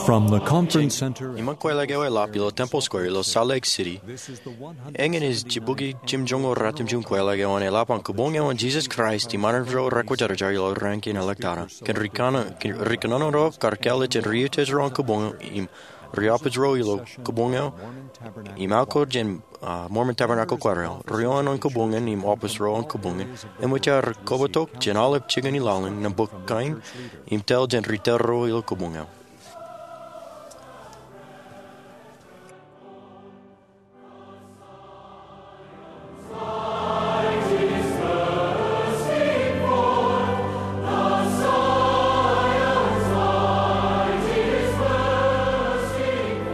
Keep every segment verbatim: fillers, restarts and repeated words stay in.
From the Conference Center. Iṃōn kweilọk eo eḷap ilo Temple Square ilo Salt Lake City, eñin ej jibukwi jimjuonñoul ratimjuon kweilọk eo an eḷap an Kabuñ eo an Jesus Christ iṃaan ro rekwōjarjar ilo raan kein ḷọk tata. Kōn ri kōnono ro kar kāālōt jān ri-utiej ro an kabuñ eo im ri-office ro ilo kabuñ eo im aokar jān ah, Mormon Tabernacle Choir eo, ri-oan an kabuñ in im office ro an kabuñ in, eṃōj aer kobatok jān aolep jikin ilowaan nōṃba kain im tōl jān ri-tōl ro ilo kabuñ eo.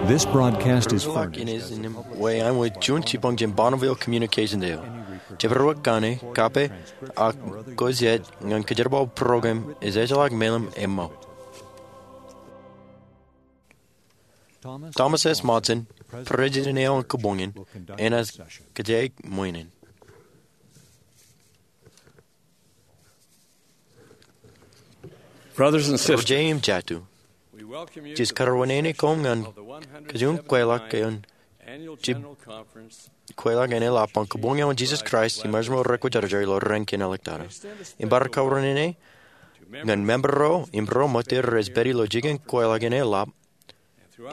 This broadcast is furnished. Kweilọk in ej im wāween juon jipañ jān Bonneville Communications eo. Jepdewōt kaṇe, kape, ak kōjāt ñan kōjerbal program ej ejjeḷọk meḷeḷe im ṃōk. Thomas S. Monson, President eo an kabuñ in, enaaj kōjjāik ṃweiin. Brothers and sisters, Ro ije im jatū, jej kōrā wōnṃaanḷọk koṃ ñan kajjioñ kweilọk eo an jib kweilọk eṇ eḷap an Kabuñ eo an Jesus Christ iṃaan ro rekwōjarjar ilo raan kein ḷọk tata. Im bar kōrā wōnṃaanḷọk ñan member ro im ro ṃōttan rej pād ilo jikin kweilọk eṇ eḷap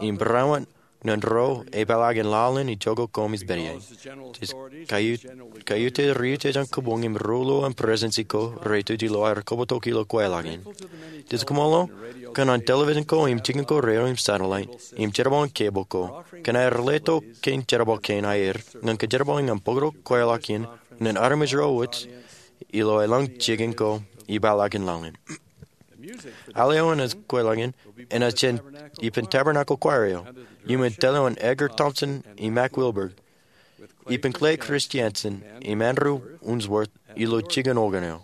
im barāinwōt ñan ro epeḷaakin laḷ in ijoko koṃij pād ie. Jej kaiut- kaiutiej ri-utiej an kabuñ im ri-ruo an presidency ko rej tuj ilo aer kobatok ilo kweilọk in. Jej kaṃṃoolol kōn an television ko im jikin ko radio im satellite im jerbal in cable ko kōn aer letok kein jerbal kein aer ñan kōjerbal ñan bōktok kweilọk in ñan armej ro wōj ilo elōñ jikin ko ipeḷaakin laḷ in. Al eo an kweilọk in enaaj jān ippān Tabernacle Choir eo iuṃwin tōl eo an Edgar Thompson im Mack Wilberg, ippān Clay Christensen im Andrew Unsworth ilo jikin organ eo.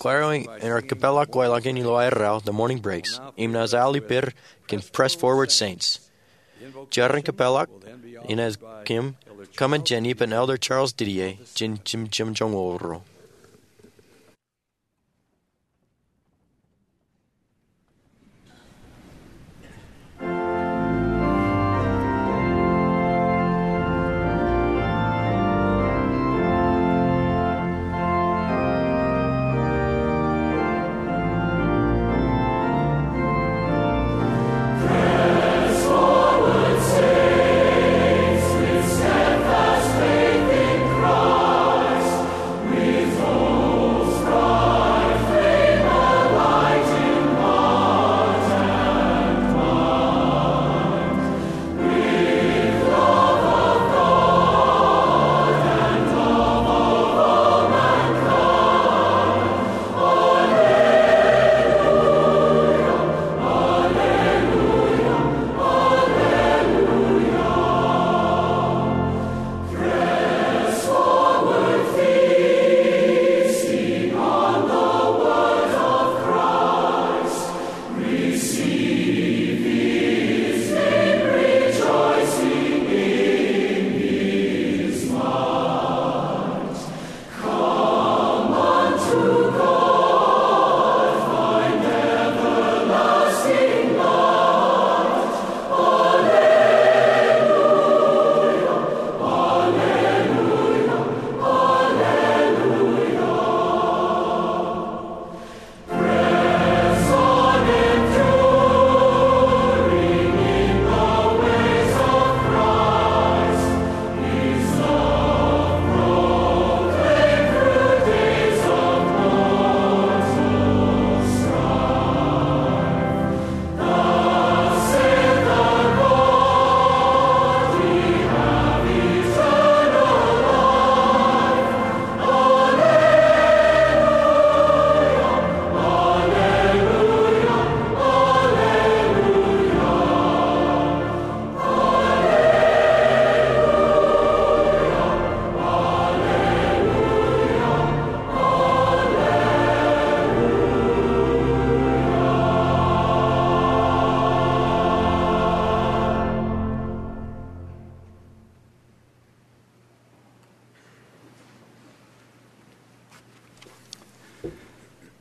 Choir eo enaaj kōpeḷḷọk kweilọk in ilo aerro The Morning Breaks im naaj al ippād kōn Press Forward Saints. Jar in kōpeḷḷọk enaaj kōṃṃan jān ippān Elder Charles Didier jān jimjuonñoul ro.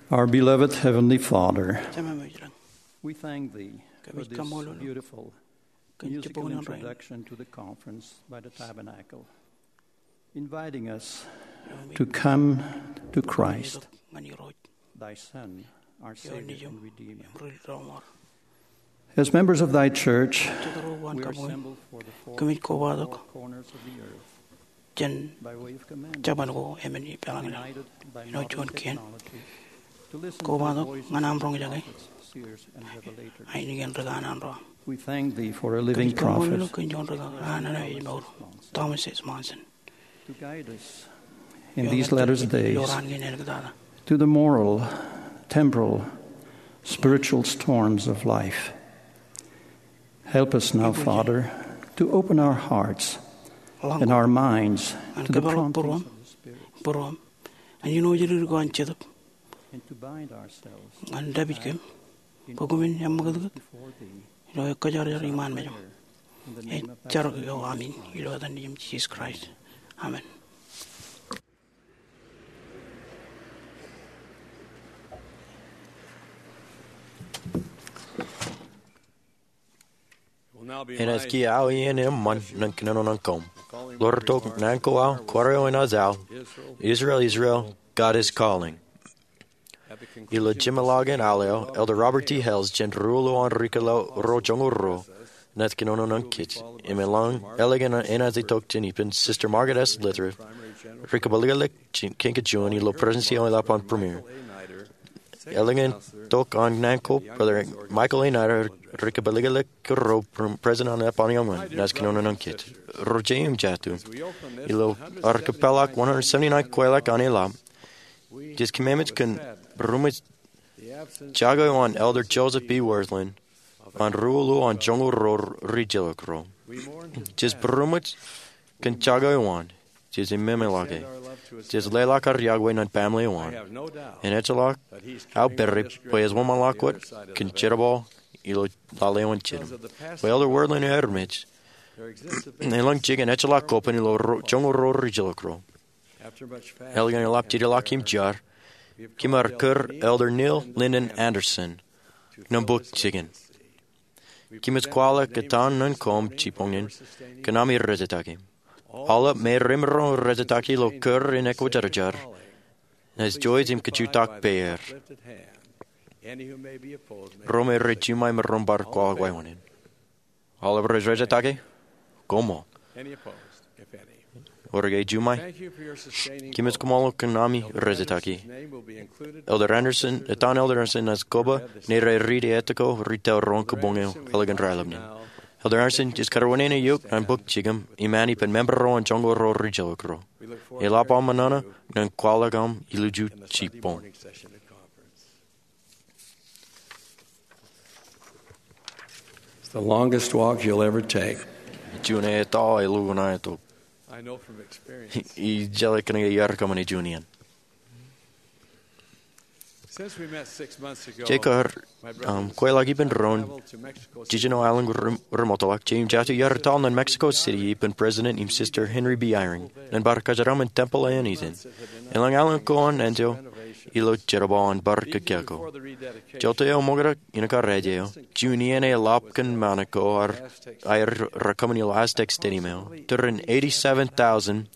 Our beloved Heavenly Father, Jemem eo ej ḷọk. We thank thee. for this beautiful musical introduction to the conference by the Tabernacle, inviting us to come to Christ, thy Son, our Savior and Redeemer. As members of thy church, we are assembled for the four corners of the earth. Jān jabōn ko emān i peḷaakin eo juon kien. Kobatok ñan aṃ roñjake ainikien ri kanaan ro aṃ. Kōmij kaṃṃoolol eok kōn juon ri kanaan eo ej mour, Thomas S. Monson, in these latter days, to the moral, temporal, spiritual storms of life. Help us now, Father, to open our hearts and our minds to the promptings of the Spirit, būruōm, būruōm, ñan ilo ri ko an Jetōb, and to bind ourselves ñan dāpij kōm bwe kōmin eṃṃakūtkūt ilo ekkajarjar iṃaan mejaṃ. Ij jar eo aṃ in ilo etan Nejiṃ Jisōs Kraist. Amen. Enaaj kiiō aō iien eṃṃan ñan kōnono ñan koṃ. Ḷoor tok naan ko aō, kwaar eo enaaj aō, Israel, Israel, God is calling. Ilo jemḷọkin al eo, Elder Robert T. Hales jān ruo ḷo an ri kōḷḷā ro joñoul ruo, enaaj kōnono ñan kōj. Im eḷaññe eḷaññe enaaj itok jān ippān, Sister Margaret S. Literat, ri kōpālōklōk kōn kōj juon ilo President eo eḷap an Premier. Eḷaññe tok an naan ko, Brother Michael A. Nider, ri kōpālōklōk ro President an Ḷap an Iuṃwin, enaaj kōnono ñan kōj. Ro je im jatū, ilo ad kōpeḷḷọk one hundred seventy-nine kweilọk an e ḷap, jej kōmmeṃṃan kōn būroṃōj jako eo an Elder Joseph B. Wirthlin an ruo ḷo an joñoul ruo ri jilkinḷọk ro. Jej būroṃōj kōn jako eo an. Jej ememeḷọke. Jej leḷọk ad yokwe ñan baaṃle eo an. En ejjeḷọk aō pere bwe ej wōnṃaanḷọk wōt kōn jerbal ilo lale eo an Jetōb. Bwe Elder Wirthlin eo armej, eḷaññe jikin ejjeḷọk koban ilo joñoul ruo ri jilkinḷọk ro. Eḷaññe eḷap jideḷọk im jar, kōm ar kūr Elder Neil Linden Andersen ñan bōk jikin. Kōmij kwaḷọk etan ñan koṃ jibboñin kōn ami rejetaki. Aolep me remaroñ rejetaki ilo kūr in ekwōjarjar, naaj juon im kajutak peier. Ro me rej juṃae maroñ bar kwaḷọk wāween in. Aolep rej rejetaki, koṃṃool. Ewōr ke juṃae? Kōmij koṃṃool kōn ami rejetaki. Elder Andersen, etan Elder Andersen enaaj koba ñan ri-etto ko ri tōl ro kōbōñ eo eḷaññe raelep ṇe. Elder Andersen, ij karuwaineneik eok ñan bōk jikin im an ippān member ro an joñoul ruo ri jilkinḷọk ro. Eḷap aṃ ṃōṇōṇō ñan kwaḷọk aṃ ilju jibboñ. It's the longest walk you'll ever take. Juon etto eḷukkuun aō tok. I jeḷā kōnke iar kōṃṃane juon iien. Since we met six months ago, Jekar, um, kweilọk ippān doon jiljino aelōñ ri-, rimotḷọk, je im jatū iar etal ñan Mexico City ippān President im Sister Henry B. Eyring ñan bar kōjeraṃṃan tempel eo an ijin. Eḷaññe aelōñ ko an enjeḷ ilo jerbal an bar kōkō. Jota eo ṃōkaj in kar ej eo, juon iien eḷap kōn ṃaan ko aer, aer rekōṃṃan ilo Aztec Stadium eo, tūrin eighty-seven thousand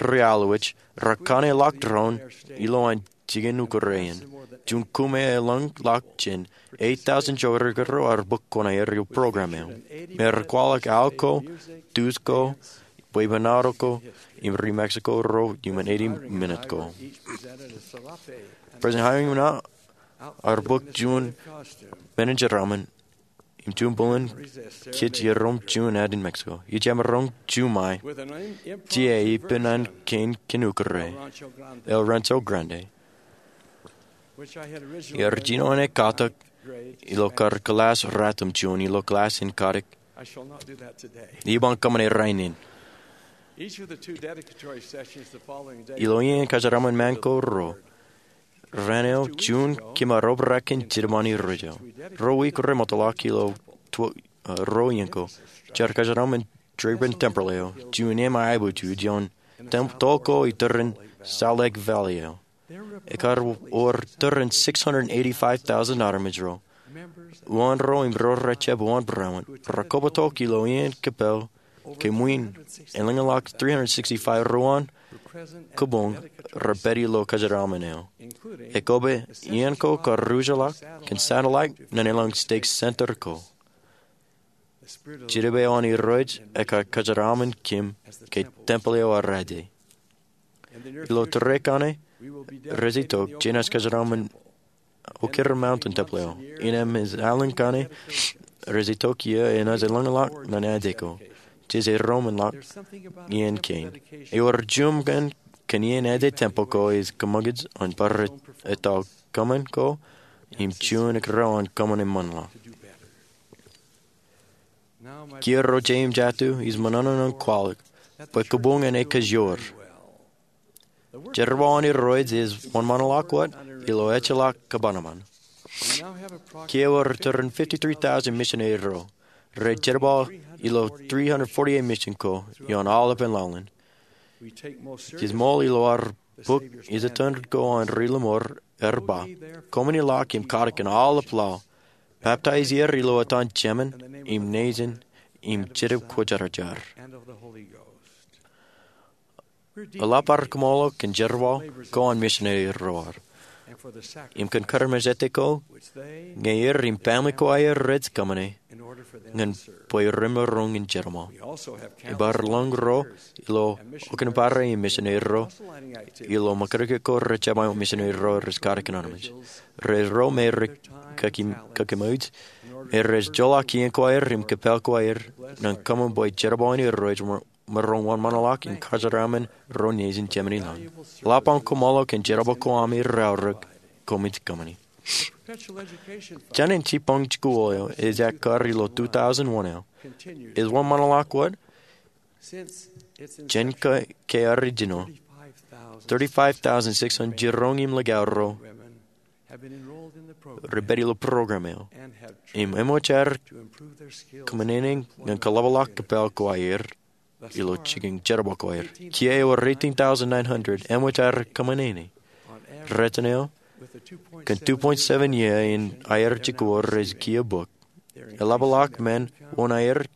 ri-alwōj rekaṇe ḷọk doon ilowaan jikin ukōt rein. Juon kōm eḷaññe ḷọk jān eight thousand jokar ro ar bōk kuṇaer ilo program eo. Me rekwaḷọk aō ko, tuj ko, bwebwenato ko, im ri-Mexico ro iuṃwin eighty minit ko. President Eyring im ṇa ar bōk juon men in jeraṃṃan im juon bōlen kōj iroṃ juon ad in Mexico. Ij jemaroñ juṃae tia ippān an kein kōn ukōt rein, El Rancho Grande. Iar jino ṇe katak ilo kar kilaas ratimjuon ilo kilaas in kadik. Iban kōṃṃane rainin. Ilo iien kōjeraṃṃan ṃaan ko ruo, raan eo juon kōm ar obrak kōn jidik ṃaan in rejjo. Ruo wiik remootḷọk ilo tw-, uh, ruo iien ko, jaar kōjeraṃṃan Draper Tempel eo, juon eṃ aebōj juon tem-, tōl ko itūrin Salt Lake Valley eo. Ekar wōr tūrin six hundred eighty-five thousand armej ro. Uwaan ro im ro rej jab uwaan būruon ro kobatok ilo iien kōppāl ke ṃwiin elōñḷọk three hundred sixty-five ruwaan kōboñ rej pād ilo kōjeraaṃṃan eo, ekkobe iien ko kar ruj ḷọk kōn satellite ñan elōñ state center ko. Jidik eo an Irooj ekar kōjeraaṃṃan kōm ke tempel eo arrātō. Ilo tōre kaṇe rej itok jenaaj kōjeraaṃṃan Okere Mountain Tempel eo. Innām ej alen kaṇe rej itok iiō enaaj elōñḷọk ñan aje ko, jej romanḷọk iien kein. Ewōr juṃ kōn kōn iien aje tempel ko ej kōṃakūt an bar etto kōṃṃan ko im juon ekkar an kōṃṃan eṃṃanḷọk. Kiiō ro jeiū im jatū, ij ṃōṇōṇō ñan kwaḷọk bwe kōboñ en ekkar joor. Jerbal an Irooj ej wōnṃaanḷọk wōt ilo ejjeḷọk kōṃanṃan. Kiiō ewōr tōre in fifty-three thousand misineri ro rej jerbal ilo three hundred forty-eight mission ko ioon aolepen laḷ in. Jej ṃool ilo ad bok ej iten ko an ri Lemor ear ba, koṃṃani ḷọk im katak kōn aolep laḷ, baptize er ilo etan Jemān im Nejin im Jetōb Kwōjarjar. Eḷap ad kōṃṃool kōn jerbal ko an misineri ro ad im kōn kōrā im ejjeḷọk ko ñe er im family ko aer rej kōṃṃane ñan bwe remaroñ in jerbal. Ej bar lōñ ro ilo okōnbare im misineri ro ilo ṃōkaj ko rej jab misineri ro rej katak kōn armej. Ro me rej kōkemouj me rej joḷọk iien ko aer im kōppāl ko aer ñan kōṃṃan bwe jerbal in Irooj emaroñ wōnṃaanḷọk im kōjeraaṃṃan ro nejin Jemān ilañ. Eḷap aṃ kōṃṃool kōn jerbal ko ami raorōk koṃij kōṃṃani. Jān in jibboñ jikuuḷ eo ej ekkar ilo two thousand one eo ej wōnṃaanḷọk wōt jān ke original, thirty-five thousand six hundred jiroñ im likao ro rej pād ilo program eo im eṃōj aer kōṃṃane ñan kōḷapḷọk kōppāl ko aer ilo jikin jerbal ko aer. Kiiō ewōr eighteen thousand nine hundred eṃōj aer kōṃṃane. Rejjān eo kōn two point seven iiō in aer jikuuḷ rej kiiō bōk, eḷapḷọk men wōn aer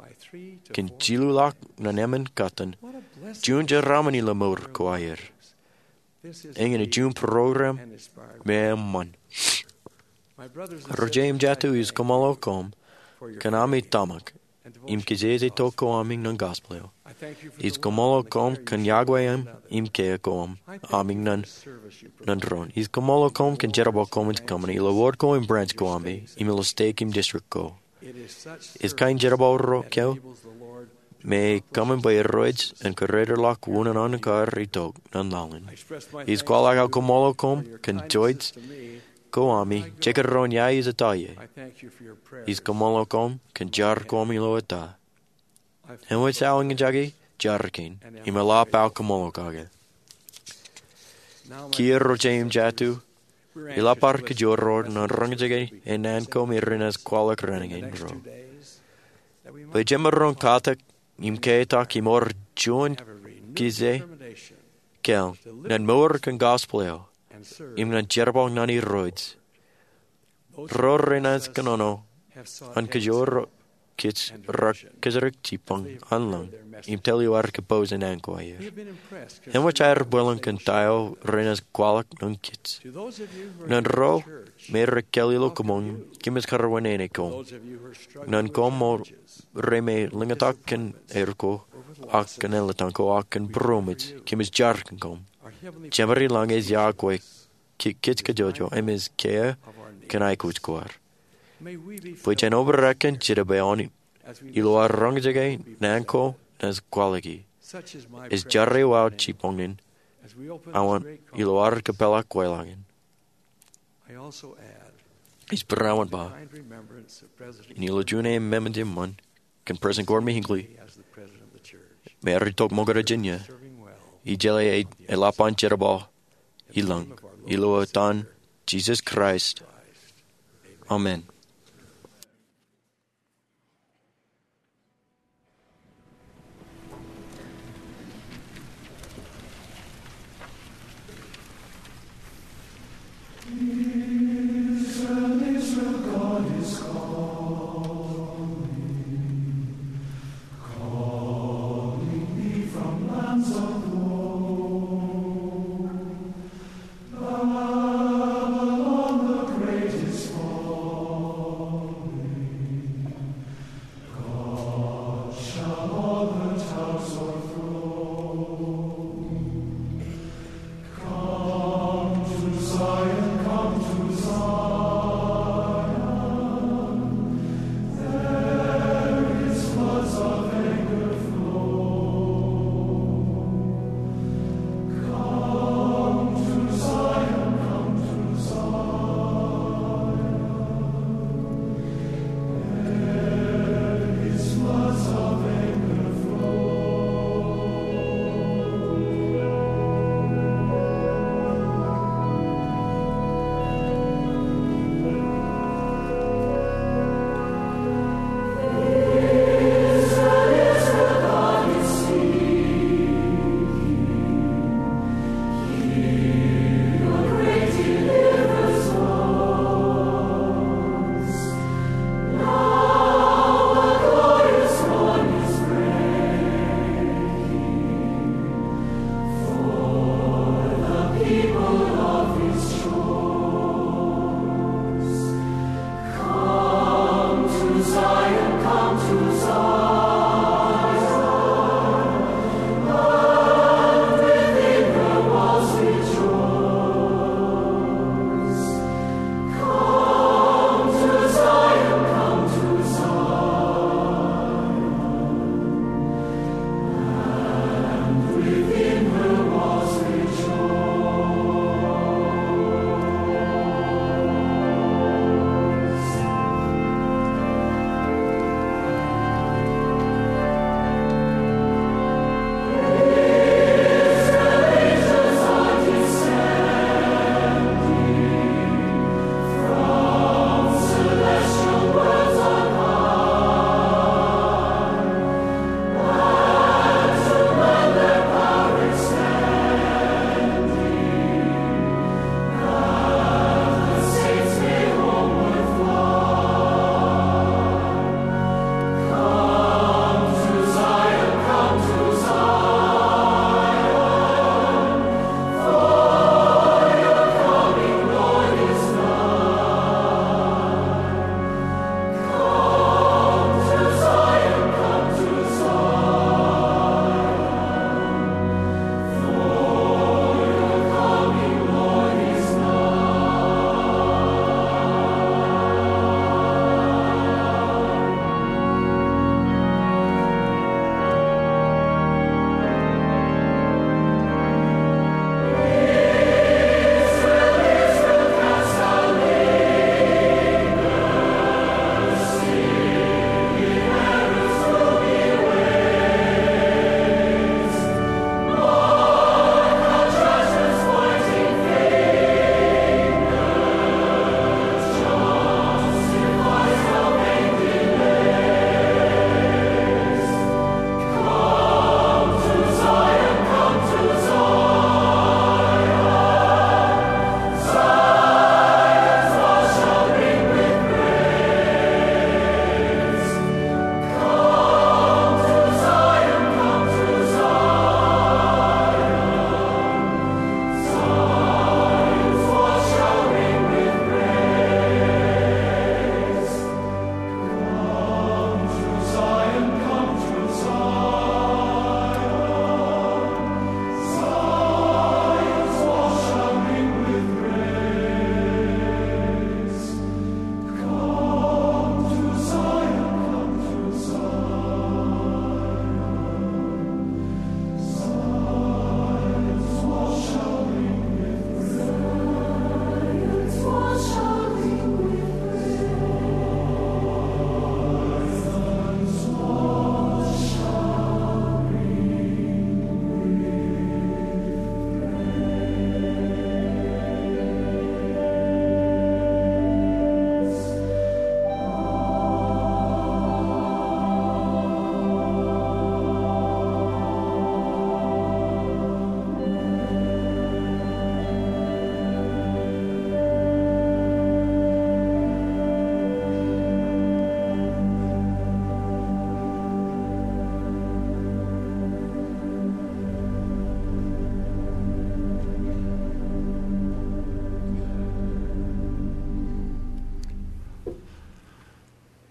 kōn jilu ḷọk ñan emān kōttan. Juon jeraaṃṃan ilo mour ko aer. Eñin ej juon program me eṃṃan. Ro jeiū im jatū, ij kōṃṃool koṃ kōn ami tōmak im kijeje tok ko ami ñan gospel eo. Ij kōṃṃool koṃ kōn iọkwe ami im kiiō ko ami ñan doon. Ij kōṃṃool koṃ kōn jerbal koṃij kōṃṃane ilo wōt ko im branch ko ami im ilo state im district ko. Ej kain jerbal ro ko me ej kōṃṃan bwe Irooj en kūrerḷọk unin an kar itok ñan laḷ in. Ij kwaḷọk aō kōṃṃool koṃ kōn jouj ko ami, jekdọọn ia ij etto ie. Ij kōṃṃool koṃ kōn jar ko ami ilo ettā. Eṃōj aō eñjake jar kein im eḷap aō kōṃṃool kake. Kiiō ro jeiū im jatū, eḷap ad kōjro ñan roñjake e naan ko me renaaj kwaḷọk raan in ro. Bwe jemaroñ katak im ketak im ewōr juon kōjatdikdik ñan mour kōn gospel eo im ñan jerbal ñan Irooj. Ro renaaj kōnono an kōjro kōj rekōjro jibboñ an lañ im tōl eo ad kōpooj e naan ko aer. Eṃōj aer bwilōñ kōn ta eo renaaj kwaḷọk ñan kōj. Ñan ro me rej kāāl ilo kōṃṃool, kōmij kar wōnṃaanḷọk koṃ. Ñan koṃ ro me lōñtak kōn aer ko ak kōn āliktata ko ak kōn būroṃōj, kōmij jar kōn koṃ. Jemād ilañ ej iọkwe kōj kōjro im ej kiiō kōn aikuj ko ad. Bwe jen obrak kōn Jetōb eo an ilo ad roñjake naan ko naaj kwaḷọki. Ej jar eo aō jibboñ in awa ilo ad kōpeḷḷọk kweilọk in. Ij būruon ba in ilo juon ememej eṃṃan kōn President Gordon B. Hinckley me ear itok ṃōkaj jān iiō, ij jeḷā eḷap an jerbal ilañ, ilo etan Jesus Christ, amen.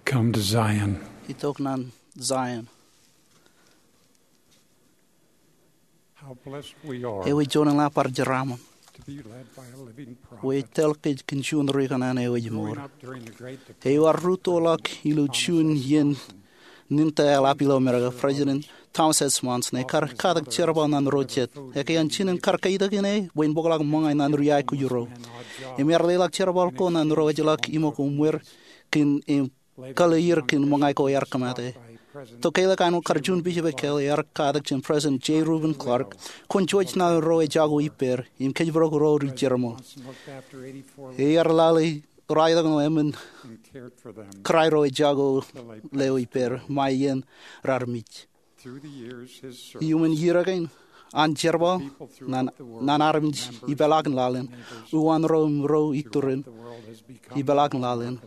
Come to Zion. Itok ñan Zion. How blessed we are. Ewi juon in ḷap bar jeraaṃṃan. To be led by a living prophet. Bwe ej tōl kōj kōn juon ri kōṇaan eo ej mour. Growing up during the Great Depression, eo ear rūttoḷọk ilo juon iien nin ta eḷap ilo Amerika, President Thomas S. Monson ekar katak jerbal ñan ro jet. Ekkā an jinen kar kaitak in e bwe en bōkḷọk ṃōñā ñan ri aikuj ro. Im ear leḷọk jerbal ko ñan ro ejjeḷọk iṃōk uṃwir kōn im kōḷḷe er kōn ṃōñā ko ear kōmate. Tok ke ḷọk āinwōt kar juon bishop ekkā ear katak jān President J. Reuben Clark, kwōn juj ñan ro ejako ippāer im kōjparok ro ri jerbal. Ear lale ro aetok ṇe emān kōrā ro ejako ḷeo ippāer ṃae iien raar mej. Iuṃwin iiō kein an jerbal ñan armej ipeḷaakin laḷ in, uwaan ro im ro iturin ipeḷaakin laḷ in,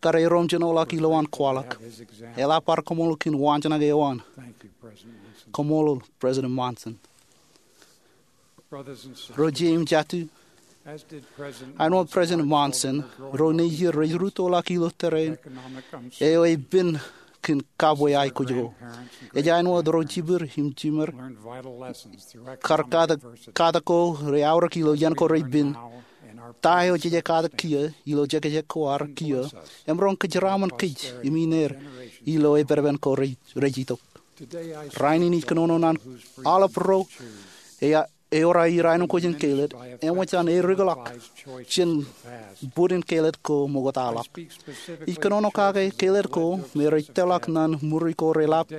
kar erom jinoḷọk ilowaan kwaḷọk. Eḷap bar kaṃṃoolol kōn waanjoñak eo an. Kaṃṃoolol President Monson. Ro jet im jatū, āinwōt President Monson, ro nejū rej rūttoḷọk ilo tōre in eo ej pen kōn kabwe aikuj ko. Ej āinwōt ro jipir im jimer kar katak ko rej aorōk ilo iien ko rej pen, ta eo jej katak kiiō ilo jekjek ko ad kiiō, emaroñ kōjeraaṃṃan kōj im ineer ilo epedepen ko rej itok. Rainin ij kōnono ñan aolep ro eo eor aer aenōkwe jān Kaled, eṃōj an ear ikḷọk jān bōd in Kaled ko ṃoktaḷọk. Ij kōnono kake Kaled ko me rej tōlḷọk ñan ṃuri ko reḷap,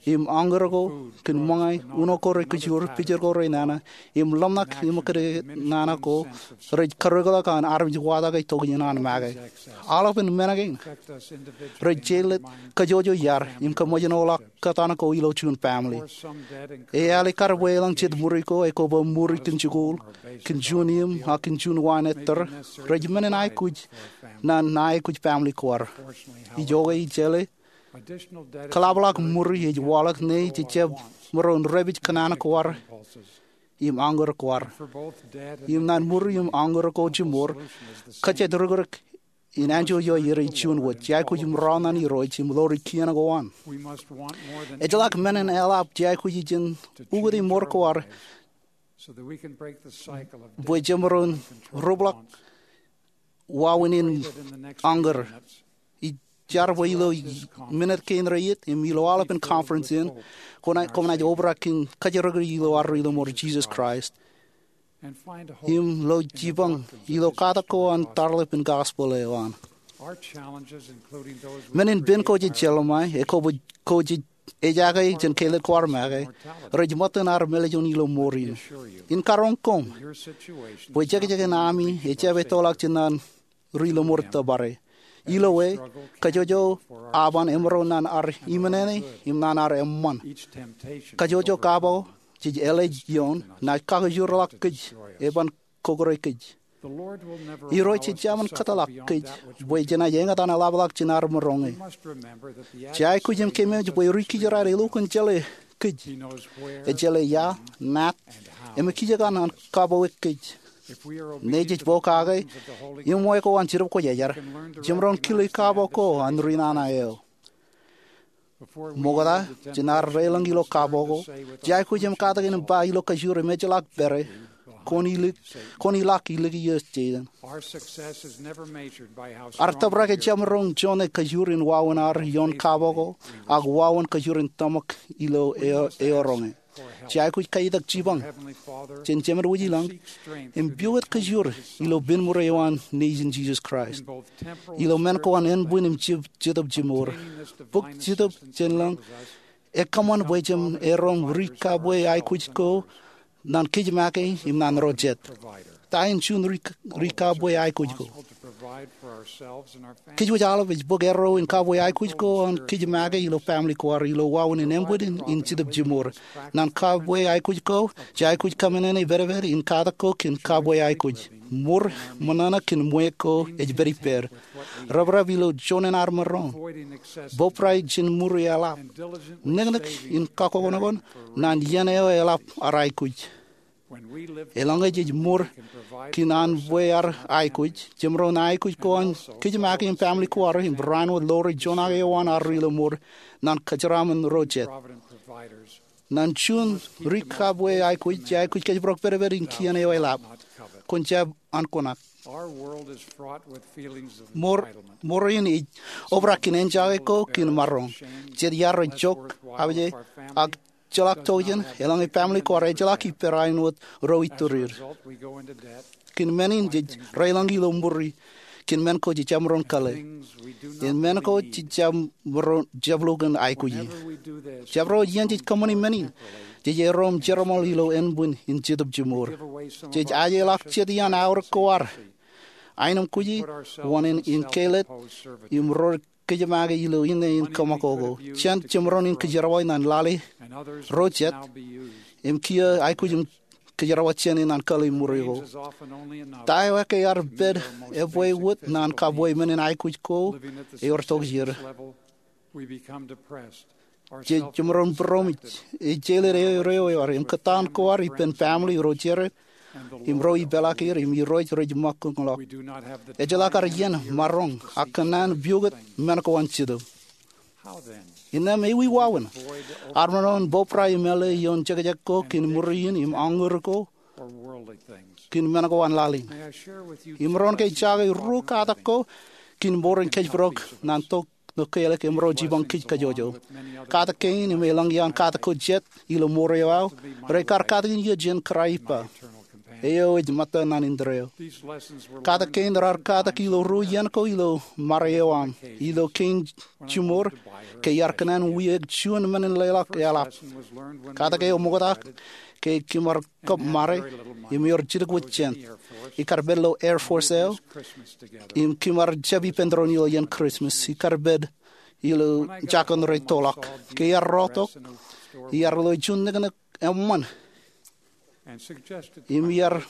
im añkōr ko kōn ṃōñā, uno ko rej kōjur, picture ko rej nana, im ḷōmṇak im kōdōd nana ko rej karreoḷọk an armej watake tok iien an make. Aolepān men kein rej jelōt kōjwōjwōj iaad im kōṃōjṇọḷọk kōtaan ko ilo juon family. Eale kar bwe elōñ jet ṃuri ko ekwe bwe ṃuri kōn jikuuḷ, kōn juon iiōm, ak kōn juon waan ettōr, rej men in aikuj ñan aikuj family ko ad. Ijoke ijjeḷā, kōḷapḷọk ṃuri ej waḷọk ñe jej jab maroñ repij kōṇaan ko ad im añkōr ko ad. Im ñan ṃuri im añkōr ko jiṃor, kōjjāik rikrik in anjọ eo ear juon wōt. Jej aikuj maroñ ñan Irooj im ḷoori kien ko an. Ejjeḷọk men in eḷap jej aikuj ijin ukōte ṃoor ko ad bwe jemaroñ rubḷọk wāween in añkōr. Ij jar bwe ilo minit kein reiiet im ilo aolepān conference in, koṃ naaj obrak kōn kōjjirikdik ilo ad ri lọmọọr Jisōs Kraist im lo jipañ ilo katak ko an tarḷap in gospel eo an. Men in pen ko jej jelṃae, ekwe bwe ko jej ejake jān Kaled ko ad make, rej ṃōttan ad mālejjoñ ilo mour in. In karoñ koṃ bwe jekjek in ami ejjab ettoḷọk jān an ri lọmọọr tōpare. Ilo e, kōjwōjwōj aban emaroñ ñan ad iṃōṇōṇō im ñan ad eṃṃan. Kōjwōjwōj kab eo jej ālij ioon naaj kakijorḷọk kōj, eban kokore kōj. Irooj ejjaṃōn kōtḷọk kōj bwe jenaaj eñtaan eḷapḷọk jān ad maroñe. Jej aikuj im keememej bwe ri kijeraad elukkuun jeḷā kōj. Ej jeḷā ia, ṇaat, im ekijjek an kab eo kōj. Ñe jej pokake iṃwe ko an Jetōb Kwōjarjar, jemaroñ kile kab ko an ri nana eo. Ṃokta jān ad deḷọñ ilo kab ko, jej aikuj im katakin im ba ilo kōjur im ejjeḷọk pād e, kwōn ilọk, kwōn ilọk ilikin iiō jein. Ad tōprak ejjab maroñ joñe kōjur in wāween ad ioon kab ko, ak wāween kōjur in tōmak ilo eo, eo roñe. Jej aikuj kaitak jipañ jān Jemān wōj ilañ im piwōt kōjur ilo pen ṃuri eo an Nejin Jisōs Kraist ilo men ko an ānbwin im jitōb, jitōb jimour. Bōk jitōb jān lañ ekōṃṃan bwe jemerom ri kabwe aikuj ko ñan kōj make im ñan ro jet. Ta in juon ri, ri kabwe aikuj ko? Kōjwōj aolep ej bōk erro in kabwe aikuj ko an kōj make ilo family ko ad ilo wāween in ānbwin im jitōb jimour. Ñan kabwe aikuj ko, jej aikuj kōṃṃane pedped in katak ko kōn kabwe aikuj. Ṃur ṃōṇōṇō kōn ṃweiuk ko ej pād ippād. Reprep ilo juon in ad maroñ. Bōbrae jān ṃuri eḷap. Neknek in kakonokoṇ ñan iien eo eḷap ad aikuj. Eḷaññe jej mour kōn an bwe ear aikuj, jemaroñ aikuj ko an kōjmake im family ko ad im barāinwōt ḷoore juon ak eo an ad ri ilo mour ñan kōjeraaṃṃan ro jet. Ñan juon ri kab bwe aikuj, jej aikuj kōjparok pedped in kien eo eḷap. Kwōn jab ankuṇak. Mour in ej obrak kōn enjake ko kōn maroñ. Jet iaad rej jok, abje, ak ejjeḷọk tokjān. Eḷaññe family ko ad ejjeḷọk, ij barāinwōt ro ituried. Kōn men in jej reilọñ ilo ṃuri. Kōn men ko jej jab maroñ kōḷḷe. Im men ko jej jab maroñ, jab lukkuun aikuji. Jabdewōt iien jej kōṃṃani men in, jej erom jerbal ilo ānbwin in Jetōb Jimour. Jej ajeḷọk jet iaan aorōk ko ad, aenōmkwōj, wōṇāān in kāālōt, im ro rej kōjmake ilo inne in kōṃakoko jān jemaroñ in kōjerbal ñan lale ro jet, im kiiō aikuj im kōjerbal jāne ñan kōḷḷe ṃuri ko. Ta eo ekkā ear pād ebwe wōt ñan kabwe men in aikuj ko ewōr tokjān. Jej jemaroñ būroṃōj, ejjeḷọk eo rej ewōr, im kōttaan ko ad ippān family ro jere, im ro ipeḷaakier, im irooj rej ṃōk kōñḷọk. Ejjeḷọk ad iien, maroñ, ak kōnnaan piukot men ko an Jetōb. Innām ewi wāween? Ad maroñ bōbrae im āle ioon jekjek ko kōn ṃuri in im aññūr ko kōn men ko an laḷ in. Imaroñ ke jake ruo katak ko kōn mour in kōjparok ñan tok ñan kōḷḷe ke emaroñ jipañ kōj kajjojo. Katak kein im eḷaññe iaan katak ko jet ilo mour eo aō, rekar katakin iiō jān kōrā ippa eo ej ṃōtta ñan indeeo. Katak kein raar katak ilo ruo iien ko ilo ṃare eo aṃ. Ilo kein jimour, ke iar kōnnaan wiaik juon men in leḷọk eḷap. Katak eo ṃokta ke kōm ar kab ṃare, im ewōr jidik wōt jān. Ikar pād ilo Air Force eo, im kōm ar jab ippān tōre ilo iien Christmas. Ikar pād ilo jọkun rej toḷọk. Ke iar rotok, iar lo juon niknik eṃṃan. Im iar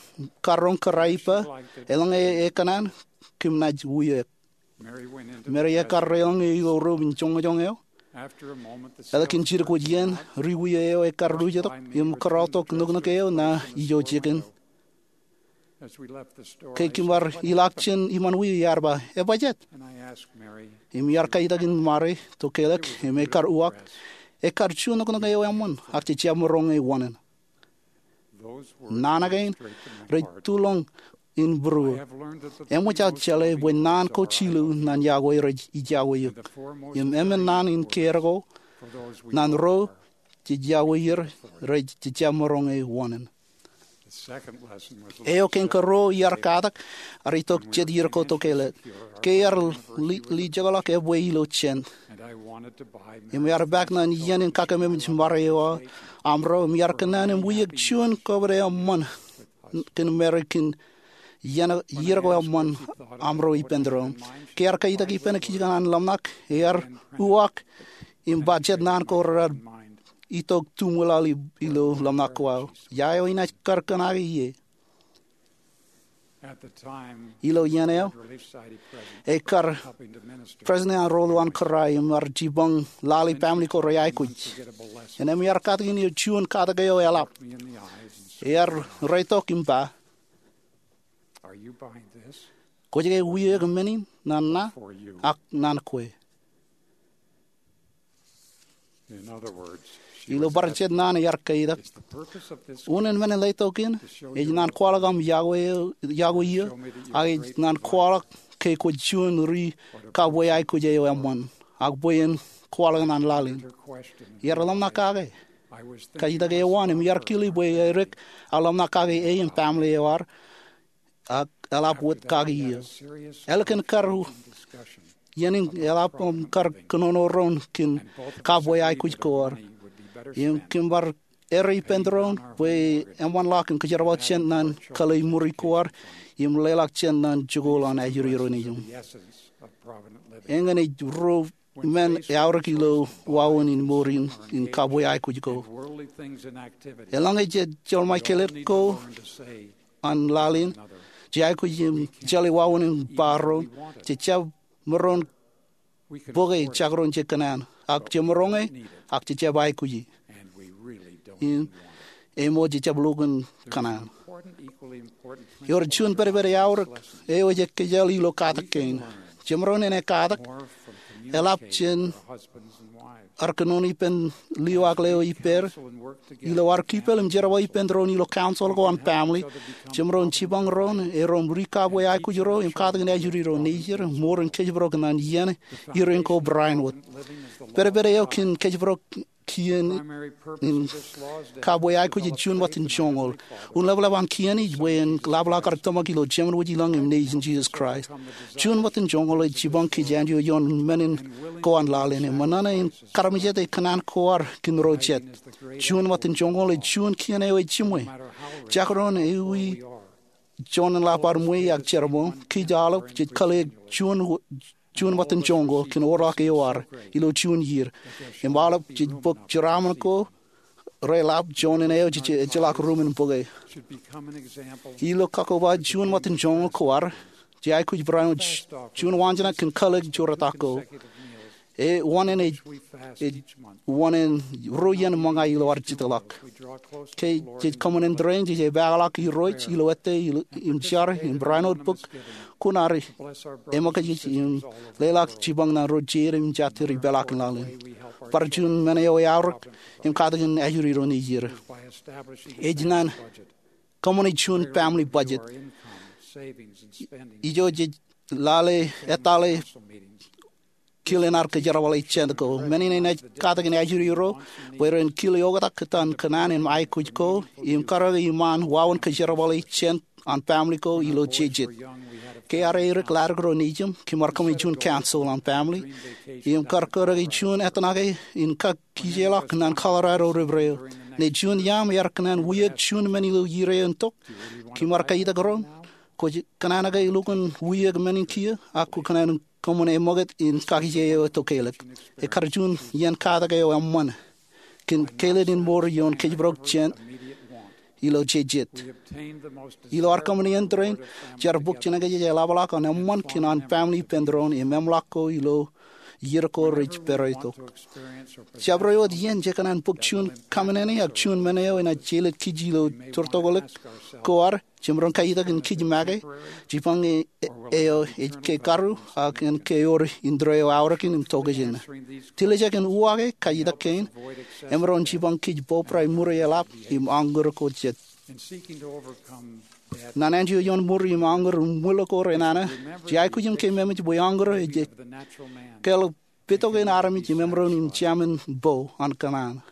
karoñ kōrā ippa, eḷaññe ekōṇaan, kōm naaj wiaik. Mary ekar reḷọñe ilo ruum in joñojoñ eo. Ālikin jidik wōt iien, ri wiaik eo ekar luujetok im kōrọtok niknik eo ṇa ijo jikin. Ke kōm ar ilọk jān iṃaan wiaik, iar ba, "Ebajjeet?" Im iar kaitōkin ṃare to kōḷḷe, im ekar uwaak, "Ekar juon niknik eo eṃṃan, ak jej jab maroñ e wōṇāān." Naan kein rej tulọñ in būruō. Eṃōj aō jeḷā bwe naan ko jilu ñan iọkwe rej ijako eok. Im emān naan in kein ko ñan ro jej iọkwe er, rej jab maroñ e wōṇāān. Eo kein karuo iar katak, ear itok jet ier ko to kōḷḷe. Ke iar li, lijekḷọk ebwe ilo jān. Im ear paak ñan iien in kakememej ṃare eo aṃro, im iar kōnnaan im wiaik juon kobōd eṃṃan kōn Mary kōn iien, iien ko eṃṃan aṃro ippān tōre. Ke ear kaitōk ippān kijkan an ḷōmṇak, ear uwaak im ba jet naan ko raar itok tuṃwilaḷ ilo ḷōmṇak ko aō. Ia eo inaaj kar kōṇaake ie? Ilo iien eo, ekar president an ro lowaan kōrā im ar jipañ lale family ko rej aikuj. Innām ear katakin eō juon katak eo eḷap. Ear reitok im ba, "Kwōj ke wiaik men in ñan ṇa ak ñan kwe?" Ilo bar jet naan ear kaitōk, unin men in letok in ej ñan kwaḷọk aṃ iọkwe, iọkwe eō, ak ej ñan kwaḷọk ke kwōj juon ri kab bwe aikuj eo eṃṃan, ak bwe en kwaḷọk ñan laḷ in. Iar ḷōmṇak kake. Kaitōk eo an im iar kile bwe edik aō ḷōmṇak kake e im family eo ad, ak eḷap wōt kaki eō. Ālikin kar, iien in eḷap im kar kōnono doon kōn kab bwe aikuj ko ad. Im kōm bar errā ippān tōre bwe eṃṃanḷọk im kōjerbal jān ñan kōḷḷe ṃuri ko ad, im leḷọk jān ñan jikuuḷ an ajri ro nejiṃ. Eñin ej ruo men eaorōk ilo wāween in mour in, in kab bwe aikuj ko. Eḷaññe jej jeḷmān kōḷḷe ko an laḷ in, jej aikuj im jeḷā wāween in ba doon, jej jab maroñ bōke jekdọọn jej kōṇaan, ak jemaroñ e, ak jej jab aikuji. Im eo ṃool jejjab lukkuun kōṇaan. Ewōr juon pedped eaorōk eo ej ekkejel ilo katak kein. Jemaroñ in katak, eḷap jān ad kōnono ippān lio ak leo ippāer, ilo ad kipel im jerbal ippān doon ilo council ko an family, jemaroñ jipañ doon, erom ri kabwe aikuj ro im katakin ajri ro nejier, ṃool in kōjparok ñan iien irein ko barāinwōt. Pedped eo kōn kōjparok kien in kabwe aikuj ej juon ṃōttan joñoul. Un leplep an kien ej bwe en ḷapḷọk ad tōmak ilo Jemān Wōj Ilañ im Nejin Jisōs Kraist. Juon ṃōttan joñoul ej jipañ kōj āinwōt ioon men in ko an laḷ in, im ṃōṇōṇō in karamjete kōṇaan ko ad kōn ro jet. Juon ṃōttan joñoul ej juon kien eo ej jiṃwe. Jekdọọn ewi juon in ḷap ad ṃweiuk ak jerbal, kōj aolep jej kōḷḷeik juon ṃōttan joñoul kōn orḷọk eo ad ilo juon iiō. Im aolep jej bōk jeraaṃṃan ko reḷap juon in eo ejjeḷọk ruuṃ in bōke. Ilo kakkobba juon ṃōttan joñoul ko ad, jej aikuj barāinwōt juon waanjoñak kōn kōḷḷeik joortak ko. Ej wōṇāān, ej wōṇāān ruo iien ṃōñā ilo ad jitōḷọk. Ke jej kōṃṃan in tōre in, jej epaakḷọk Irooj ilo ettā im jar im barāinwōt bōk kuṇaad eṃōkajej im leḷọk jipañ ñan ro jeid im jatid ipeḷaakin laḷ in. Bar juon men eo eaorōk im katakin ajri ro nejier. Ej ñan kōṃṃane juon family budget. Ijo jej lale ettale kile in ad kōjerbale jān ko. Men in enaaj katakin ajri ro bwe ren kile oktak kōtaan kōṇaan im aikuj ko im karōke iṃaan wāween kōjerbale jān an family ko ilo jejet. Ke ad erik ḷaddik ro nejiṃ, kōm ar kōṃṃane juon council an family im kar karōke juon ettōṇake in kak kijeḷọk ñan Colorado River eo. Ñe juon iaam ear kōṇaan wiaik juon men ilo iiō in tok, kōm ar kajitak ro, kwōj kōṇaan ke lukkuun wiaik men in kiiō, ak kwō kōṇaan kōṃṃane eṃōkūt in kakije eo tok keilōk. Ekar juon iien katak eo eṃṃan kōn kāālōt in mour ioon kōjparok jān ilo jejet. Ilo ad kōṃṃane in tōre in, jar bōk jenaaj eḷapḷọk an eṃṃan kōn an family ippān doon im eṃṃanḷọk ko ilo iiō ko rej pād tok. Jabdewōt iien jekōṇaan bōk juon kōṃṃane ak juon men eo enaaj jelōt kij ilo tōrtoklōk ko ad, jemaroñ kajitak in kij make, jipañ eo ej ke karu, ak en ke ewōr indeeo aorōkin im tokjān. Tiljek in uwaake kajitak kein, emaroñ jipañ kij bōbrae ṃuri eḷap im aññūr ko jet. Ñan āinwōt ioon ṃuri im aññūr ṃwilaḷ ko renana, jej aikuj im kememej bwe aññūr ej ke ḷap petoke in armej im emaroñ in jemān bo an kōṇaan.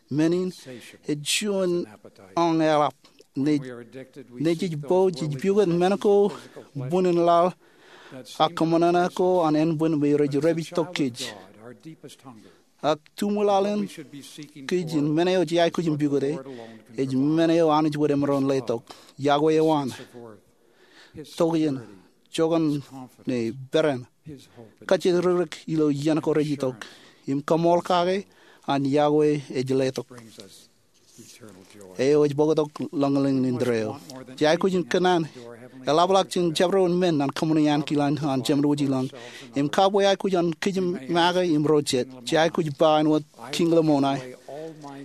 Men in ej juon añ eḷap. Ñe jej bo, jej piukūt men ko buñin laḷ ak kōṃṃanṃōṇōṇō ko an ānbwin me rej repij tok kōj. Ak tuṃwilaḷ in kōj in men eo jej aikuj in piukute, ej men eo Anij wōt emaroñ letok. Iọkwe eo an, tokjān, joñan, ñe peran, kajjitōk ilo iien ko rej itok, im kaṃool kake an iọkwe ej letok. Eo ej bōktok ḷōñḷōñ in indeeo. Jej aikuj in kōṇaan eḷapḷọk jān jabdewōt men ñan kōṃṃani ankilaan an Jemān Wōj Ilañ im kabwe aikuj an kōj make im ro jet. Jej aikuj ba āinwōt Kiiñ Lamoni,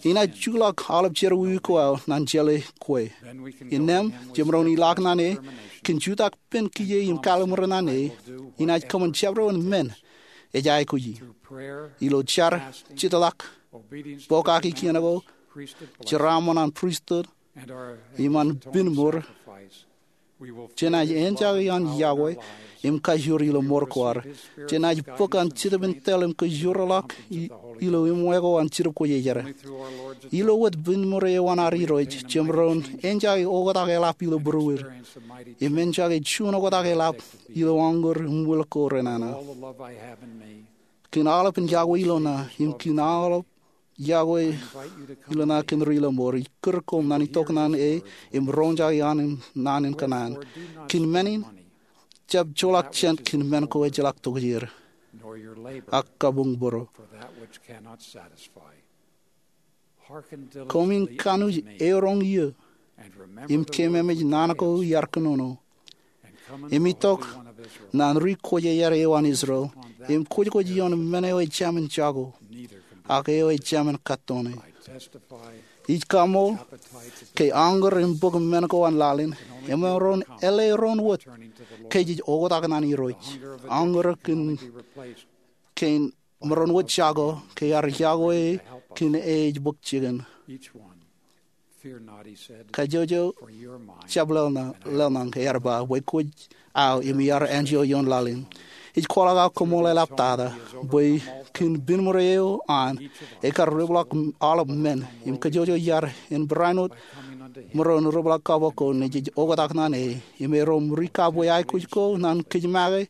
inaaj juḷọk aolep jerọwiwi ko aō ñan jeḷā kwe. Innām jemaroñ ilọk ñan e kōn jutak pen kiiō im kalimur ñan e, inaaj kōṃṃan jabdewōt men ej aikuji. Ilo jar, jitḷọk, pokake kien ko, jeraaṃṃan an pristut, im an piñ mour, jenaaj enjake an iọkwe im kajoor ilo mour ko ad. Jenaaj bōk an Jetōb in Tōl im kajoorḷọk ilo iṃwe ko an Jetōb Kwōjarjar. Ilo wōt piñ mour eo an ad Irooj, jemaroñ enjake oktak eḷap ilo būruod, im enjake juon oktak eḷap ilo aññūr im ṃwilaḷ ko renana. Kōn aolepān iọkwe ilo ṇa, im kōn aolep iọkwe ilo ṇa kōn ri-laṃōr, ij kūr koṃ ñan itok ñan e im roñjake an naan in kōṇaan. Kōn men in, jab joḷọk jān kōn men ko ejjeḷọk tokjāer, ak kabuñbūruō. Koṃwin kanooj eoroñ iiō, im kememej naan ko iar kōnono, im itok ñan ri kwōjarjar eo an Israel, im kwōjkwōj ioon men eo ejāmin jako, ak eo ejāmin kattone. Ij kaṃool ke añōr im bōk men ko an laḷ in, emaroñ eḷḷā roñ wōt ke jej oktak naan Irooj. Añōr kōn kein maroñ wōt jako ke ear yokwe kōn ej bōk jikin. Kajjojo, jab lōḷñọñ, ear ba, bwe kwōj aō im iar anjọ ioon laḷ in. Ij kwaḷọk aō koṃṃool eḷaptata bwe kōn binmure eo an, ekar ripḷọk aolep men im kajjojo iar en barāinwōt maroñ ripḷọk kab ko nejej oktak naan e im erom rikabwe aikuj ko ñan kōj make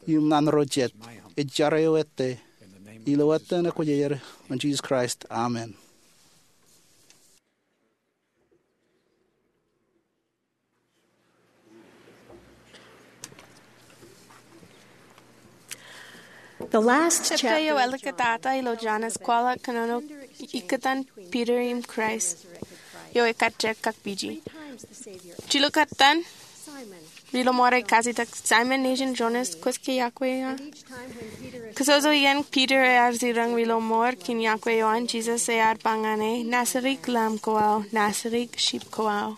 im ñan ro jet. Ij jar eo ettā ilo etan Ekwōjarjar eo, Jisōs Kraist, amen. Jepta eo eḷḷọkōtata ilo Jon ej kwaḷọk kōnono ikōtaan Piter im Kraist eo ekajjek kak pije. Jilkinḷọk etan ri-lọmọọr ej kajjitōk, Saimōn nejin Jonas, kwōj ke yokwe eō? Kōsoso iien Piter ear jiroñ ri-lọmọọr kōn yokwe eo an, Jisōs ear ba ñan e, Nasirik Lamb ko aō, nasirik sheep ko aō.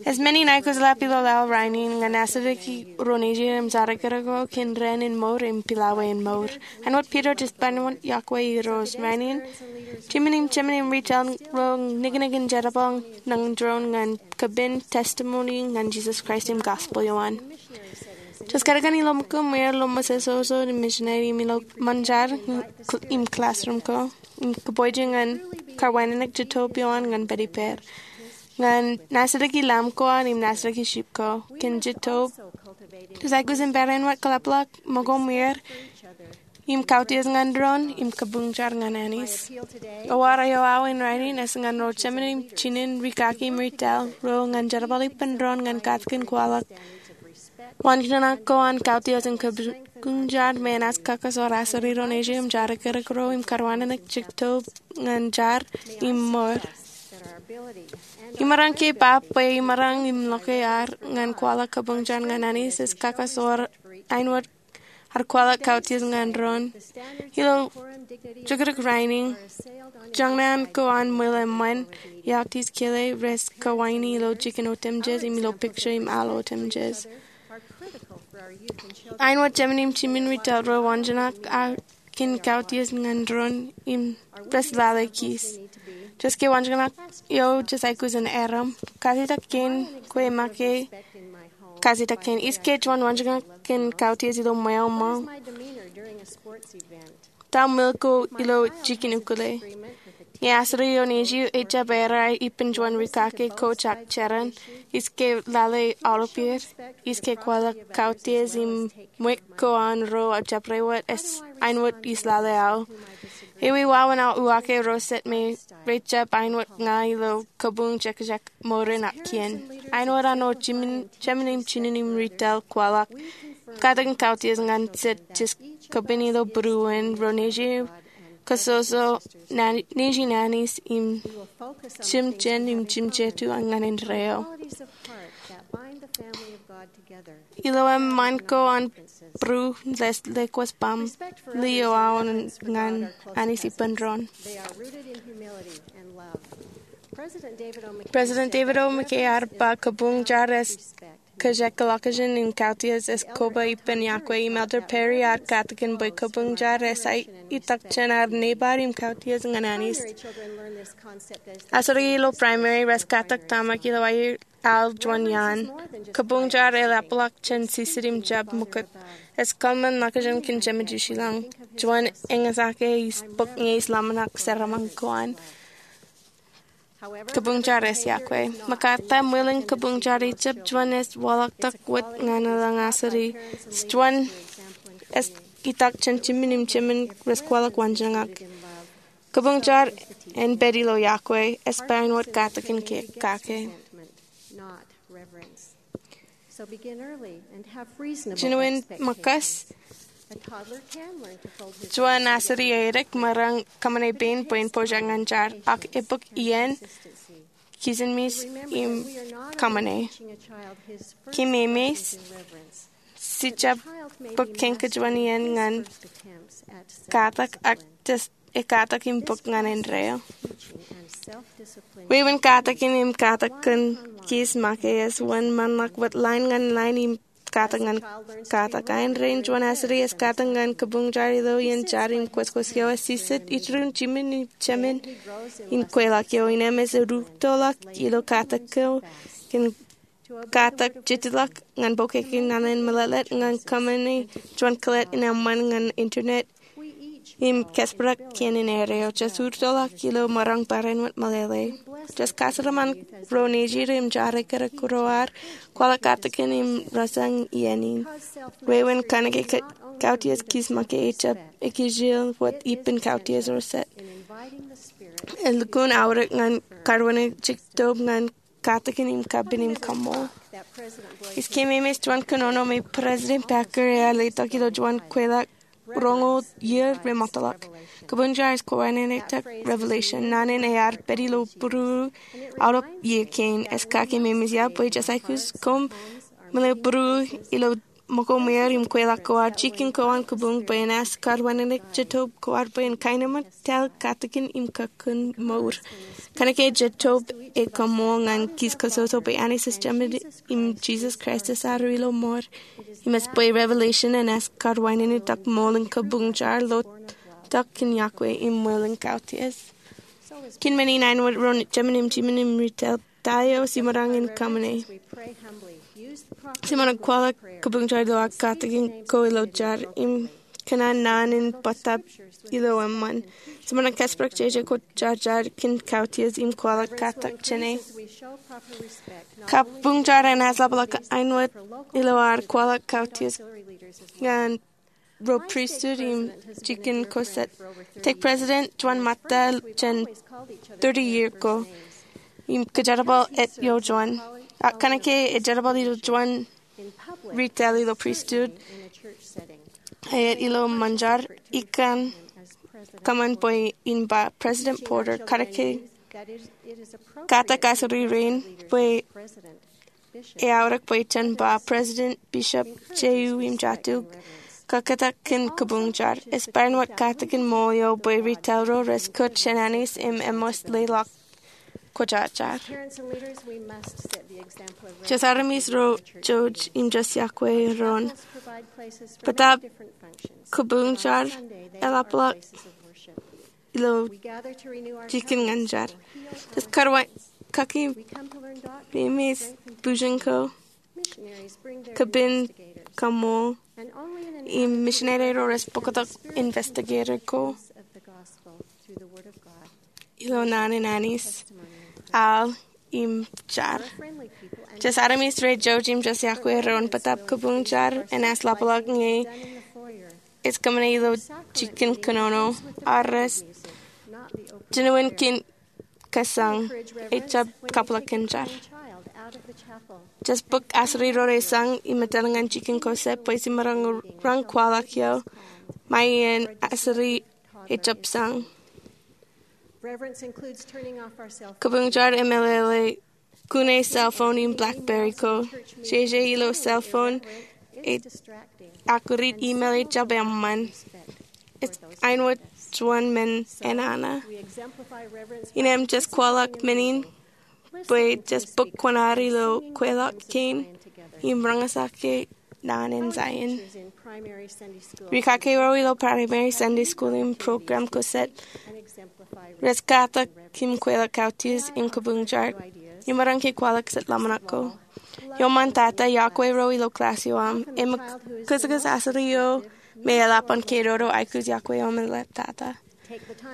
Ej men in aikuj ḷap ilo laḷ rainin ñan nasirik ro nejin im jar ekkar ko kōn dān in mour im pilawaan mour. Āinwōt Piter, ej bar juon yokwe Irooj rainin. Jimān im jemān im ri-jeḷā ro niknik in jerbal ñan doon ñan kapen testimony ñan Jisōs Kraist im gospel eo an. Ij kōtkan ilo ṃōko ṃwier ilo ṃōsōsō im misineri im ilo ṃōn jar im classroom ko im kōpooje ñan kōrwānōnōk jitōb eo an ñan pād ippāer ñan nasirik i Lamb ko an im nasirik i sheep ko kōn jitōb. Ij aikuj in barāinwōt kōḷapḷọk ṃōko ṃwier im kautiej ñan doon im kabuñjar ñan Anij. Ewōr eo aō in rainin ej ñan ro jemān im jinen, rikaki im ri-taḷ ro ñan jerbal ippān doon ñan katakin kwaḷọk waanjoñak ko an kautiej im kabuñjar, menaaj kakasoor aseri ro nejin im jar ekkar ko im kōrwānōnōk jitōb ñan jar im mour. Imaroñ ke pap bwe imaroñ im ḷọk ear ñan kwaḷọk kabuñjar ñan Anij ej kakasoor āinwōt ad kwaḷọk kautiej ñan doon. Ilo jukjuk rainin, joñan ko an ṃwilaṃōn, iọkwe kile, rej kawāni ilo jikin otemjej im ilo picture im al otemjej. Āinwōt jemān im jimān, ri-taḷ ro waanjoñak kōn kautiej ñan doon im rej lale kij. Ij ke waanjoñak eo ij aikuj in erom, kajjitōk kein kwe make kajjitōk kein. Ij ke juon waanjoñak kōn kautiej ilo ṃweo ṃōko. Ta ṃwilaṃo ilo jikin ukōte? Ñe aseri eo nejū ejjab errā ippān juon rikaki ko jak jeran, ij ke lale aolep er? Ij ke kwaḷọk kautiej im ṃweo ko an ro ejjab rewōt āinwōt ij lale aō? Ewi wāween aō uwaak ro jet me rejjab āinwōt ña ilo kabuñ jekjek mour in kien? Āinwōt an ro jemān im jinen im ri-taḷ kwaḷọk katakin kautiej ñan jet jej kapen ilo būruon ro nejin, kōsoso nejin Anij im jimjuon im jimjetu ñan indeeo. Ilo eṃṃan ko an būruon, rej lewōj baaṃle eo aō ñan Anij ippān doon. President David O. McKay ear ba, kabuñjar ej kōjekḷọkjeṇ im kautiej ej koba ippān yokwe. Im Elder Perry ear katakin bwe kabuñjar ej itak jān ad nōbar im kautiej ñan Anij. Aseri ilo primary rej katak tōmak ilo aer al juon iaan. Kabuñjar eḷapḷọk jān jijet im jab ṃōkaj. Ej kōṃṃan ḷọkjeṇ kōn Jemedūsilōñ, juon eñjake ij bōk ñe ij ḷōmṇak jeraaṃṃan ko an. Kabuñjar ej yokwe. Ṃokta, ṃwilaṃ kabuñjar ejjab juon ej waḷọktok wōt ñan eḷaññe aseri. Ej juon ej itak jān jimān im jemān rej kwaḷọk waanjoñak. Kabuñjar en pād ilo yokwe, ej ba āinwōt katakin kake. Jinen ṃōkaj. Juon aseri edik, maroñ kōṃṃane pein bwe en pojak ñan jar, ak ebōk iien, kijenmej im kōṃṃane. Kōmemeej, jejjab bōk kōn kōj juon iien ñan katak ak jes ekatak im bōk ñan indeeo. Wāween katakin im katak kōn kis make ej wōnṃaanḷọk wōt line ñan line im katak ñan katak. Ain rein juon asri ej katak ñan kabuñjar ilo iien jar im kwōjkwōj eo ej jijet iturūṃ jimjuon im jemān in kweilọk eo. Innām ej rūttoḷọk ilo katak eo kōn katak jitḷọk ñan bōkeke naan in mālōtlōt ñan kōṃṃane juon kōlōt in eṃṃan ñan internet im kōsperak kien in erreo. Jej rūttoḷọk ilo maroñ barāinwōt meḷeḷe. Jej kajeraaṃṃan ro nejid im jar ekkar ro ad kwaḷọk katakin im rasañ iien in. Wāween kōnke kautiej kis make ejjab ekijjien wōt ippān kautiej ro jet. Elukkuun aorōk ñan karwānwōt jitōb ñan katakin im kapen im kaṃṃool. Ij kememej juon kōnono me President Packer ear letok ilo juon kweilọk roñoul iiō remootḷọk. Kabuñjar ej kōwānōñtak revelation. Naan in ear pād ilo būruō aolep iiō kein. Ej kakememej ia bwe jej aikuj koṃ meḷeḷe būruō ilo ṃōko ṃweer im kweilọk ko ad. Jikin ko an kabuñ bwe en ask karwānwōt jitōb ko ad bwe en kaenōṃṃan tōl katakin im kakin mour. Kōnke jitōb ej kaṃṃool ñan kis kososo bwe Anij ej Jemān im Jisōs Kraist ej arro ilo ṃool. Im ej bwe revelation en ask karwānwōt ṃool in kabuñjar lotok kōn Yokwe im ṃweo in kautiej. Kōn men in āinwōt ro jemān im jimjuon im retail, ta eo jiṃor in kōṃṃane? Jiṃor in kwaḷọk kabuñjar ilo aō katakin ko ilo jar im kōṇaan naan in bōtab ilo eṃṃan. Jiṃor in kōsperak jeje ko jarjar kōn kautiej im kwaḷọk katak jāne. Kabuñjar en aslapḷọk āinwōt ilo ad kwaḷọk kautiej ñan ro pristut im jikin ko jet. Tok president juon ṃōtta jān thirty year ago im kōjerbal eo juon. Ak kōnke ej jerbal ilo juon retail ilo pristut, ej ilo ṃōn jar, ikōṇaan kōṃṃan bwe in ba President Porter. Kōnke katak asri rein bwe eaorōk bwe jen ba president, bishop, J U im jatu, kōktak kōn kabuñjar. Ej barāinwōt katakin ṃool eo bwe retail ro rej kōj jān Anij im eṃṃan leḷọk kwōjarjar. Jej armej ro jouj im jej yokwe doon. Bōtab kabuñjar eḷapḷọk ilo jikin ñan jar. Jej kaki im ej bujen ko, kapen kaṃṃool, im misineri ro rej bōktok investigator ko ilo naan in Anij, al im jar. Jej armej ro jouj im jej yokwe doon bōtab kabuñjar en aslapḷọk ñe ej kōṃṃane ilo jikin kōnono, ak rej jinoin kōn kasañ, ejjab kabwilōñ in jar. Jej bōk asri ro rej sañ im etal ñan jikin ko jet bwe jiṃor in roñ kwaḷọk eo, ṃae iien asri ejjab sañ. Kabuñjar emeḷeḷe kune cell phone im BlackBerry ko. Jeje ilo cell phone ej akūrūt email ejjab eṃṃan. Ej āinwōt juon men enana. Innām jej kwaḷọk men in bwe jej bōk kuṇaad ilo kweilọk kein im roñjake naan in Zion. Rikaki ro ilo Primary Sunday School im program ko jet rej katak im kweilọk kautiej im kabuñjar. Imaroñ ke kwaḷọk jet ḷōmṇak ko. Iuṃwin tata, yokwe ro ilo class eo aṃ. Im kōjkōj asri eo me eḷap an ke dodo, aikuj yokwe eo im eḷap tata.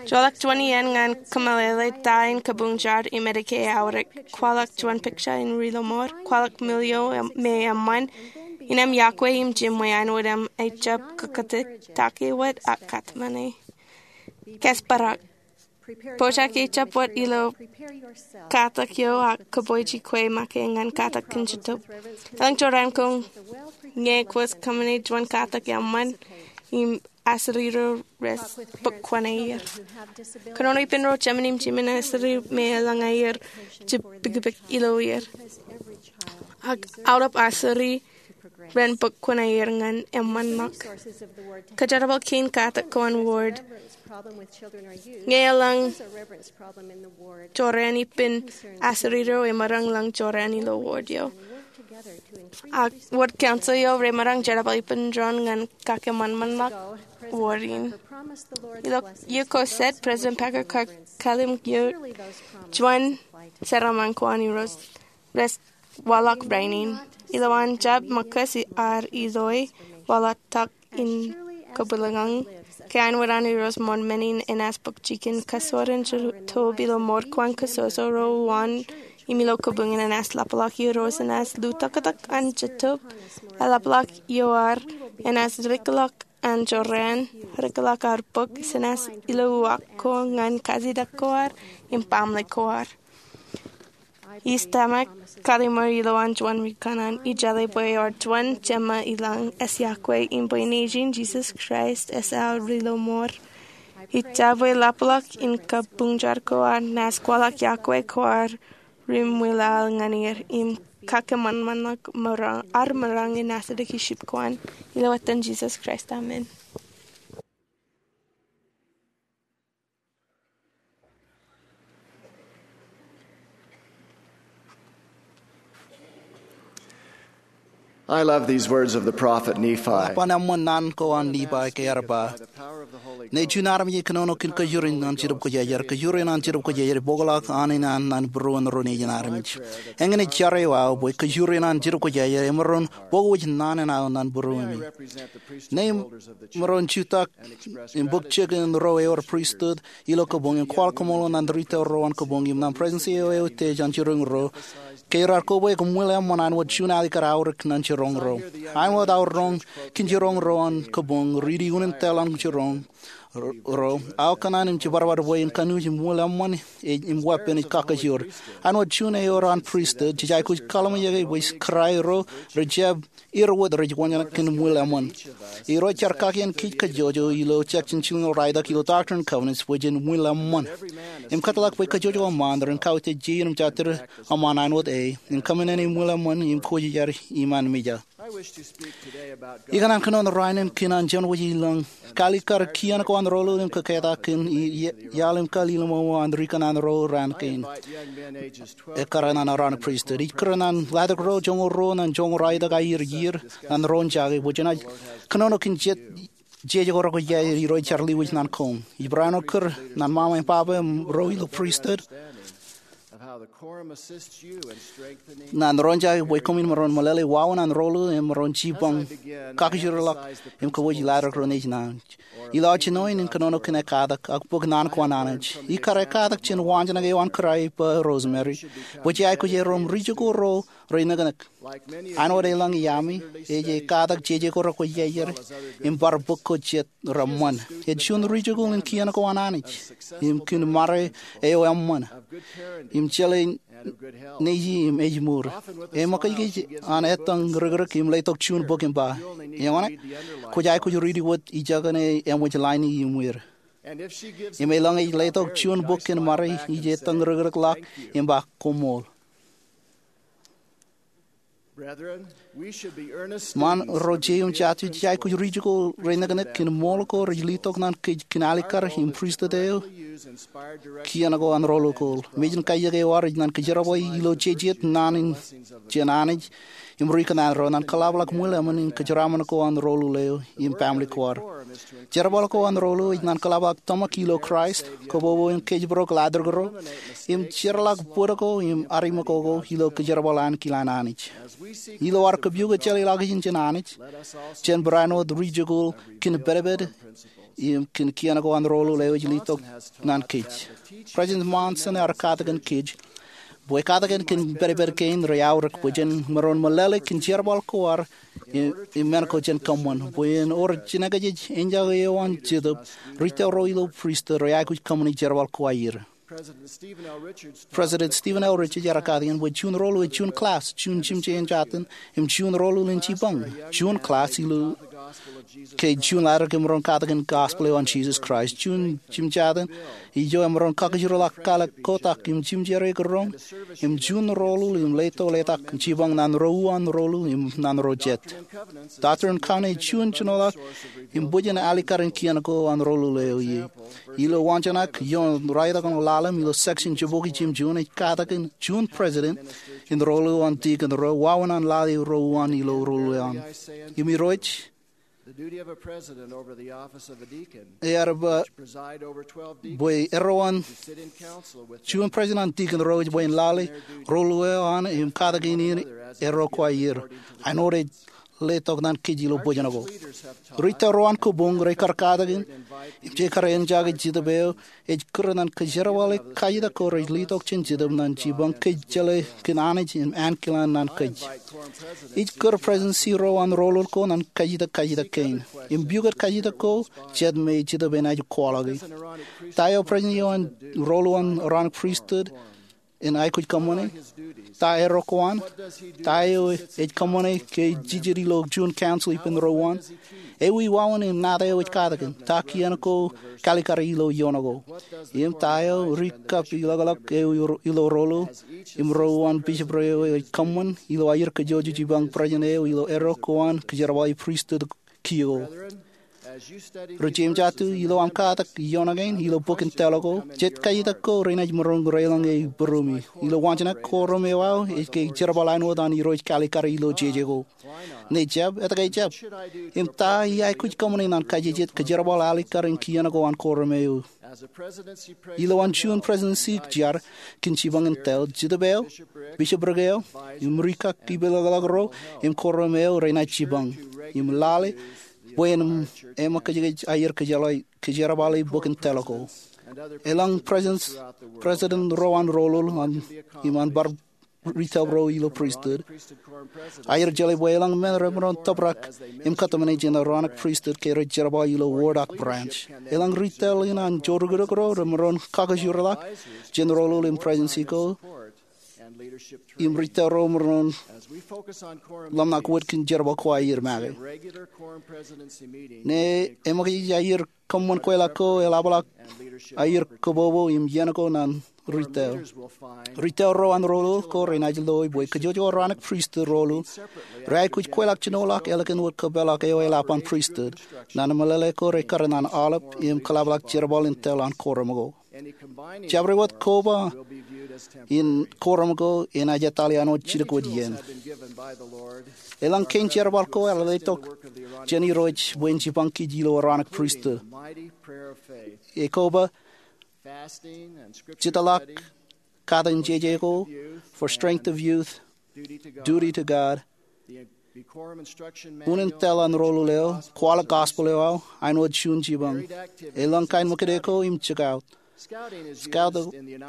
Joḷọk juon iien ñan kōmeḷeḷe ta in kabuñjar im edike eaorōk. Kwaḷọk juon picture in ri lọmọọr. Kwaḷọk mil eo me eṃṃan. Innām yokwe im jiṃwe āinwōt im ejjab kōkōtōktake wōt ak kōtmāne. Kōsperak. Pojak ejjab wōt ilo katak eo ak kōpooj ikwe make ñan katak kōn jitōb. Elōñ jorrāān ko ñe kwōj kōṃṃane juon katak eṃṃan im asri ro rej bōk kuṇaer. Kōnono ippān ro jemān im jimjuon asri me elōñ aer jibukbuk ilo er. Ak aolep asri ren bōk kuṇaer ñan eṃṃanḷọk. Kōjerbal kein katak ko an ward ñe eḷaññe jorrāān ippān aserido emaroñ ḷọk jorrāān ilo ward eo. Ak ward council eo remaroñ jerbal ippān doon ñan kakeṃṃanṃanḷọk ward in. Ilo iiō ko set, President Packer kar kallimjek juon jeraaṃṃan ko an Irooj rej waḷọk rainin. Ilowaan jab ṃōkaj ear iloe waḷọk tok in kabwilōñlōñ ke āinwōt an Irooj ṃool men in enaaj bōk jikin kasoren jitōb ilo mour ko an kōjjojo ro uwaan im ilo kabuñ in enaaj ḷapḷọk. Irooj enaaj lutōktōk an jitōb, eḷapḷọk ioer, enaaj rikḷọk an jorrāān, rikḷọk ad bōk jenaaj ilo uwaak ko ñan kajjitōk ko ad im baaṃle ko ad. Ij tōmak kallimur ilowaan juon ri kanaan, ij jeḷā bwe ewōr juon jeṃṃa ilañ ej iọkwe im bwe Nejin Jisōs Kraist ej aor ilo mour. Ij jab ḷapḷọk in kabuñ jar ko ad naaj kwaḷọk iọkwe ko ad ri ṃwilaḷ ñan er im kakeṃṃanṃanḷọk ar maroñ in nōsdik ilo ship ko an. Ilo etan Jisōs Kraist, amen. I love these words of the prophet Nephi. Eḷap an eṃṃan naan ko an Nephi ke ear ba, ñe juon armej ej kōnono kōn kōjur in an Jetōb Kwōjarjar, kōjur in an Jetōb Kwōjarjar ej bōkḷọk an in an naan būruon ro nejin armej. Eñin ej jar eo aō bwe kōjur in an Jetōb Kwōjarjar emaroñ bōk wōj naan in aō naan būruemi. Ñe emaroñ jutak im bōk jikin ro ewōr pristut ilo kabuñ im kwaḷ kōṃṃool naan ri tōl ro an kabuñ im naan presetensi eo eutiej an jiroñ ro ke raar kobaik im ṃwilaṃōn āinwōt juon alikkar aorōk ñan jiroñ ro. Āinwōt aorōk kōn jiroñ ro an kabuñ, riiti unin tōl an jiroñ ro aō kōṇaan im jibadbad bwe en kanooj im ṃwilaṃōn im weeppān ej kakajoor. Āinwōt juon ewōr an pristut, jej aikuj kaḷmejake bwe kōrā ro rej jab er wōt rej wōnṃaanḷọk kōn ṃwilaṃōn. Irooj ear kakien kōj kajjojo ilo section jilñoul ralitōk ilo Doctrine and Covenants bwe jen ṃwilaṃōn im kōtḷọk bwe kajjojo eṃṃaan ren kautiej jein im jatid eṃṃaan āinwōt e im kōṃṃane ṃwilaṃōn im kwōjarjar iṃaan mejān. Ikōṇaan kōnono rainin kōn an jeṃḷọk wōj ilañ kalikkar kien ko an Rolu im kōketak kōn iaḷ im kalilōmōmō an ri kanaan ro raan kein. Ekkar ñan aorōk pristut ij kūr ñan ḷadik ro joñoul ruo ñan joñoul ralitōk aer iiō ñan ro in jake bwe jenaaj kōnono kōn jet jeje ko rekwōjarjar. Irooj jar ḷiwōj ñan koṃ. Ij barāinwōt kūr ñan ṃaṃa im baba ro ilo pristut ñan ro in jake bwe koṃwin maroñ meḷeḷe wāween an Rolu im maroñ jipañ kakajoorḷọk im kōpooj ḷadik ro nejin Anij. Ilo aō jinoin in kōnono kōn ekkatak ak bōk naan ko an Anij, ikar ekkatak jān waanjoñak eo an kōrā eppa Rosemary bwe jej aikuj erom ri jokwe ro rej niknik. Āinwōt eḷaññe iaami, ej ekkatak jeje ko rekwōjarjar im bar bōk ko jet reṃṃan. Ej juon ri jokwe in kien ko an Anij im kōn ṃare eo eṃṃan im jeḷā neji im ājmour. Eṃōkajkōj an ettōñ rikrik im letok juon bok im ba, eñṇe kwōj aikuj riiti wōt ijeṇe eṃōj laini im wōr. Im eḷaññe ej letok juon bok kōn ṃare ij ettōñ rikrik ḷọk im ba, koṃṃool. Ṃaan ro jeiū im jatū, jej aikuj ri jokwe rej niknik kōn ṃool ko rej letok ñan kōj kōn alikkar im pristut eo kien ko an Rolu ko. Mejān kaijek eo ad ej ñan kōjerbale ilo jejet naan in jān Anij im ri kanaan ro ñan kōḷapḷọk ṃwilaṃōn im kōjeraaṃṃan ko an Rolu eo im baaṃle ko ad. Jerbal ko an Rolu ej ñan kōḷapḷọk tōmak ilo Kraist, kobobo im kōjparok ḷadik ro, im jeorḷọk bōd ko im adeṃōko ko ilo kōjerbal ankilaan Anij. Ilo ad kabuñbūruon jeḷāḷọkjeṇ jān Anij, jen barāinwōt ri jokwe kōn pedped im kōn kien ko an Rolu eo ej letok ñan kōj. President Monson ear katakin kōj bwe katakin kōn pedped kein rej aorōk bwe jen maroñ meḷeḷe kōn jerbal ko ad im men ko jān kōṃṃan bwe en ewōr jinōkjeje enjake eo an Jetōb, ri tōl ro ilo pristut rej aikuj kōṃṃani jerbal ko aer. President Stephen L. Richards ear katakin bwe juon Rolu ej juon class, juon jimjuon jān, im juon Rolu in jipañ, juon class ilo ke juon ḷaddik emaroñ katakin gospel eo an Jesus Christ. Juon jimjatōk ijo emaroñ kakijirḷọk kōḷḷe kotak im jimjere kōrọọñ im juon roḷoḷ im letok letak jipañ nan ro uwaan roḷoḷ im nan ro jet. Doctrine and Covenants ej juon jinoḷọk im bwijin alikkar in kien ko an roḷoḷ eo ie. Ilo waanjoñak ioon ralitōk ḷalem ilo section jibukwi jimjuon ej katakin juon president in roḷoḷ an deacon ro wāween an lale ro uwaan ilo roḷoḷ eo an. Im Irooj The duty of a president over the office of a deacon, ear ba, which preside over twelve deacons, bwe erro an who sit in council with juon president an deacon ro ej bwe en lale roḷoḷ eo an im katakin erro ko aer. Āinwōt ej letok ñan kōj ilo bwijin ko. Retail ro an kōbuñ rekar katakin im jekar eñjake Jetōb eo ej kūr ñan kōjerbale kajjitōk ko rej letok jān Jetōb ñan jipañ kōj jeḷā kōn Anij im ankilaan ñan kōj. Ij kūr presidency ro an roḷoḷ ko ñan kajjitōk kajjitōk kein im pukot kajjitōk ko jet me Jetōb enaaj kwaḷọke. Ta eo president eo an roḷoḷ an Aaronic Priesthood en aikuj kōṃṃane? Ta erro ko an? Ta eo ej kōṃṃane ke ej jijet ilo juon council ippān ro uwaan? Ewi wāween im nata eo ej katakin? Ta kien ko kalikkar ilo ioon ko? Im ta eo ri kab ilọkḷọk eo ilo roḷoḷ im ro uwaan bishopric eo ej kōṃṃan ilo aer kōjoojo jipañ president eo ilo erro ko an kōjerbale pristut kiiō? Ri jeimjatu, ilo aṃ katak ioon kein ilo bok in tōl ko, jet kajjitōk ko renaaj maroñ reiḷọñ e būruemi. Ilo waanjoñak, korum eo aō ej ke jerbal āinwōt an Irooj kalikkar ilo jeje ko. Ñe ejjab, etke ejjab? Im ta ij aikuj kōṃṃane ñan kajjitōk kōjerbal alikkar in kien ko an korum eo? Ilo an juon presidency jar kōn jipañ in tōl, Jetōb eo, bishopric eo, im ri kab ilọkḷọk ro im korum eo renaaj jipañ im lale bwe en eṃōkajkōj aer kōjerbale bok in tōl ko. Elōñ president ro an roḷoḷ im an bar retail ro ilo pristut, aer jeḷā bwe elōñ men remaroñ tōprak im kōtmāne jān Aaronic Priesthood ke rej jerbal ilo ward ak branch. Elōñ retail in an jorukduk ro remaroñ kakajoorḷọk jān roḷoḷ im presidency ko im retail ro remaroñ ḷōmṇak wōt kōn jerbal ko aer make. Ñe eṃōkajkōj aer kōṃṃan kweilọk ko, eḷapḷọk aer kōbobo im iien ko ñan retail. Retail ro an roḷoḷ ko renaaj loe bwe kōjwōj Aaronic Pristut roḷoḷ reaikuj kweilọk jinoḷọk ālikin wōt kōpeḷḷọk eo eḷap an pristut. Ñan meḷeḷe ko rekar ñan aolep im kōḷapḷọk jerbal in tōl an korum ko. Jabdewōt koba in korum ko enaaj etale āinwōt jidik wōt iien. Elōñ kein jerbal ko ear letok jān Irooj bwe en jipañ kōj ilo Aaronic Pristut. Ekoba, jitḷọk, katakin jeje ko, for strength of youth, duty to God, unin tōl an roḷoḷ eo, kwaḷọk gospel eo aō, āinwōt juon jipañ. Elōñ kain ṃōkaj ko im jikaot. Scout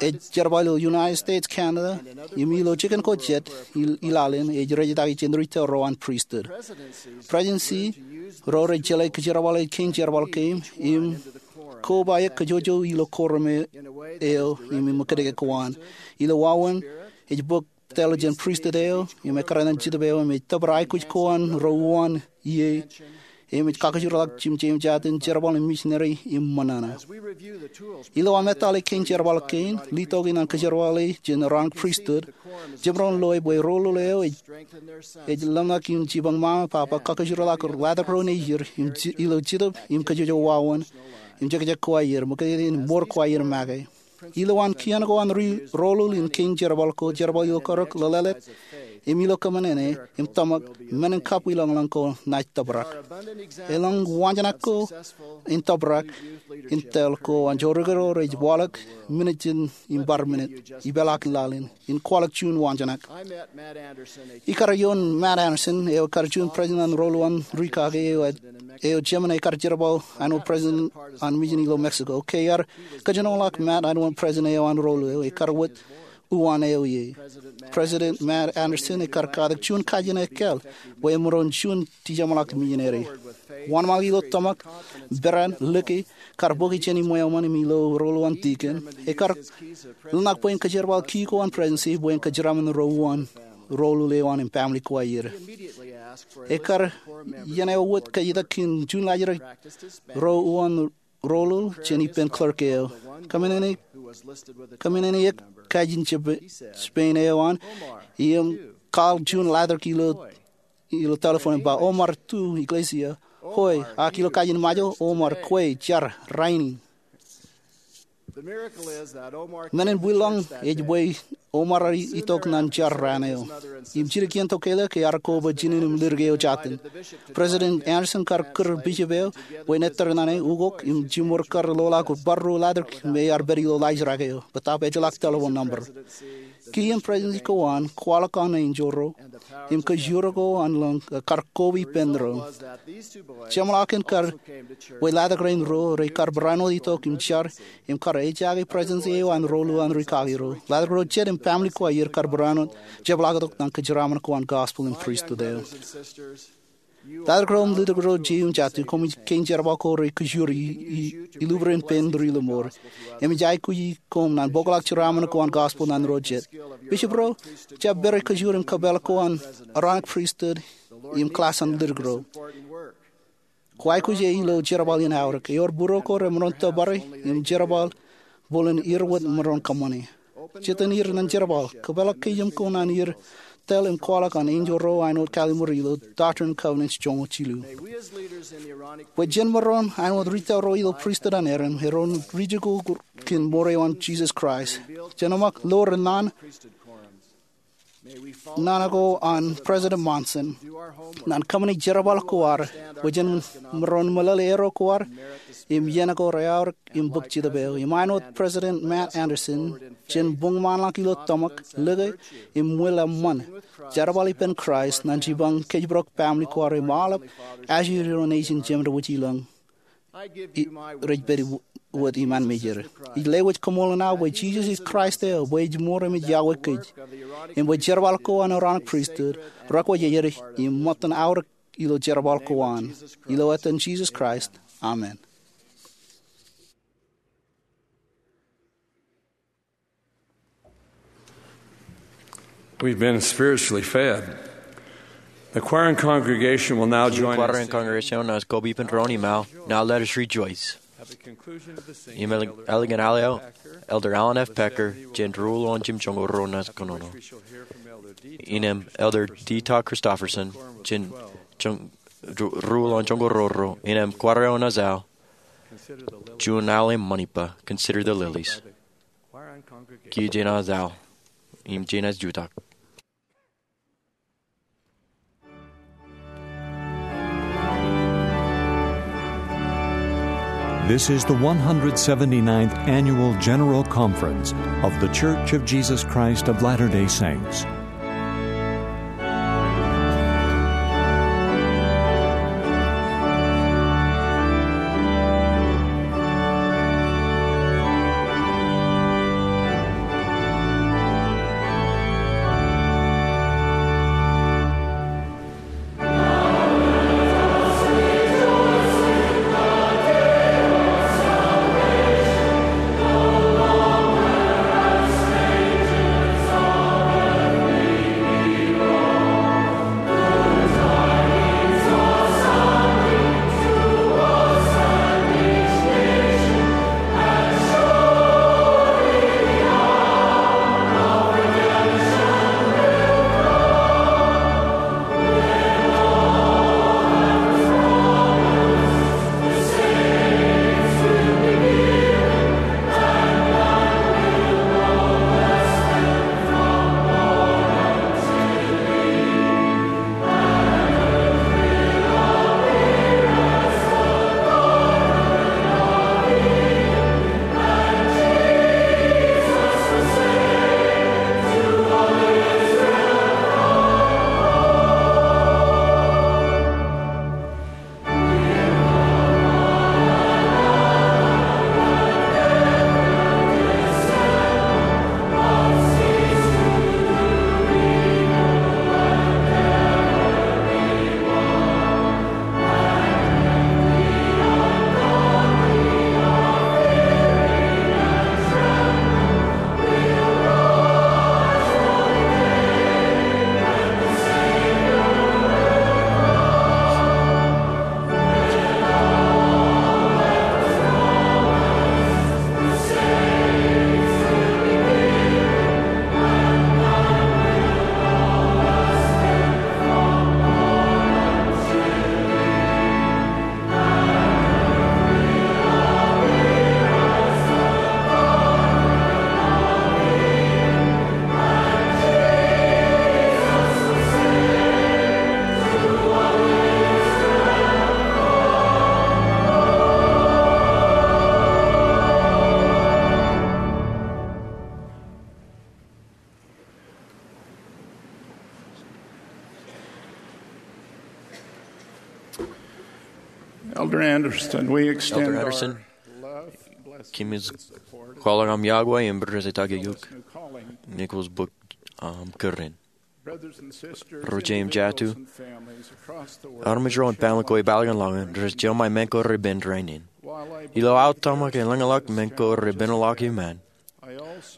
ej jerbal ilo United States, Canada, im ilo jikin ko jet i laḷ in ej rejetaki jān retail ro an pristut. Presidency ro rej jeḷā kōjerbale kein jerbal kein im koba eok kōjwōj ilo korum eo im ṃōkaj ko an. Ilo wāween ej bōk tōl jān pristut eo im ekkar ñan Jetōb eo im ej tōpar aikuj ko an ro uwaan ie im ej kakajoorḷọk jimjeimjat in jerbal im misineri im ṃōṇōṇō. Ilo aṃ etale kein jerbal kein, letok in an kōjerbale jān Aaronic Pristut, jemaroñ loe bwe roḷoḷ eo ej ḷōmṇak in jipañ ṃaṃa, papa, kakajoorḷọk ḷadik ro nejier ilo Jetōb im kōjwōj wāween im jekjek ko aer, ṃōkajkōj in mour ko aer make. Ilo an kien ko an roḷoḷ in kein jerbal ko, jerbal ilo karōk, lōḷḷap, im ilo kōṃṃane im tōmak, men in kapwilōñlōñ ko naaj tōprak. Elōñ waanjoñak ko in tōprak in tōl ko an jorukduk ro rej waḷọk minit jān im bar minit ipeḷaakin laḷ in in kwaḷọk juon waanjoñak. Ikar ioon Matt Anderson, eo ekar juon president an roḷoḷ an ri kake eo, eo jemān ekar jerbal āinwōt president an mission ilo Mexico. Ke ear kōjenoḷọk Matt āinwōt president eo an roḷoḷ eo, ekar wōt uwaan eo ie. President Matt Anderson ekar katak juon kajin ekkāāl bwe emaroñ juon dijeṃḷọk misineri. Wōnṃaanḷọk ilo tōmak, peran, lōke, kar bōki jān iṃweo ṃōn im ilo roḷoḷ an deacon, ekar ḷōmṇak bwe en kōjerbal ki ko an presidency bwe en kōjeraṃṃan ro uwaan roḷul eo an im family ko aer. Ekar iien eo wōt kajjitōk in juon laajrak ro uwaan roḷul jān ippān clerk eo. Kōmānene, kōmānene eok kajin Jap-, Japan eo an im call juon laajrak ilo, ilo telephone im ba, "Omar, tu, iglesia." "Hoi, ak," ilo kajin Ṃajeḷ, "Omar, kwe, jar, rainin." Men in bwilōñ ej bwe Omar itok ñan jar raan eo. Im jidik iien tokāle ke ear koba jinen im ledik eo jatū. President Anderson kar kūr bishop eo bwe en ettōr ñan e ukok im jimor kar ḷoḷak bar ruo laajrak im ear pād ilo laajrak eo. Bōtaab ejjeḷọk telephone number. Kiiō im presidency ko an, kwaḷọk an enjeḷ ro im kōjro ko an lōñ kar koba ippān ro. Jeṃḷọkin kar bwe laajrak rein ruo rej kar barāinwōt itok im jar im kar ejaake presidency eo an roḷul an rikaki ro. Laajrak ro jet im family ko aer kar barāinwōt jepḷaaktok ñan kōjeraaṃṃan ko an gospel im priesthood eo. Laajrak ro im ledik ro jein jatū, koṃij kein jerbal ko rej kōjro i, i, ilubran ippān ri lọmọọr. Im ij aikuji koṃ ñan bōkḷọk jeraaṃṃan ko an gospel ñan ro jet. Bishop ro, jab pād rej kōjro im kōpeḷḷọk ko an Aaronic priesthood im class an ledik ro. Kwōj aikuj e ilo jerbal in aorōk. Ewōr būruō ko remaroñ tōpare im jerbal bōlen er wōt maroñ kōṃṃane. Jitōn er ñan jerbal, kōpeḷḷọk kōjām ko ñan er tōl im kwaḷọk an enjeḷ ro āinwōt kalimur ilo Doctrine and Covenants joñoul jilu. Bwe jen maroñ āinwōt ri tōl ro ilo pristut an Aaron, erom rijikuuḷ kōn mour eo an Jisōs Kraist. Jen ṃōk lo ri naan naan ko an President Monson ñan kōṃṃane jerbal ko ad, bwe jen maroñ meḷeḷe erro ko ad im iien ko reaorōk im bōk Jetōb eo. Im āinwōt President Matt Anderson, jen buñmaanḷọk ilo tōmak, lōke, im ṃwil eṃṃan jerbal ippān Kraist ñan jipañ kōjparok family ko ad im aolep ajri ro nejin jemān rej ilọñ. I, rej pād wōt iṃaan mejād. Ij lewōj koṃṃool naan bwe Jisōs ej Kraist eo, bwe ej mour im ej yokwe kōj. Im bwe jerbal ko an Aaronic pristut, rekwōjarjar im ṃōttan aorōk ilo jerbal ko an. Ilo etan Jisōs Kraist, amen. We've been spiritually fed. The choir and congregation will now join us. Choir im congregation eo enaaj koba ippān doon im aō. Now let us rejoice. Im ālikin al eo, Elder Alan F. Packer, jān ruo uwaan jimjuon ko ruo naaj kōnono. Innām Elder D. Todd Christofferson, jān juon, ruo uwaan jimjuon ko ruo ruo. Innām choir eo enaaj al, Juon Aolep Ṃanipō, Consider the Lilies. Kiiō jenaaj al im jenaaj jutak. This is the one hundred seventy-ninth Annual General Conference of The Church of Jesus Christ of Latter-day Saints. Anderson, we extend Elder Anderson, our love, blessings, kimis and support kwaḷọk aṃ yokwe im reitok eok. New calling. Nichols Book, um, kōrā in. Brothers and sisters, Ro jeiū im jatu, individuals and families across the world, armej ro im family ko ippaḷọk in laḷ in rej jema men ko repen rainin. While I believe there are some who are still suffering, ilo aō tōmak eḷaññe men ko repen ḷọk iṃaan,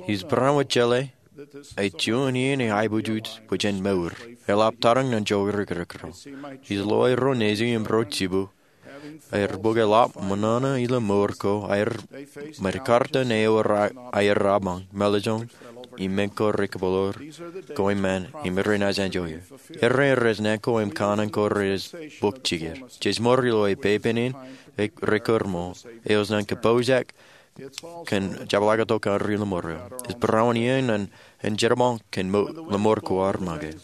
ij barāinwōt jeḷā bwe juon iien ej aikuj bwe jen mour, eḷap tarrin ñan ijo rikirikro. Ij lo aer ro nejiṃ im ro jibukwi, aer bōk eḷap ṃōṇōṇō ilo mour ko aer, im ear kar to ne ewōr aer apañ, mālōtlōt, im men ko rekabōḷoḷ, ko iṃaan, im renaaj enjoy er. Errā rej naan ko im kanaan ko rej bōk jikier. Jej mour ilo epepen in, rekōrmour, eos ñan kapoujak, kōn jepḷaaktok kōn ri lọmọọr eo. Ej barāinwōt iien an, an jerbal kōn mour, lọmọọr ko ar make.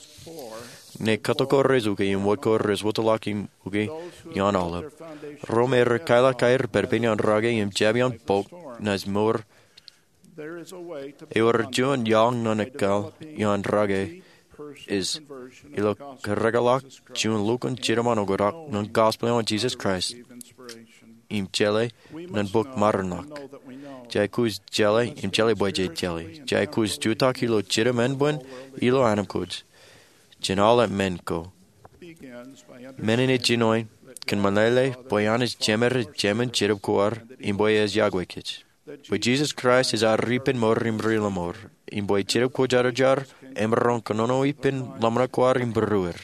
Ñe katok ko rej ukwe im wōt ko rej wōtlọk im ukwe ioon aolep, ro me rej kailọk aer pād ippān iaan rake im jab iaan bok naaj mour. Ewōr juon iaḷ ñan ekkar iaan rake, ej ilo kareḷḷọk juon lukkuun jiṃṃaṃ oktak ñan gospel eo an Jesus Christ im jeḷā ñan bok maroñ ḷọk. Jej aikuj jeḷā im jeḷā bwe jej jeḷā. Jej aikuj jutak ilo jidik men bwe ilo anamkwōj jān aolep men ko. Men in ej jinoin kōmeḷeḷe bwe Anij Jemed ej Jemān Jetōb ko ad im bwe ej yokwe kōj. Bwe Jesus Christ ej ad ippān mour im ri lọmọọr, im bwe Jetōb Kwōjarjar emaroñ kōnono ippān ḷōmṇak ko ad im būruod.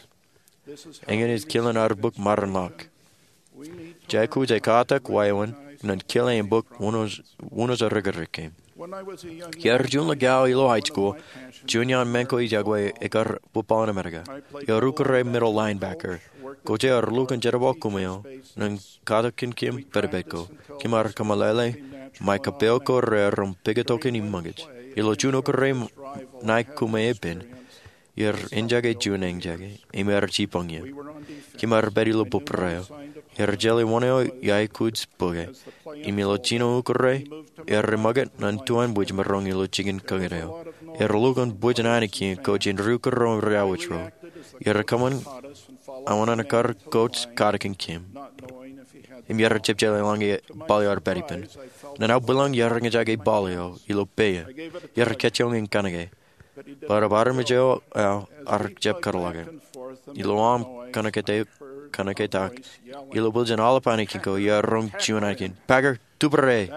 Eñin ej kilen ad bok maroñ ḷọk. Jej aikuj ekkatak wāween ñan kile im bok wūnooj, wūnooj rikirikūṃ. Iar juon ḷọk aō ilo high school, juon iaan men ko ij yokwe ekar bōkpāḷ in Amerika. Iar ukōre middle linebacker. Kōjeañ ar lukkuun jerbal kōm eo ñan katakin kōm pād ippād ko. Kōm ar kōmeḷeḷe ṃae kappok ko rear im pād tok in im ṃōkaj. Ilo juon ukōre ṇae kōm epen, iar eñjake juon eñjake im iar jipañ ie. Kōm ar pād ilo bōbrae eo. Iar jeḷā wōn eo iaikuj bōke. Im ilo jino ukōre, iar ṃōkaj ñan tuwaan bwij maroñ ilo jikin kañin eo. Iar lukkuun bwijin ainikien kōj in ri ukōre im ri awōj ro. Iar kōṃṃan aō naan ekkar kōj katakin kōm. Im iar jab jeḷā eḷaññe ball eo ar pād ippān. Ñan aō bwilōñ iar eñjake ball eo ilo peiā. Iar kajjioñ in kōnke. Bōtab armej eo aō ar jab karōḷọke. Ilo aṃ kōnke, kōnketak, ilo bwiljin aolep ainikien ko iar roñ juon ainikien. Packer, tubure!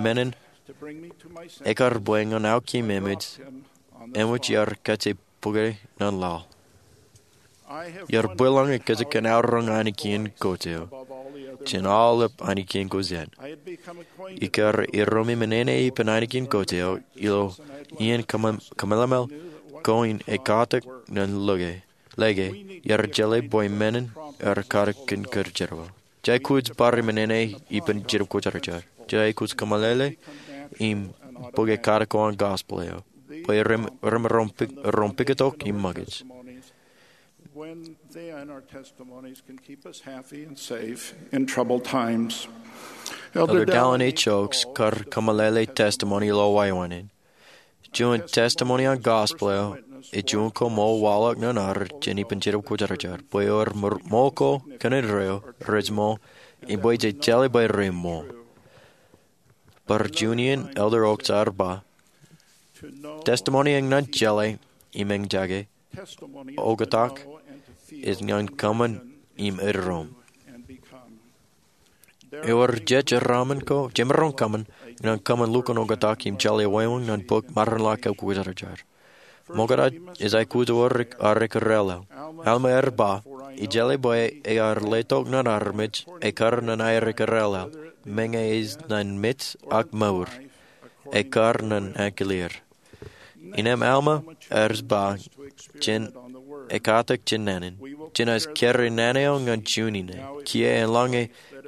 Men in ekkar bwe ñan aō kōm emej, emej iar kajjioñ bōke ñan laḷ. Iar bwilōñ kōj kōn aō roñ ainikien kōj eo jān aolep ainikien kōj jān. Ikar iroñ im enana ippān ainikien kōj eo ilo iien kōmeḷeḷe ko in ekkatak ñan lōke, lōke, iar jeḷā bwe men in ar katakin kōj jerbal. Jej aikuj bar im enana ippān Jetōb Kwōjarjar. Jej aikuj kōmeḷeḷe im bōke katak ko an gospel eo. Bwe remaroñ pād, roñ pād tok im ṃōkaj. When then our testimonies can keep us happy and safe in troubled times. Elder Dallin H. Oaks kar kōmeḷeḷe testimony ilo wāween in. Juon testimony an gospel eo ej juon koṃṃool waḷọk ñan ad jān ippān Jetōb Kwōjarjar bwe ewōr ṃōl ko kōn indeeo rej ṃool im bwe jej jeḷā bwe reṃool. Bar juon iien Elder Oaks ear ba, testimony eñ ñan jeḷā im eñjake oktak ej ñan kōṃṃan im eddoṃ. Ewōr jejeraṃṃan ko jemaroñ kōṃṃan ñan kōṃṃan lukkuun oktak im jeḷā wāween ñan bok maroñ ḷọk eo kwōjarjar. Ṃokta ej aikuj ewōr ar ekōrāāl. Alma ear ba, ij jeḷā bwe ear letok ñan armej ekkar ñan aer ekōrāāl, meñe ej ñan mej ak mour, ekkar ñan aō kileer. Innem Alma ear ba, jen ekkatak jān naan in, jenaaj kōrā naan eo ñan juon ine. Kiiō eḷaññe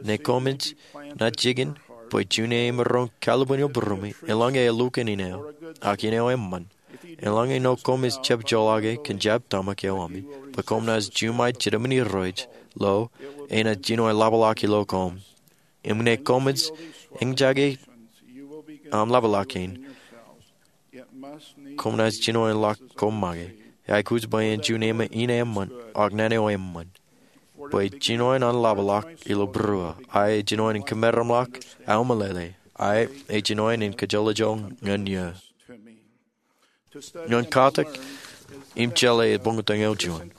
ṇe koṃij naaj jikin bwe juon eo emaroñ kaḷapin ilo būruemi, eḷaññe elukkuun ine eo, ak ine eo eṃṃan. Eḷaññe ṇe koṃij jab joḷọke kōn jab tōmak eo ami, bwe koṃ naaj juṃae jitōmin Irooj, lo, enaaj jino eḷapḷọk ilo koṃ. Im ṇe koṃij eñjake aṃ ḷapḷọk kein, koṃ naaj jino eḷak koṃ make. Eaikuj bwe en juon ine eṃṃan, ak naan eo eṃṃan. bwe jinoin an ḷapḷọk ilo būruō, a ej jinoin in kōmeramḷọk aō meḷeḷe, a ej jinoin in kōjolọjo ñan eō. Ñan katak im jeḷā ej ṃokta ñan juon,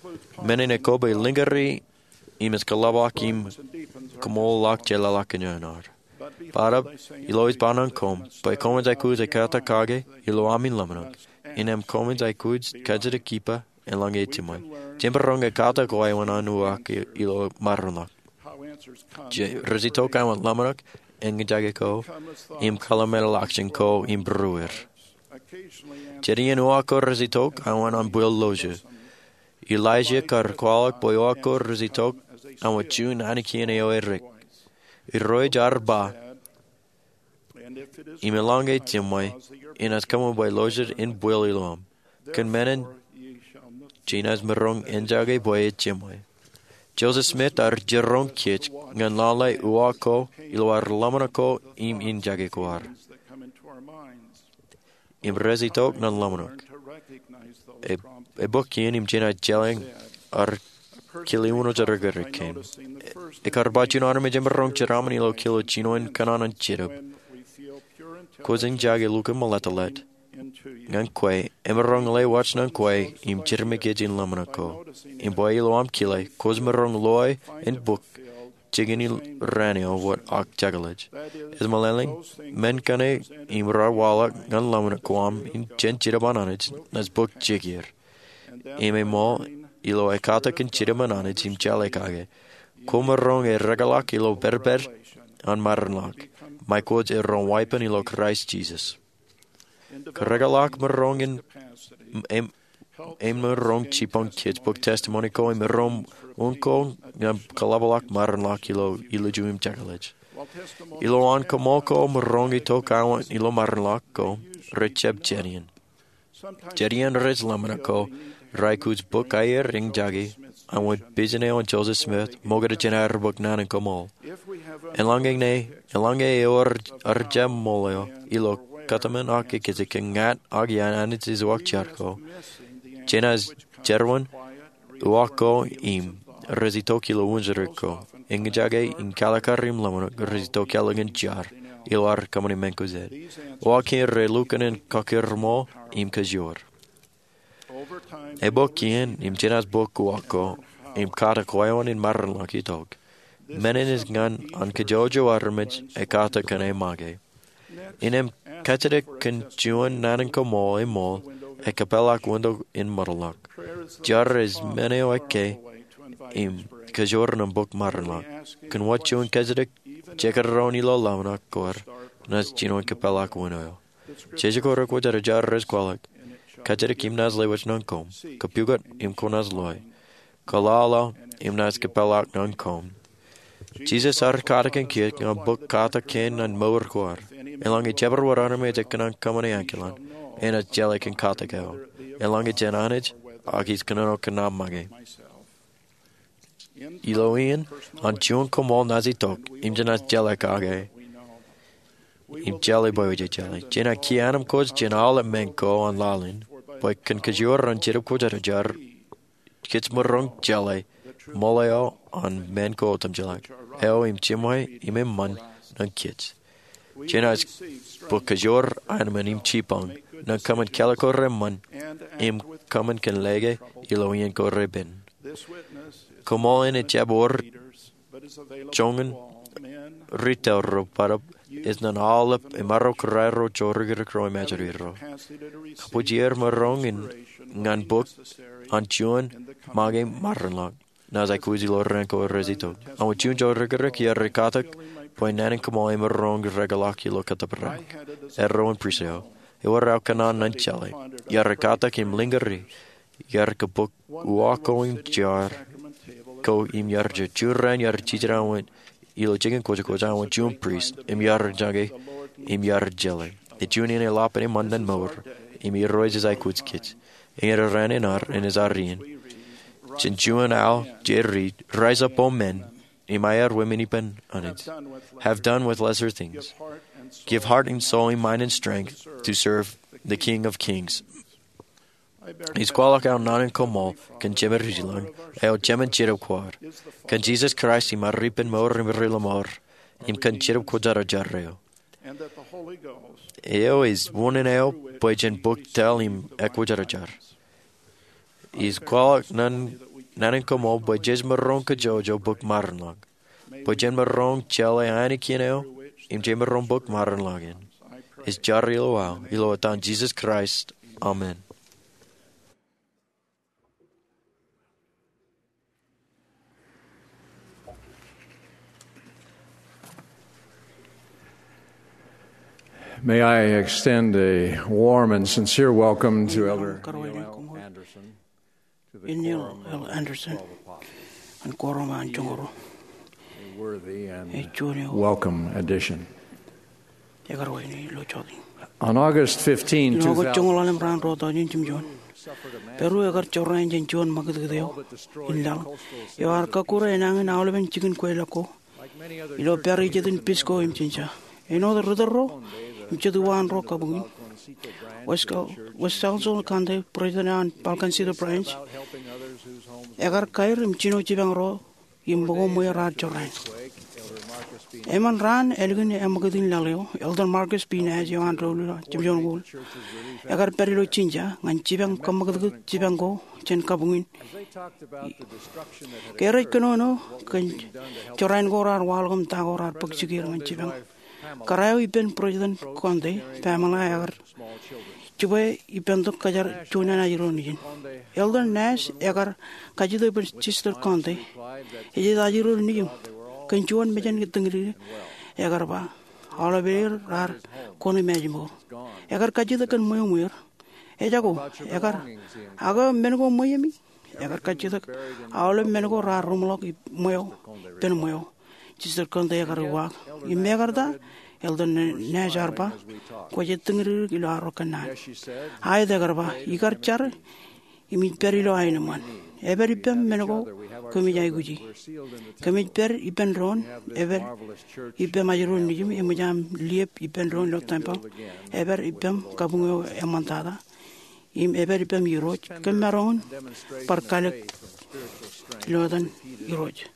men in ekwe bwe lingkeri im ej kōḷapḷọk im kōṃoolḷọk jeḷāḷọkjeṇ in ad. Bōtaab ilo ej ba ñan koṃ bwe koṃij aikuj ekkatak kake ilo ami ḷōmṇak, innām koṃij aikuj kajjitōk ippa eḷaññe ejiṃwe. Jemaroñ ekkatak eo āinwōt an uwaak ilo maroñ ḷọk. Rej itok āinwōt ḷōmṇak, eñjake ko, im kōḷmānḷọkjeṇ ko im būrueir. Jen iien uwaak ko rej itok āinwōt an bwil loje. Elaija kar kwaḷọk bwe uwaak ko rej itok āinwōt juon anij kien eo erik. Irooj ear ba, im eḷaññe ejiṃwe, inaaj kōṃṃan bwe lojed in bwil ilo aṃ. Kōn men in, jenaaj maroñ eñjake bwe ejiṃwe. Joseph Smith ear jiroñ kōj ñan lale uwaak ko ilo ad ḷōmṇak ko im eñjake ko ad. Im rej itok ñan ḷōmṇak. E, ebok iien im jenaaj jeḷā ear kile wūnin rijikuj kein. Ekar ba juon armej emaroñ jeraṃṃan ilo kilo jinoin kōṇaan an Jetōb. Kwōj eñjake lukkuun meḷeḷeḷe ñan kwe, emaroñ lewōj ñan kwe im jiroñ kōj in ḷōmṇak ko. Im bwe ilo aṃ kile, kwōj maroñ loe in bōk jikin raan eo wōt ak jekḷaj. Ej meḷeḷein, men kaṇe im raar waḷọk ñan ḷōmṇak ko aṃ in jen Jetōb an Anij, naaj bōk jikier. Im eṃṃool, ilo ekkatak in Jetōb an Anij im jeḷā kake, kwōmaroñ erekḷọk ilo pedped an maroñ ḷọk, ṃae kwōj erom weeppān ilo Kraist Jisōs. Kōrekḷọk maroñ in, im, im maroñ jibboñ kōj bōk testimony ko im erom unin ko ñan kōḷapḷọk maroñ ḷọk ilo ilju im jekḷaj. Ilowaan koṃṃool ko maroñ itok āinwōt ilo maroñ ḷọk ko, rej jab jān iien. Jān iien rej ḷōmṇak ko, raikuj bōk aier eñjake, āinwōt pejin eo an Joseph Smith, ṃokta jān aer bōk naan in koṃṃool. Eḷaññe, eḷaññe eo ar jab ṃool eo, ilo kōtmān ak ekkejek kōn ñan ak iaan Anij ej uwaak jar ko, jenaaj jerwōj uwaak ko im rej itok ilo wūnin rijikuj ko. Eñjake in kalikkar im ḷōmṇak rej itok ilo ñan jar, ilo ad kōṃṃani men ko jet. Uwaak kein rej lukkuun in kakūrṃool im kajoor. Ebok iien im jenaaj bōk uwaak ko, im katak wāween in maroñ ḷọk itok. Men in ej ñan an kajjojo armej ekkatak kōn e make. Innām kajjitōk kōn juon naan in koṃṃool eṃṃool, ekōpeḷḷọk winto in ṃōttan ḷọk. Jar ej men eo ekkā im kajoor ñan bōk maroñ ḷọk. Kōn wōt juon kajjitōk, jekdọọn ilo ḷōmṇak ko ad, naaj jino in kōpeḷḷọk winto eo. Jejako rekwōjarjar rej kwaḷọk, kajjitōk im naaj lewōj ñan koṃ, kōpukot im kwōnaaj loe, kōḷaḷḷọk im naaj kōpeḷḷọk ñan koṃ. Jisōs ear katakin kōj ñan bōk katak kein ñan mour ko ad. Eḷaññe jabdewōt armej ekōṇaan kōṃṃane ankilaan, enaaj jeḷā kōn katak eo. Eḷaññe jān Anij, ak ij kōnono kōn aṃ make. Ilo iien, an juon koṃṃool naaj itok, im jenaaj jeḷā kake. Im jeḷā bwe wōj jeḷā. Jenaaj kiiō anemkwōj jān aolep men ko an laḷ in, bwe kōn kajoor an Jetōb Kwōjarjar, kōj maroñ jeḷā ṃool eo an men ko otemjeḷā, eo im jiṃwe im eṃṃan ñan kōj. Jenaaj bōk kajoor, anemān im jibboñ, ñan kōṃṃan kālọk ko reṃṃan, im kōṃṃan kōn lōke ilo iien ko repen. Koṃṃool in ej jab wōr joñan ri tōl ro, bōtab ej ñan aolep emaroñ kōrā ro, jorikrōk ro im ajri ro. Kab wōj er maroñ in ñan bōk an juon make maroñ ḷọk. Naaj aikuj ilo raan ko rej itok. Āinwōt juon jorikrōk iar katak bwe naan in koṃṃool emaroñ rekḷọk ilo kōttōpar eo. Erro in prist eo, ewōr aō kōṇaan ñan jeḷā. Iar katak im lingkeri, iar kōbōk uwaak ko im jar ko im iar je. Juon raan iar jijet āinwōt ilo jikin kōjkōj āinwōt juon prist, im iar eñjake, im iar jeḷā. Ej juon iien eḷap eṃṃan ñan mour, im Irooj ej aikuj kōj. Eñin raan in ad, enaaj ad iien. Jān juon aō, Jerry, rise up, O men, im aer wōmen ippān Anij. Have done with lesser things. Give heart and soul and mind and strength to serve the King of Kings. Ij kwaḷọk aō naan in koṃṃool kōn Jemedilōñ, eo Jemān Jetōb Kwōj, kōn Jisōs Kraist im ad ippān mour im ri lọmọọr, im kōn Jetōb Kwōjarjar eo. Eo ej unin eo bwe jen bōk tōl im ekwōjarjar. Ij kwaḷọk naan in koṃṃool bwe jej maroñ kajjojo bōk mārinḷọk, bwe jen maroñ jeḷā ainikien eo im jej maroñ bōk mārinḷọk in. Ij jar ilo aō, ilo etan Jisōs Kraist, amen. May I extend a warm and sincere welcome to Elder Neil L. Andersen to the Quorum of Apostles. Neil L. Andersen, ñan Quorum an Joñoul Ruo. A worthy and welcome addition. Ej juon eo ekar wāween ilo jota in. On August fifteenth, ilo August joñoul ḷalem raan ruo taujin jimjuon, Peru ekar jorrāān jān juon ṃakūtkūt eo in laḷ eo ear kọkkure enañin aolepen jikin kweilọk ko ilo pād ijetin Pisco im Chincha. Āinwōt ri tōl ro im jet uwaan ro kabuñ in, West Cal-, West Salcedo County President eo an Balkancito Branch ekar kaer im jino jipañ ro im ṃōko ṃweo raar jorrāān. Eṃṃan raan ālikin eṃṃakūt in laḷ eo, Elder Marcus B. Nash eo an doulul jemjoñoul ekar pād ilo Chincha ñan jipañ kōṃṃakūtkūt jipañ ko jān kabuñ in. Ke rej kōnono kōn jorrāān ko raar waḷọk im ta ko raar bōk jikier ñan jipañ, kōrā eo ippān President Conde, Pamela, ekar jibwe ippān tok kōjatdikdik juon ajri ro nejin. Elder Nash ekar kajjitōk bwe Sister Conde ej ajri ro nejin kōn juon mejān tōñdikdik. Ekar ba, aolep er raar kōn im ej mour. Ekar kajjitōk kōn ṃweo ṃweer. Ejako, ekar, ak men ko ṃweeṃ? Ekar kajjitōk, aolep men ko raar ruṃḷọk ṃweo, ippān ṃweo. Sister Conde ekar uwaak. Im mekarta, Elder Nash ear ba, kwōj tōñdikdik ilo arro kōnnaan. Aet, ekar ba, ikar jar im ij pād ilo aenōṃṃan. Epād ippaṃ men ko kōmij aikuji. Kōmij pād ippān doon, epād ippaṃ ajri ro nejin, eṃōj aṃ liep ippān doon ilo tempeḷ. Epād ippaṃ kabuñ eo eṃṃantata. Im epād ippaṃ Irooj, kōm maroñ in bar kalōk ilo etan Irooj.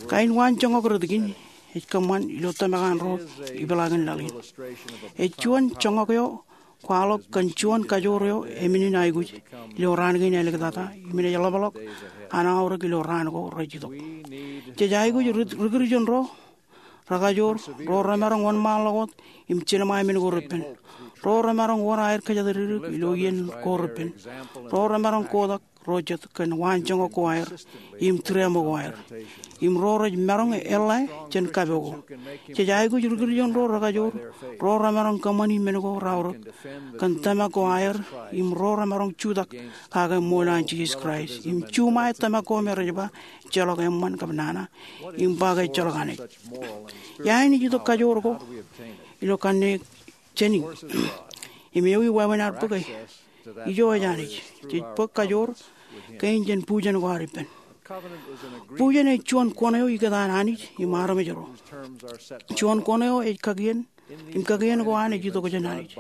Kain waanjoñak rot kein ej kōṃṃan ilo tōmak an ro ipeḷaakin laḷ in. Ej juon joñak eo kwaḷọk kōn juon kajoor eo emennin aikuj ilo raan kein āliktata im enaaj ḷapḷọk an aorōk ilo raan ko rej itok. Jej aikuj ri-, ri-Kūrjin ro rekajoor, ro remaroñ wōnṃaanḷọk wōt im jilṃae men ko repen. Ro remaroñ wōr aer kōjatdikdik ilo iien ko repen. Ro remaroñ kotak ro jet kōn waanjoñak ko aer im tūriaṃo ko aer. Im ro rej maroñ eḷḷā jān kapo ko. Jej aikuj ri-Kūrjin ro rekajoor, ro remaroñ kōṃṃani men ko raorōk kōn tōmak ko aer, im ro remaroñ jutak kake ṃool an Jisōs Kraist im juṃae tōmak ko me rej ba ejjeḷọk eṃṃan kab nana, im ba ke ejjeḷọk Anij. Ia enaaj itok kajoor ko ilo kanniōk jān in? Im ewi wāween ad bōke? Ijo ej Anij. Jej bōk kajoor kein jān bujen ko ad ippān. Bujen ej juon kuṇ eo ikōtaan Anij im armej ro. Juon kuṇ eo ej kakien, im kakien ko an ej itok jān Anij.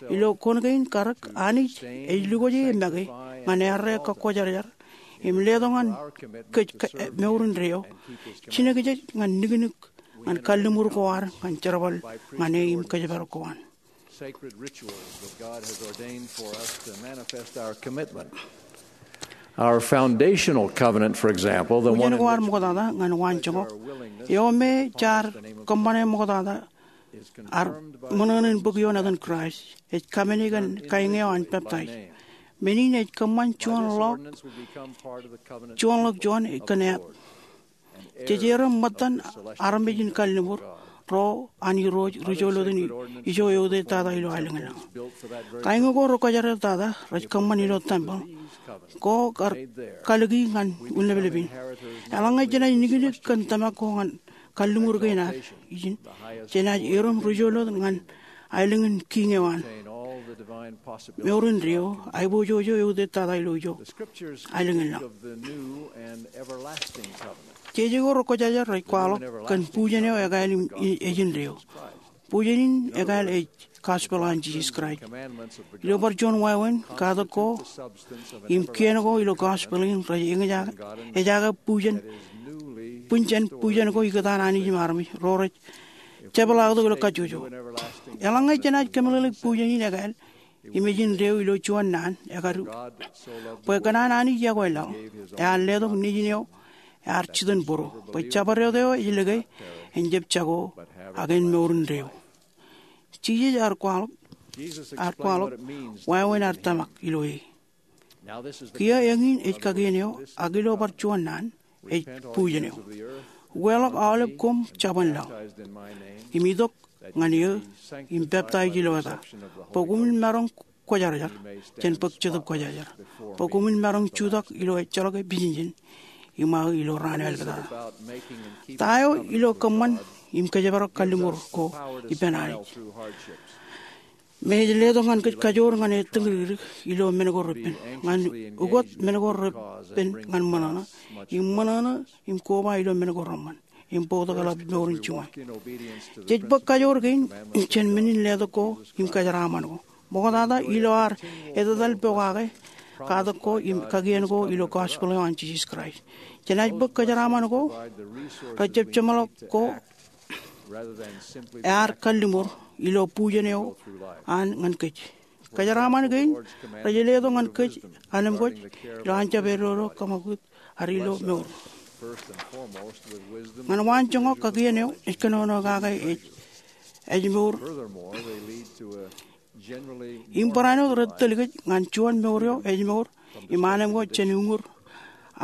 Ilo kuṇ kein karōk, Anij ej lukwōj e make ñan errā kakkwojarjar im letok ñan kōj ka-, mour indeeo, jinōkjeej ñan niknik ñan kalliṃur ko ad ñan jerbal ñan e im kōjparok ko an. Sacred rituals that God has ordained for us to manifest our commitment. Our foundational covenant, for example, the one in which we pledge our willingness to honor the name of God. Bujen ko ad ṃoktata ñan waanjoñak eo me jaar kōṃṃane ṃoktata ad ṃōṇōṇō in bōk ioon etan Kraist, ej kaṃṃane kōn kain eo an peptaij. Men in ej kōṃṃan juon ḷọk, juon ḷọk juon kōn eat. Jej erom ṃōttan armej in kalliṃur, ro an Irooj ri-joḷọkin ijo eutiej tata ilo aelōñ in laḷ. Kain ko rekwōjarjar tata rej kōṃṃan ilo tempeḷ ko kar kalōki ñan unleplep in. Eḷaññe jenaaj niknik kōn tōmak ko ñan kalliṃur kein ad ijin, jenaaj erom ri-joḷọk ñan aelōñ in kiiñ eo an mour indeeo, aiboojoj eo eutiej tata ilo ijo aelōñ in laḷ. Jeje ko rekwōjarjar rej kwaḷọk kōn bujen eo ekāāl im ej indeeo. Bujen in ekāāl ej gospel an Jisōs Kraist. Ilo bar juon wāween, katak ko im kien ko ilo gospel in rej eñjake, ejaake bujen, bujen, bujen ko ikōtaan Anij im armej ro rej jepḷaaktok ilo kajjojo. Eḷaññe jenaaj kōmeḷeḷeik bujen in ekāāl im ej indeeo ilo juon naan, ekadu, bwe kōṇaan Anij iọkwe laḷ, ear letok Nejin eo ear jitōnbōro, bwe jabdewōt eo ej lōke en jab jako, ak en mour indeeo. Jisōs ear kwaḷọk, ear kwaḷọk wāween ear tōmak ilo e. Kiiō eñin ej kakien eo, ak ilo bar juon naan, ej bujen eo. Ukeḷọk aolep koṃ jabōn laḷ, im itok ñan eō, im peptaij ilo eta, bwe koṃwin maroñ kwōjarjar, jān bōk Jetōb Kwōjarjar, bwe koṃwin maroñ jutak ilo ejjeḷọk pijinjin iṃaō ilo raan eo āliktata. Ta eo ilo kōṃṃan im kōjparok kalliṃur ko ippān Anij, me ej letok ñan kōj kajoor ñan e tiñdikdik ilo men ko repen, ñan ukot men ko repen ñan ṃōṇōṇō, im ṃōṇōṇō im koba ilo men ko reṃṃan, im bōktok eḷap mour in juon. Jej bōk kajoor kein jān men in letok ko im kōjeraaṃṃan ko. Ṃoktata ilo ad etetal pokake katak ko im kakien ko ilo gospel eo an Jisōs Kraist, jenaaj bōk kōjeraaṃṃan ko, rejjab jeṃḷọk ko ear kalliṃur ilo bujen eo an ñan kōj. Kōjeraaṃṃan kein rej letok ñan kōj anemkwōj ilo an jab edodo kōṃakūt ad ilo mour. Ñan waan joñak, kakien eo ej kōnono kake ej, ej mour. Im barāinwōt rej tōl kōj ñan juon mour eo ej mour im anemkwōj jān uñūr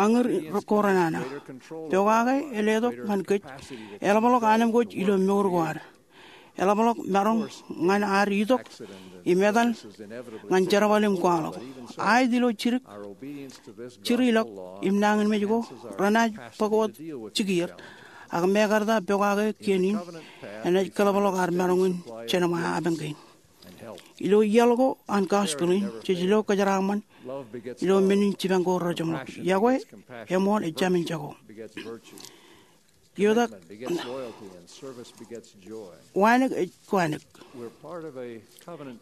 añūr ko renana. Pokake ej letok ñan kōj eḷapḷọk anemkwōj ilo mour ko ad. Eḷapḷọk maroñ ñan ad itok im etal ñan jerbal im kwaḷọk. Aet ilo jidik, jirilọk im nañinmej ko renaaj bōk wōt jikier, ak mekarta pokake kien in enaaj kōḷapḷọk ad maroñ in jeṇ ṃae apañ kein. Ilo iaḷ ko an gospel in, jej lo kōjeraaṃṃan ilo men in jipañ ko rejeṃḷọk. Iọkwe, eṃool, ej jāmin jako. Iotak, wānōk ej kwānōk.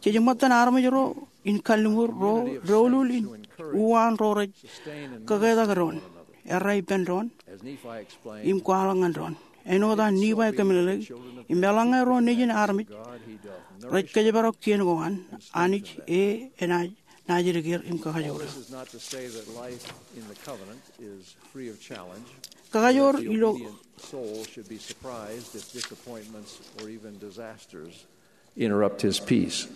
Jej ṃōttan armej ro in kalliṃur ro doulul in uwaan ro rej kōketak doon, errā ippān doon, im kwaḷọk ñan doon. Āinwōt an Nifai kōmeḷeḷeik, im eḷaññe ro nejin armej rej kōjparok kien ko an Anij, e enaaj naajdik er im kakajoor er. Kakajoor ilo interrupt his peace.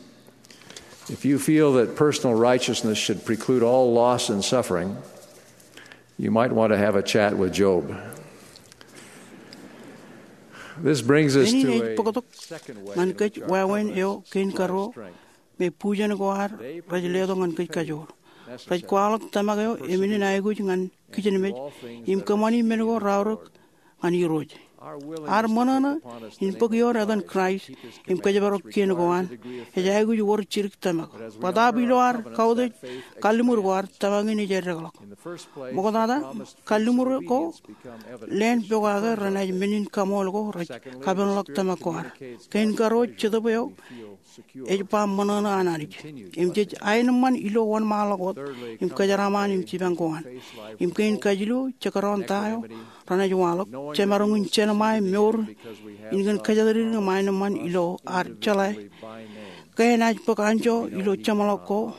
If you feel that personal righteousness should preclude all loss and suffering, you might want to have a chat with Job. This brings us to a second way in which our covenants supply strength. Eñin ej bōktok ñan kōj wāween eo kein karuo me bujen ko ad rej letok ñan kōj kajoor. Rej kwaḷọk tōmak eo emenin aikuj ñan kijenmej im kōṃṃani men ko raorōk ñan Irooj. Ad ṃōṇōṇō in bōk ioon etan Kraist im kōjparok kien ko an ej aikuj wōr jidik tōmak. Bōtaab ilo ad kautiej kalliṃur ko ad, tōmak in ej eddekḷọk. Ṃoktata, kalliṃur ko leen pokake renaaj men in kaṃool ko rej kapenḷọk tōmak ko ad. Kein karuo, Jetōb eo ej ba ṃōṇōṇō an Anij. Im jej aenōṃṃan ilo wōnṃaanḷọk wōt im kōjeraaṃṃan im jipañ ko an. Im kein kajilu, jekdọọn ta eo renaaj waḷọk, jemaroñ in jeṇ ṃae mour in kōn kōjatdikdik im aenōṃṃan ilo ad jeḷā ke enaaj bōk anjọ ilo jeṃḷọk ko,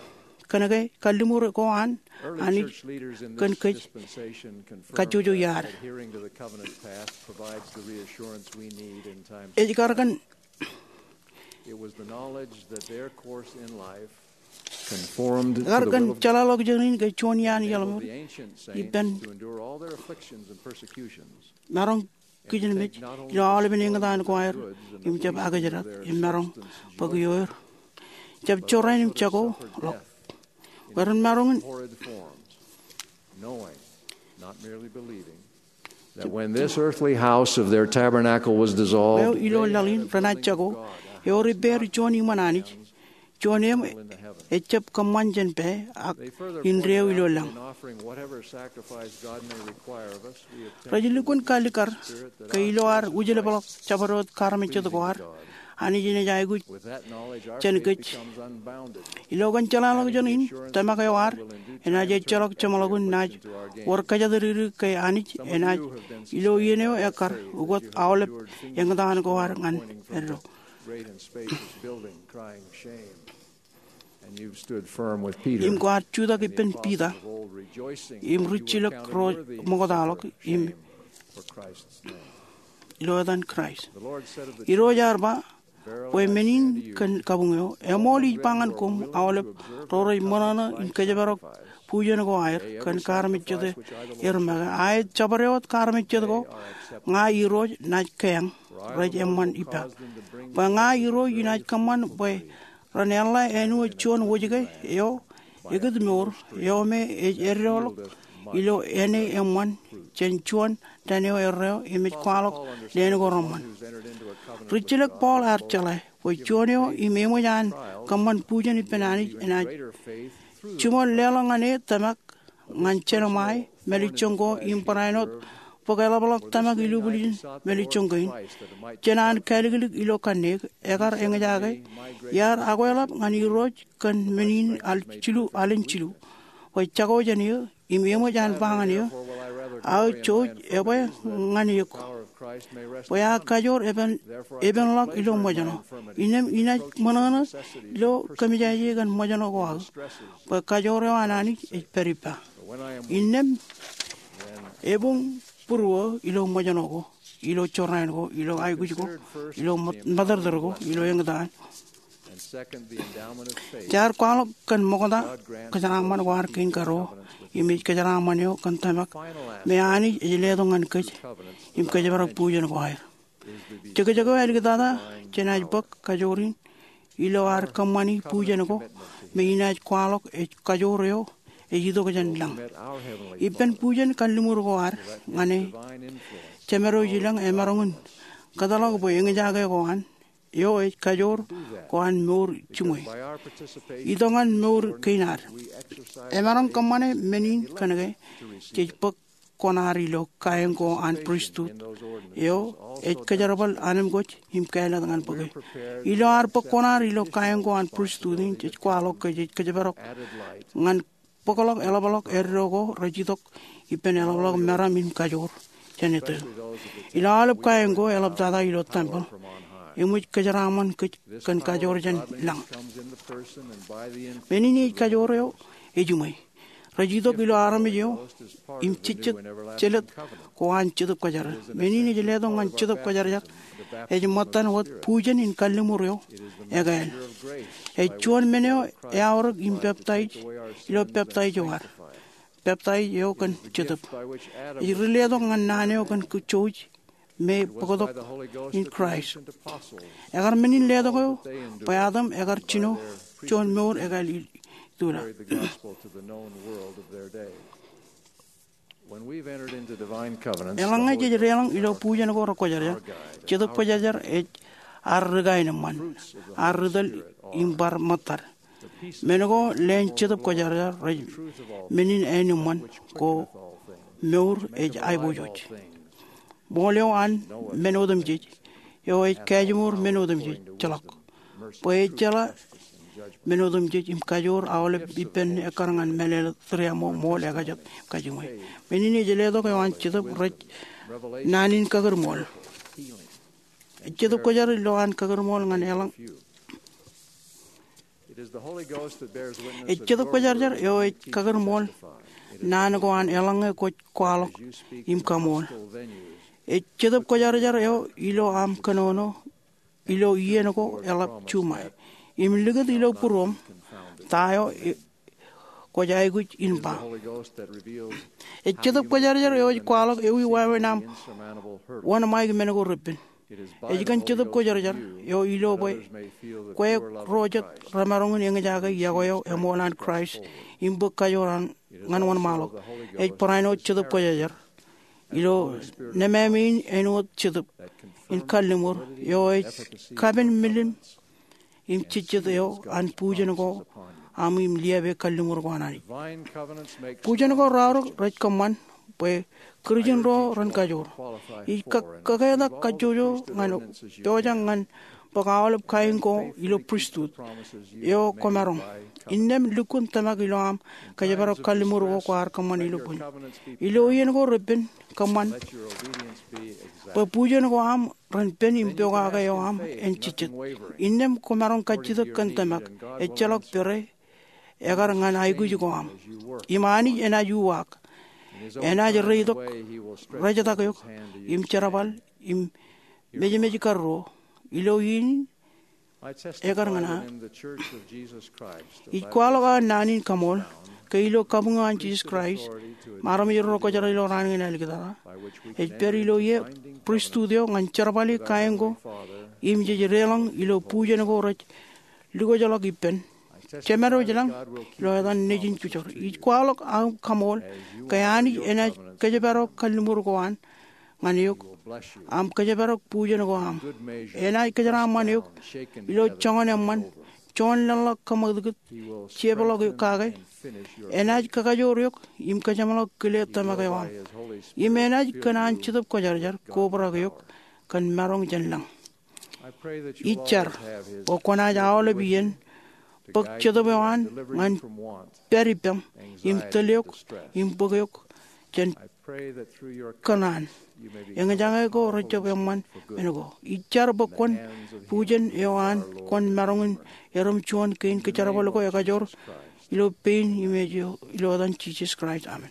kōnke kalliṃur ko an Anij kōn kōj kajjojo iaad. Ej kar kōn, kar kōn jeḷāḷọkjeṇ in ke juon iaan iaḷ ṃōk ippān maroñ kijenmej ilo aolepen eñtaan ko aer im jab akijrak im maroñ bōk ioer. Jab jorrāān im jako ḷọk. Bwe ren maroñ in that when this earthly house of their tabernacle was dissolved, eo ilo laḷ in renaaj jako, ewōr ippāer juon iṃōn Anij, juon eṃ ejjab kōṃṃan jān pā ak indeeo ilo lañ. Rej lukkuun kalikkar ke ilo ad wūjlepḷọk jabdewōt kaarmejjet ko ad, Anij enaaj aikuj jān kōj. Ilo kōn jeḷāḷọkjeṇ in, tōmak eo ad enaaj ejjeḷọk jeṃḷọkin naaj wōr kōjatdikdik ke Anij enaaj ilo iien eo ekkar ukōt aolep eñtaan ko ad ñan eddo. Im kwaar jutak ippān Piter im rijjilōk ro ṃoktaḷọk im ilo etan Kraist. Irooj ear ba, bwe men in kōn kabuñ eo, eṃool ij ba ñan koṃ, aolep ro rej ṃōṇōṇō in kōjparok bujen ko aer kōn kaarmejjete er make, aet jabdewōt kaarmejjet ko ña Irooj naaj keañ rej eṃṃan ippa. Bwe ña Irooj inaaj kōṃṃan bwe ren eḷḷā āinwōt juon wōjke eo ekūtmour eo me ej eddoḷọk ilo āne eṃṃan jān juon dān eo erreo im ej kwaḷọk leen ko reṃṃan. Rijjilōk Paul ear jeḷā bwe juon eo im eṃōj an kōṃṃan bujen ippān Anij enaaj jiṃor leḷọk ñan e tōmak ñan jenōṃae mālejjoñ ko im barāinwōt wōt bōk eḷapḷọk tōmak ilubwiljin mālejjoñ kein jān an kāliklik ilo kanniōk, ekar eñjake iar akweḷap ñan Irooj kōn men in al jilu, alen jilu, bwe jako jān eō im eṃōj an ba ñan eō, aō jouj ebwe ñan eok bwe aō kajoor epen, epenḷọk ilo ṃōjṇọ. Innām inaaj ṃōṇōṇō ilo kōmijāje kōn ṃōjṇọ ko aō bwe kajoor eo an Anij ej pād ippa. Innām ebuñ būruō ilo ṃōjṇọ ko, ilo jorrāān ko, ilo aikuj ko, ilo ṃōt-, ṃōtōrtōr ko, ilo eñtaan. Jaar kwaḷọk kōn ṃokta kōjeraaṃṃan ko ad kein karuo, im ej kōjeraaṃṃan eo kōn tōmak me Anij ej letok ñan kōj im kōjparok bujen ko aer. Jekjek eo āliktata jenaaj bōk kajoor in ilo ad kōṃṃani bujen ko me inaaj kwaḷọk ej kajoor eo ej itok jān lañ. Ippān bujen kalliṃur ko ad ñan e, Jemedwōj ilañ emaroñ in kōtḷọk bwe eñjake ko an eo ej kajoor ko an mour jiṃwe. Itok ñan mour kein ad. Emaroñ kōṃṃane men in kōnke jej bōk kuṇaad ilo kain ko an pristut eo ej kōjerbal anemkwōj im kāālōt ñan bōke. Ilo ad bōk kuṇaad ilo kain ko an pristut in, jej kwaḷọk ke jej kōjparok ñan bōkḷọk eḷapḷọk eddo ko rej itok ippān eḷapḷọk meram im kajoor jān etto. Ilo aolep kain ko eḷaptata ilo tempel, eṃōj kōjeraaṃṃan kōj kōn kajoor jān lañ. Men in ej kajoor eo ejiṃwe. Rej itok ilo armej eo im jejjet jelōt ko an Jetōb Kwōjarjar. Men in ej letok ñan Jetōb Kwōjarjar ej ṃōttan wōt bujen in kalliṃur eo ekāāl. Ej juon men eo eaorōk im peptaij ilo peptaij eo ad. Peptaij eo kōn Jetōb. Ej ri letok ñan naan eo kōn jouj me bōktok in Kraist. Ekar men in letok eo bwe atam ekar jino juon mour ekāāl itula. Eḷaññe jej deḷọñ ilo bujen ko rekwōjarjar, Jetōb Kwōjarjar ej ad ri kaenōṃṃan, ad ri tōl im bar ṃōttad. Men ko leen Jetōb Kwōjarjar rej men in āinwōt ko mour ej aiboojoj. Ṃool eo an men otemjej, eo ej kajiṃor men otemjej, ejjeḷọk. Bwe ejjeḷā men otemjej im kajoor aolep ippān ekkar ñan mālōtlōt, tūriaṃo, ṃool, ekajet, kajiṃwe. Men in ej letok eo an Jetōb rej naan in kakūrṃool. Ej Jetōb Kwōjarjar ilo an kakūrṃool ñan eḷaññe. Ej Jetōb Kwōjarjar eo ej kakūrṃool naan ko an eḷaññe kwōj kwaḷọk im kaṃool. Ej Jetōb Kwōjarjar eo ilo aṃ kōnono ilo iien ko eḷap juṃae im likūt ilo būruōṃ ta eo e-, kwōj aikuj in ba. Ej Jetōb Kwōjarjar eo ej kwaḷọk ewi wāween aṃ wōnṃaik men ko repen. Ej kōn Jetōb Kwōjarjar eo ilo bwe kwe ro jet remaroñ in eñjake yokwe eo eṃool an Kraist im bōk kajoor an ñan wōnṃaanḷọk. Ej barāinwōt Jetōb Kwōjarjar ilo nemāmein āinwōt Jetōb in kalliṃur eo ej kapen milim im jejjet eo an bujen ko aṃ im liape kalliṃur ko an Anij. Bujen ko raorōk rej kōṃṃan bwe Kūrjin ro ren kajoor. Ij kō-, kōketak kajjojo ñan pojak ñan bōk aolep kain ko ilo pristut eo kwōmaroñ. Innām lukkuun tōmak ilo aṃ kōjparok kalliṃur ko kwaar kōṃṃan ilo bōjṇ. Ilo iien ko repen kōṃṃan bwe bujen ko aṃ ren pen im pokake eo aṃ en jejjet. Innām kwōmaroñ kajjitōk kōn tōmak, ejjeḷọk pere, ekar ñan aikuj ko aṃ. Im Anij enaaj uwaak. Enaaj reitok, rejtak eok, im jerbal, im mejmej karruo. Ilo iien ekar ñan aō. Ij kwaḷọk aō naan in kaṃool ke ilo kabuñ eo an Jisōs Kraist im armej ro kwōjeḷā ilo raan kein āliktata, ej pād ilo ie pristut eo ñan jerbali kain ko im jej deḷọñ ilo bujen ko rej lukkuun ḷọk ippān. Jemād eo ej lañ ilo etan Nejin Kujor. Ij kwaḷọk aō kaṃool ke Anij enaaj kōjparok kalliṃur ko an ñan eok, aṃ kōjparok bujen ko aṃ. Enaaj kōjeraaṃṃan eok ilo joñan eṃṃan, juon leḷọk kōṃakūtkūt, jepḷọk kake. Enaaj kakajoor eok im kōjeṃḷọk kile tōmak eo aṃ. Im enaaj kōn an Jetōb Kwōjarjar kobrak eok kōn maroñ jān lañ. Ij jar bwe kwōnaaj aolep iien bōk Jetōb eo an ñan pād ippaṃ im tōl eok im bōk eok jān kōṇaan. Eñjake ko rejjab eṃṃan men ko. Ij jar bwe kwōn bujen eo an kwōn maroñ in erom juon kein kōjerbal ko ekajoor ilo pein im ej ilo etan Jisōs Kraist, amen.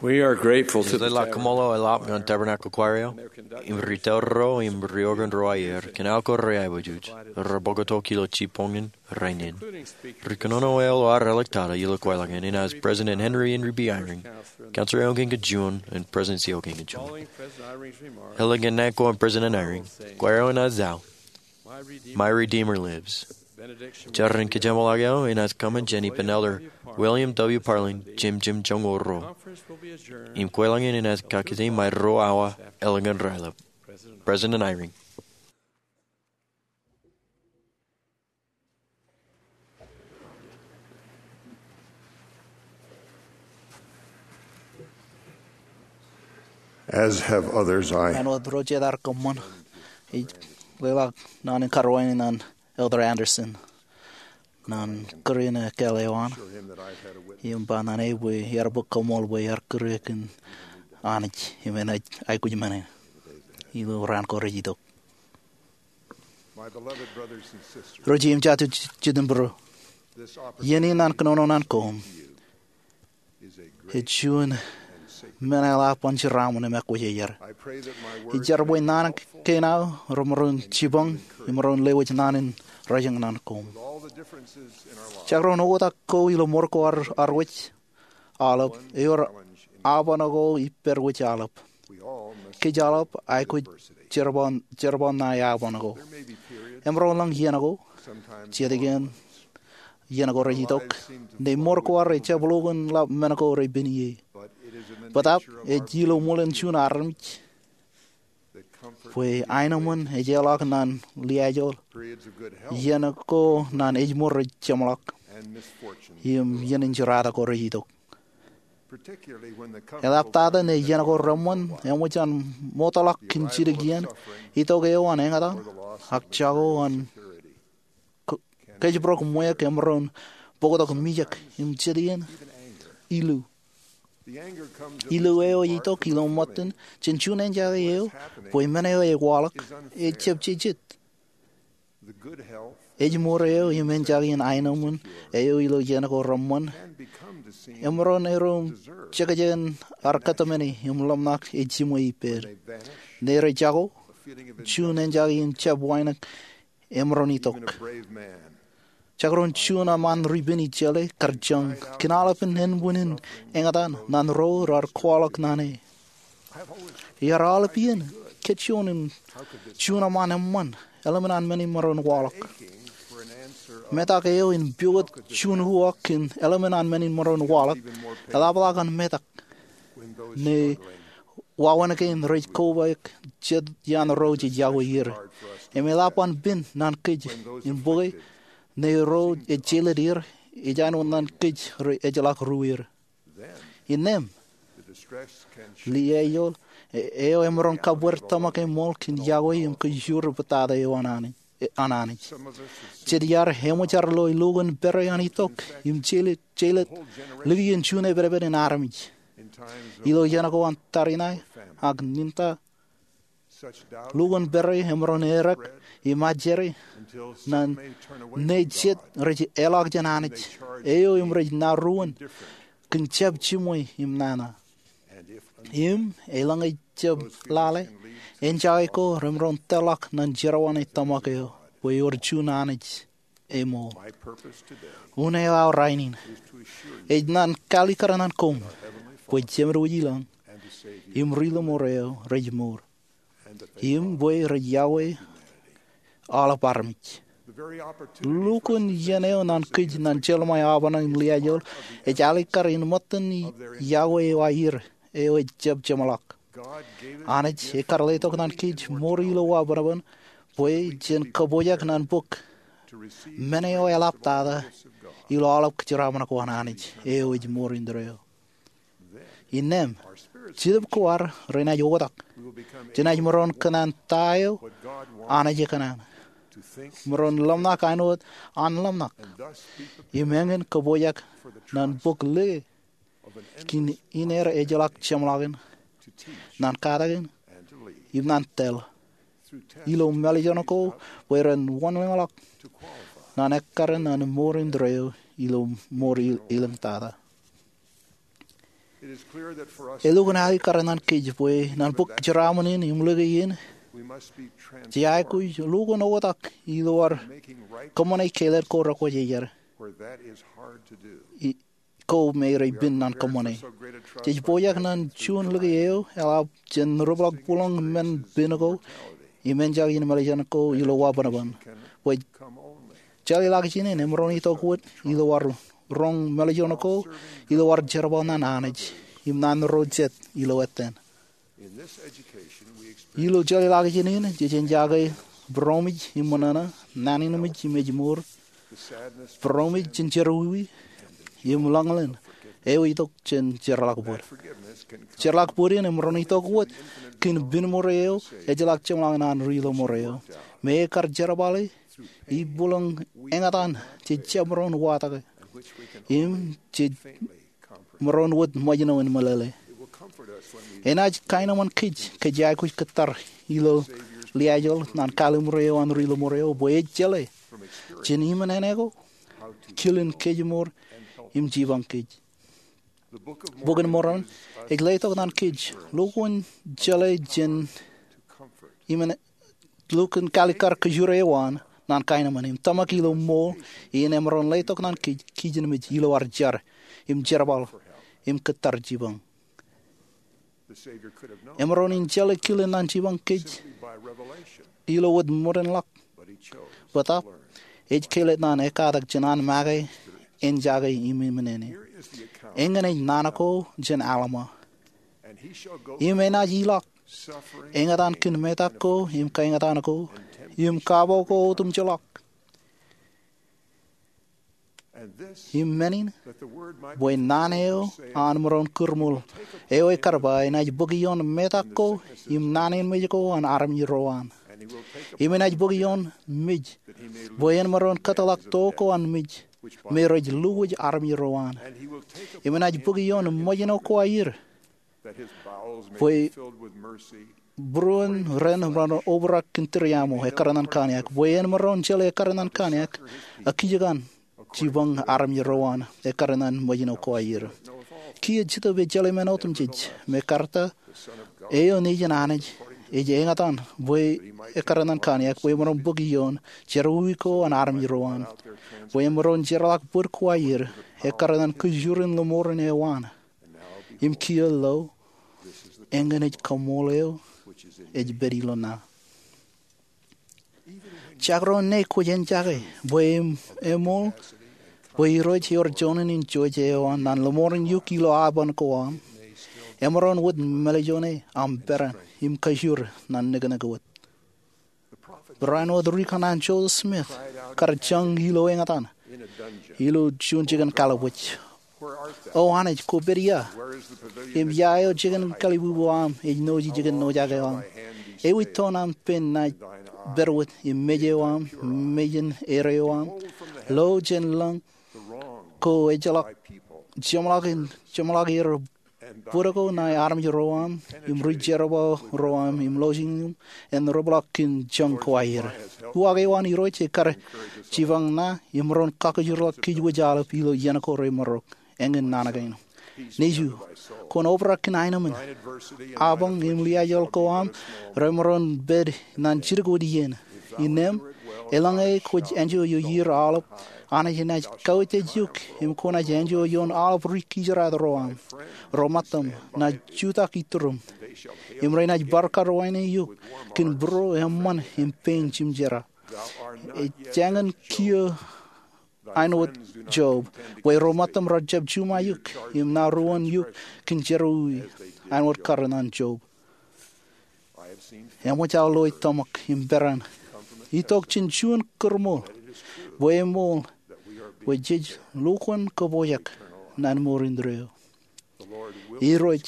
We are grateful to the Ijeḷā kōṃṃool eo eḷap ñan Tabernacle Choir eo im ri tōl ro im ri organ ro aer kōn aō ko reaiboojoj rej bōktok ilo jibboñōn rainin. Ri kōnono eo eo ar āliktata ilo kwaḷọk in enaaj President Henry Henry B. Eyring, Counselor eo kein kōn juon im President eo kein kōn juon. Eḷap ñan naan ko an President Eyring, kwaer eo enaaj eo, My Redeemer Lives. Jar in kōjeṃḷọk eo enaaj kōṃṃan jān ippān Elder William W. Parlin, jemjem joñoul ruo. Im kwaḷọk in enaaj kakkije ṃae ruo awa eḷap ñan raelep. President Eyring. As have others, I Āinwōt ro jet ear kōṃṃan, ij leḷọk naan in karuwainene ñan Elder Andersen ñan kūr in ekkāāl eo an. Im ba ñan e bwe iar bōk koṃṃool bwe iar kūr e kōn Anij im enaaj aikuj men in ilo raan ko rej itok. Ro jeiū im jatū jet im būruō, iien in an kōnono ñan koṃ ej juon men eḷap an jeraaṃṃan im ekwōjarjar. Ij jar bwe naan kein aō remaroñ jipañ im maroñ lewōj naan in rōjañ ñan koṃ. Jekdọọn oktak ko ilo ṃōr ko arwōj aolep, ewōr aoban ko ippād wōj aolep. Kōj aolep aikuj jerbal ṇae aoban ko. Emaroñ lōñ iien ko, jet iien iien ko rej itok, ṇe ṃōr ko ar ejjab lukkuun ḷap men ko rej pen ie. Bōtaab ej ilo ṃōlen juon armej bwe aenōṃṃan ej ālọk ñan liaajol, iien ko ñan ejṃor rej jeṃḷọk, im iien in jeratak ko rej itok. Eḷaptata ṇe iien ko reṃṃan eṃōj an ṃootḷọk kōn jidik iien, itok eo an eñtaan, ak jako an kōjparok ṃweiuk emaroñ bōktok mijak im jet iien ilu. Ilu eo ej itok ilo ṃōttan jān juon eñjake eo bwe men eo ej waḷọk ejjab jejet. Ejṃor eo im eñjake in aenōṃṃan eo ilo iien ko reṃṃan emaroñ ro im jekjek in ar kōtmāne im ḷōmṇak ej jiṃwe ippād. Ṇe rej jako, juon eñjake in jab wānōk emaroñ itok. Jekdọọn juon eṃṃan ri pen ijele kar joñ kōn aolepān ānbwinnin eñtaan ñan ro raar kwaḷọk ñan e. Iar aolep iien kōjjojo im juon eṃṃan eṃṃan eḷmen an men in maroñ waḷọk. Metak eo in piwōt juon uwaak kōn eḷmen an men in maroñ waḷọk eḷapḷọk an metak ṇe wāween kein rej kobaik jet iaan ro jej yokwe er. Im eḷap an pen ñan kōj in bōke ṇe ro ej jeiled er ej āinwōt ñan kōj rej ejjeḷọk ru er. Innām, liaajol eo emaroñ kab wōr tōmak eṃool kōn yokwe im kōjro bōtata eo an Anij. Jet iar eṃōj ar lo lukkuun pere an itok im jeiled likien juon epedped in armej. Ilo iien ko an tariṇae ak ninta, lukkuun pere emaroñ errā im ajri ñan ṇe jet rej ālọk jān Anij eo im rej ṇa ruōn kōn jab jiṃwe im nana. Im elōñ ej jab lale, eñjake ko remaroñ tōlḷọk ñan jerọwiwi tōmak eo bwe ewōr juon Anij eṃool. Unin eo aō rainin ej ñan kalikkar ñan koṃ bwe Jemedwōj ilọñ im Ri-lọmọọr eo rej mour im bwe rej yokwe aolep armej. Lukkuun iien eo ñan kōj ñan jeḷā ṃae aoban im liaajol ej alikkar in ṃōttan yokwe eo aer eo ej jab jeṃḷọk. Anij ekar letok ñan kōj ṃoor ilo wa bwebwenato bwe jen kōpojak ñan bōk men eo eḷaptata ilo aolep kōjeraaṃṃan ko an Anij eo ej ṃoor indeeo. Innām, jetōb ko ad renaaj oktak. Jenaaj maroñ kōṇaan ta eo Anij ekōṇaan. Maroñ ḷōmṇak āinwōt an ḷōmṇak im eñin kōpojak ñan bōk lōke kōn in eo ejjeḷọk jeṃḷọkin, ñan katakin, im ñan tōl ilo mālejān ko bwe ren wōnlaḷḷọk ñan ekkar ñan ṃoor indeeo ilo ṃoor elōñ tata. Elukkuun alikkar ñan kōj bwe ñan bōk jeraaṃṃan in im lōke in, jej aikuj lukkuun oktak ilo ad kōṃṃane kāālōt ko rekwōjarjar ko me rej pen ñan kōṃṃane. Jej pojak ñan juon lōke eo eḷap jān rūplọk būḷōñ men pen ko im enjake in mālejān ko ilo wabōnbōn. Bwe jelālōt in emaroñ itok wōt ilo ad roñ mālejān ko ilo ad jerbal ñan Anij im ñan ro jet ilo ettā. Ilo jelālōt in, jej enjake būroṃōj im ṃōṇōṇō, naan in ṃōj im ejmour, būroṃōj jān jerọwiwi, im ḷōñḷōñ eo itok jān jeorḷọk bōd. Jeorḷọk bōd in emaroñ itok wōt kōn pen ṃōrō eo ejjeḷọk jeṃḷọk naan ri lọmọọr eo. Im ekar jerbale ippoḷōn eñtaan jej jab maroñ watōke im jej maroñ wōt ṃōjṇọ in meḷeḷe. Enaaj kaenōṃṃan kōj ke jej aikuj kōttar ilo liaajḷọk ñan kalimur eo an ri lọmọọr eo bwe ej jeḷā jān iṃōṇōṇō ko, kilen kōjmour im jipañ kōj. Bok in Mormon ej letok ñan kōj lukkuun jeḷā jān iṃō lukkuun kalikkar kōjro eo an ñan kaenōṃṃan im tōmak ilo ṃool in emaroñ letok ñan kōj kijenmej ilo ad jar im jerbal im kōttar jipañ. Emaroñ in jeḷā kilen ñan jipañ kōj ilo wōt ṃōdenḷọk. Bōtaab ej kāālōt ñan ekkatak jān an make, enjake im iṃōṇōṇō. Eñin ej naan ko jān Alma. Im enaaj ilọk eñtaan kōn metak ko im kaeñtaan ko im kapo ko otemjeḷọk. Im men in, bwe naan eo an maroñ kūrṃool eo ekar ba enaaj bōk ioon metak ko im naan in mej ko an armej ro an. Im enaaj bōk ioon mej bwe en maroñ kōtḷọk to ko an mej me rej lewōj armej ro an. Im enaaj bōk ioon ṃōjṇo ko aer bwe būruon ren maroñ obrak kōn tūriaṃo ekkar ñan kōn eañ, bwe en maroñ jeḷā ekkar ñan kōn eañ, ak kijkan jipañ armej ro an ekkar ñan ṃōjṇo ko aer. Kiiō Jetōb ej jeḷā men otemjej, me Karta eo Nejin Anij ej eñtaan bwe ekkar ñan kōn eañ, bwe maroñ bōk ioon jerọwiwi ko an armej ro an, bwe en maroñ jeorḷọk bōd ko aer ekkar ñan kōjro in lọmọọren eo an. Im kiiō lo, eñin ej kaṃool eo ej pād ilo ṇa. Jekdọọn ṇe kwōj enjake bwe eṃool bwe Irooj ewōr juon in jouj eo an ñan lọmọọren eok ilo aban ko aṃ, emaroñ wōt mālejone aṃ peran im kajur ñan nuknuk wōt. Barāinwōt ri kanaan Joseph Smith kar jañ ilo eñtaan ilo juon jikin kalbwij, O Anij, kwō pād ia? Im ia eo jikin kalbubu aṃ ej nooj jikin nojak eo aṃ? Ewi toon aṃ pen naaj pād wōt, im mej eo aṃ mejān erreo aṃ? Lo jān lōñ ko ejjeḷọk jeṃḷọk er bōd ko ṇae armej ro aṃ im ri jerbal ro aṃ im lọjilñiṃ en rūplọk kōn joñ ko aer. Uwaak eo an Irooj ekar jipañ ṇa im maroñ kakajorḷọk kōjwōj aolep ilo iien ko remarok. Eñin naan kein. Nejū, kwōn obrak kōn aenōṃṃan. Apañ im liaajḷọk ko aṃ remaroñ pād ñan jidik wōt iien. Innām, eḷaññe kwōj enjo ioer aolep, Anij enaaj kautiej eok im kwōnaaj enjo ioon aolep ri kijeraad ro aṃ, ro ṃōttam naaj jutak iturūṃ, im renaaj bar karuwainene eok kōn būruō eṃṃan im pein jimjerā. Ejāñin kiiō āinwōt Job, bwe ro ṃōttam rej jab juṃae eok im ṇa ruōn eok kōn jerọwiwi āinwōt kar ñan Job. Eṃōj aō loe tōmak im peran itok jān juon kūrṃool bwe eṃool bwe jej lukkuun kōpojak ñan mour indeeo. Irooj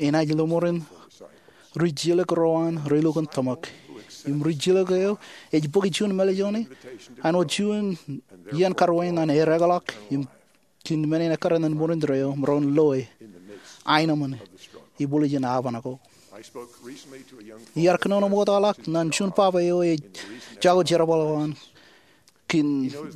enaaj lọmọọren ri jilōk ro an relukkuun tōmak. Im ri jilōk eo ej bōk juon mālejone āinwōt juon iien karuwainene ekḷọk im kōn men in ekkar ñan mour indeeo, maroñ loe aenōṃṃan ibwiljin apañ ko. Iar kōnono ṃoktaḷọk ñan juon baba eo ej jako jerbal eo an kōn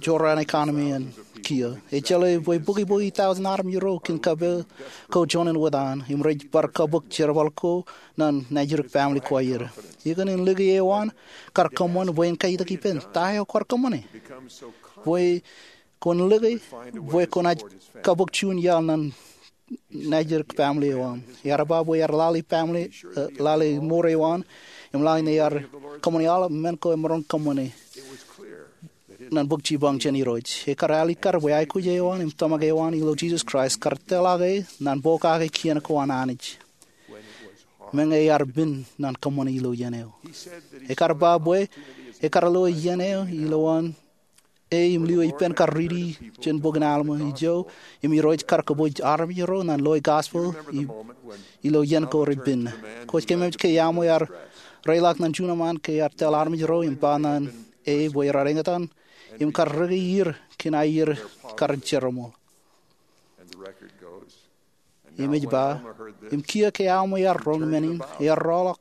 jorrāān economy in kiiō. Ej jeḷā bwe bukwi bwe eight thousand armej ro kōn kappok ko juon in wōt an im rej bar kappok jerbal ko ñan najidik family ko aer. Ikōṇaan in lōke eo an kar kōṃṃan bwe en kaitōk ippān, ta eo kwaar kōṃṃane? Bwe kwōn lōke bwe kwōnaaj kappok juon iaḷ ñan najidik family eo an. Ear ba bwe ear lale family, eh, lale mour eo an im lale ñe ear kōṃṃane aolep men ko emaroñ kōṃṃane ñan bōk jipañ jān Irooj. Ekar alikkar bwe aikuj eo an im tōmak eo an ilo Jisōs Kraist kar tōḷake ñan pokake kien ko an Anij meñe ear pen ñan kōṃṃane ilo iien eo. Ekar ba bwe ekar lo iien eo ilowaan e im lio ippān kar riiti jān bok in Alma ijo, im Irooj kar kōpooj armej ro ñan loe gospel i- ilo iien ko repen. Kwōj kememej ke Alma ear reiḷọk ñan juon eṃṃaan ke ear tōl armej ro im ba ñan e bwe raar eñtaan im kar rūkaki er kōn aier kar jeroṃōl. Im ej ba, im kiiō ke Alma ear roñ men in, ear roḷọk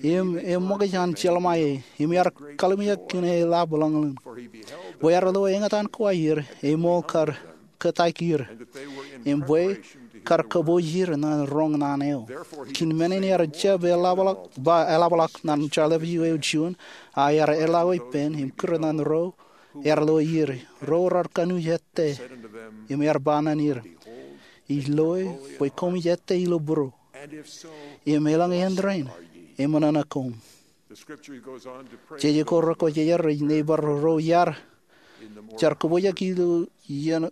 im eṃōkaj an jelṃae, im ear kallimjek kōn e lab lañlōñ. Bwe ear lo eñtaan ko aier, e ṃool kar kōtaik er, im bwe kar kōpooj er ñan roñ naan eo. Kōn men in ear jab eḷapḷọk, ba eḷapḷọk ñan jeḷāḷọkjeṇ eo juon, a ear eḷḷā ippān, im kūr ñan ro ear lo er, ro raar kanooj ettā, im ear ba ñan er, Ij loe bwe koṃij ettā ilo būruō, im elōñ āindein eṃōṇōṇō koṃ. Jeje ko rekwōjarjar ej ñe bar ro iar jar kōpooj ilo iien,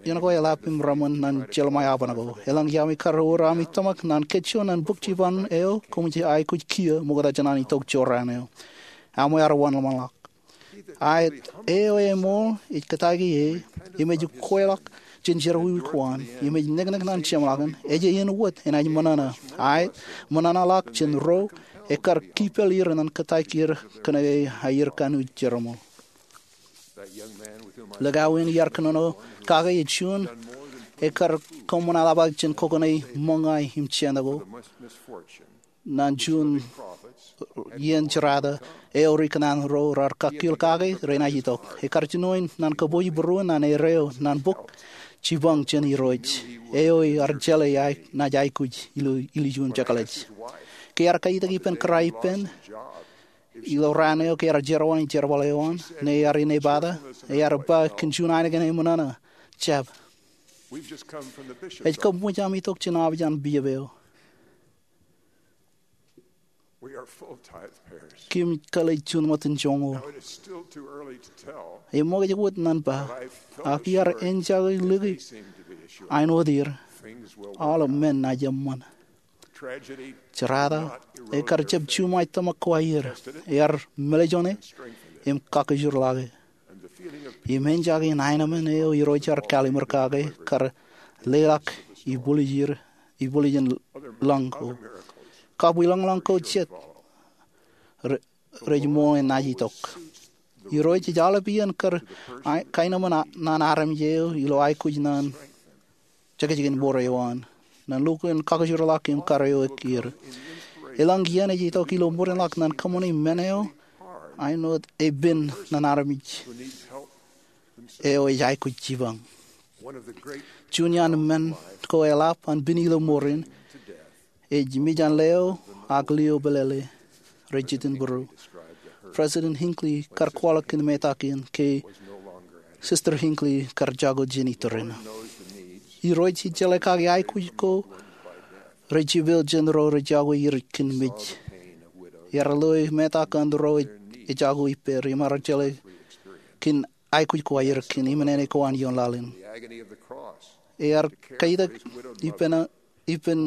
iien ko eḷap im reṃōn ñan jelṃae aban ko. Elōñ iaami kar wōr ami tōmak ñan kajjioñ ñan bōk jipañ eo, koṃij aikuj kiiō ṃokta jān an itok jorrāān eo. Alma ear wanlaḷḷọk. Aet, eo eṃool ej kōtaik e, im ej kweilọk jān jerọwiwi ko an, im ej neknek ñan jeṃḷọkin, ej āinwōt enaaj ṃōṇōṇō. Aet, ṃōṇōṇō ḷọk jān ro ekkar kipel er ñan kōtaik er kōnke aier kanooj jeroṃōl. Likao in iar kōnono kake ej juon ekkar koṃṃan eḷapḷọk jān kokoṇe ṃōñā im jān ko ñan juon iien jerata eo ri kōṇaan ro raar kakkil kake renaaj itok. Ekkar jinoin ñan kōpooj būruon ñan erreo ñan bōk jipañ jān Irooj eo ear jeḷā enaaj aikuj ilo ilju im jekḷaj. Ke ear kaitōk ippān kōrā ippān ilo raan eo ke ear jerowañe jerbal eo an ñe ear inepata, ear ba kōn juon ainikien eṃōṇōṇō, Jab, ej kab ṃōj ami itok jān opiij an bishop eo. Kōm kōḷḷā juon ṃōttan joñoul. Eṃōkaj wōt ñan ba, ak iar enjake lōke āinwōt er, aolep men enaaj eṃṃan. Jerata ekkar jab juṃae tōmak ko aier, ear mālejone im kakkōjorḷọke. Im enjake in aenōṃṃan eo Irooj ear kallimur kake kar leḷọk ibwiljin, ibwiljin lañ ko. Kab ilañlañ ko jet re- rej ṃool enaaj itok. Irooj ej aolep iien kar a- kaenōṃṃan a- ñan armej eo ilo aikuj ñan jekjekin mour eo an, ñan lukkuun kakkōjorḷọk im kar eoik er. Elōñ iien ej itok ilo ṃōdenḷọk ñan kōṃṃani men eo āinwōt epen ñan armej eo ej aikuj jipañ. Juon iaan men ko eḷap an pād ilo ṃoor in ej mej an leo ak lio pālele rej jitōnbōro. President Hinckley kar kwaḷọk kōn metak in ke Sister Hinckley kar jako jān iturūṃ. Irooj ej jeḷā kake aikuj ko rej jipel jān ro rej jako er kōn mej. Ear loe metak an ro ej jako ippāer im ear jeḷā kōn aikuj ko aier kōn iṃōṇōṇō ko an ioon laḷ in. Ear kaitōk ippān, ippān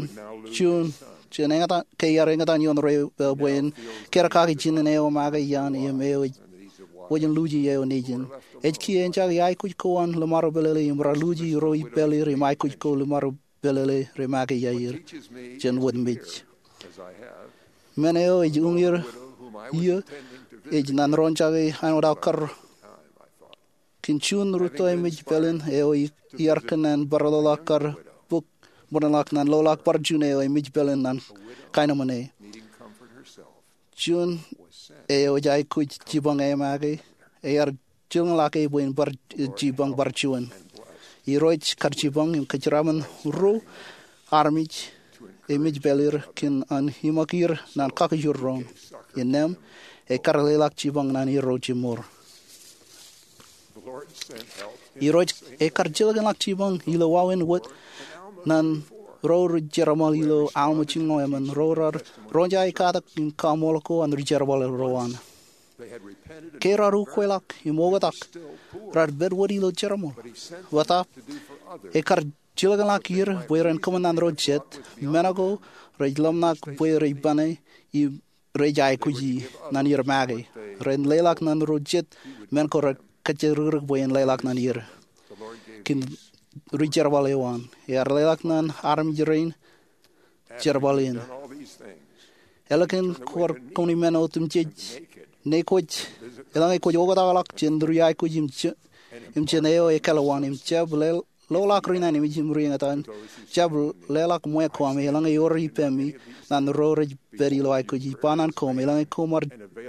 juon jān eñtaan, ke ear eñtaan ioon ro eo bwe en kar kake jinen eo make iaan im eo ej wōj in luuji eo nejin. Ej kiiō enjake aikuj ko an lōṃaro pālele im raar luuji ro ippāer im aikuj ko lōṃaro pālele remake iaer jān wōt mej. Men eo ej uññūr iiō ej ñan ro in jake āinwōt aō kar kōn juon rūtto emej pālen eo iar kōnnaan bar loḷọk kar bōk ṃōdenḷọk ñan loḷọk bar juon eo emej pālen ñan kaenōṃṃane. Juon eo ej aikuj jipañ emake ear jilkinḷọk e bwe en bar, jipañ bar juon. Irooj kar jipañ im kōjeraṃṃan ro armej e mej pāl er kōn an iṃōk er ñan kakkijur doon. Innām, e kar leḷọk jipañ ñan er ro jimor. Irooj e kar jilkinḷọk jipañ ilo wāween wōt ñan ro rej jerbal ilo Alma jilñoul emān, ro raar roñjake katak im kaṃool ko an rijerbal ro an. Ke raar ukweḷọk im oktak, raar pād wōt ilo jerbal. Bōtaab, e kar jilkinḷọk er bwe ren kōṃṃan ñan ro jet, men ko rej ḷōmṇak bwe rej pāne im rej aikuji ñan er make. Ren leḷọk ñan ro jet men ko rej kōjjirikdik bwe en leḷọk ñan er kōn rijerbal eo an. Ear leḷọk ñan armej rein jerbal in. Ālikin kwōj kōṃṃani men otemjej, ñe kwōj, eḷaññe kwōj oktakḷọk jān riaikuj im jān eo ekālwaan im jab le loḷọk ri nañinmej im ri eñtaan, jab leḷọk ṃweo koṃ eḷaññe ewōr ippemi ñan ro rej pād ilo aikuji. Ba ñan koṃ, eḷaññe koṃ ar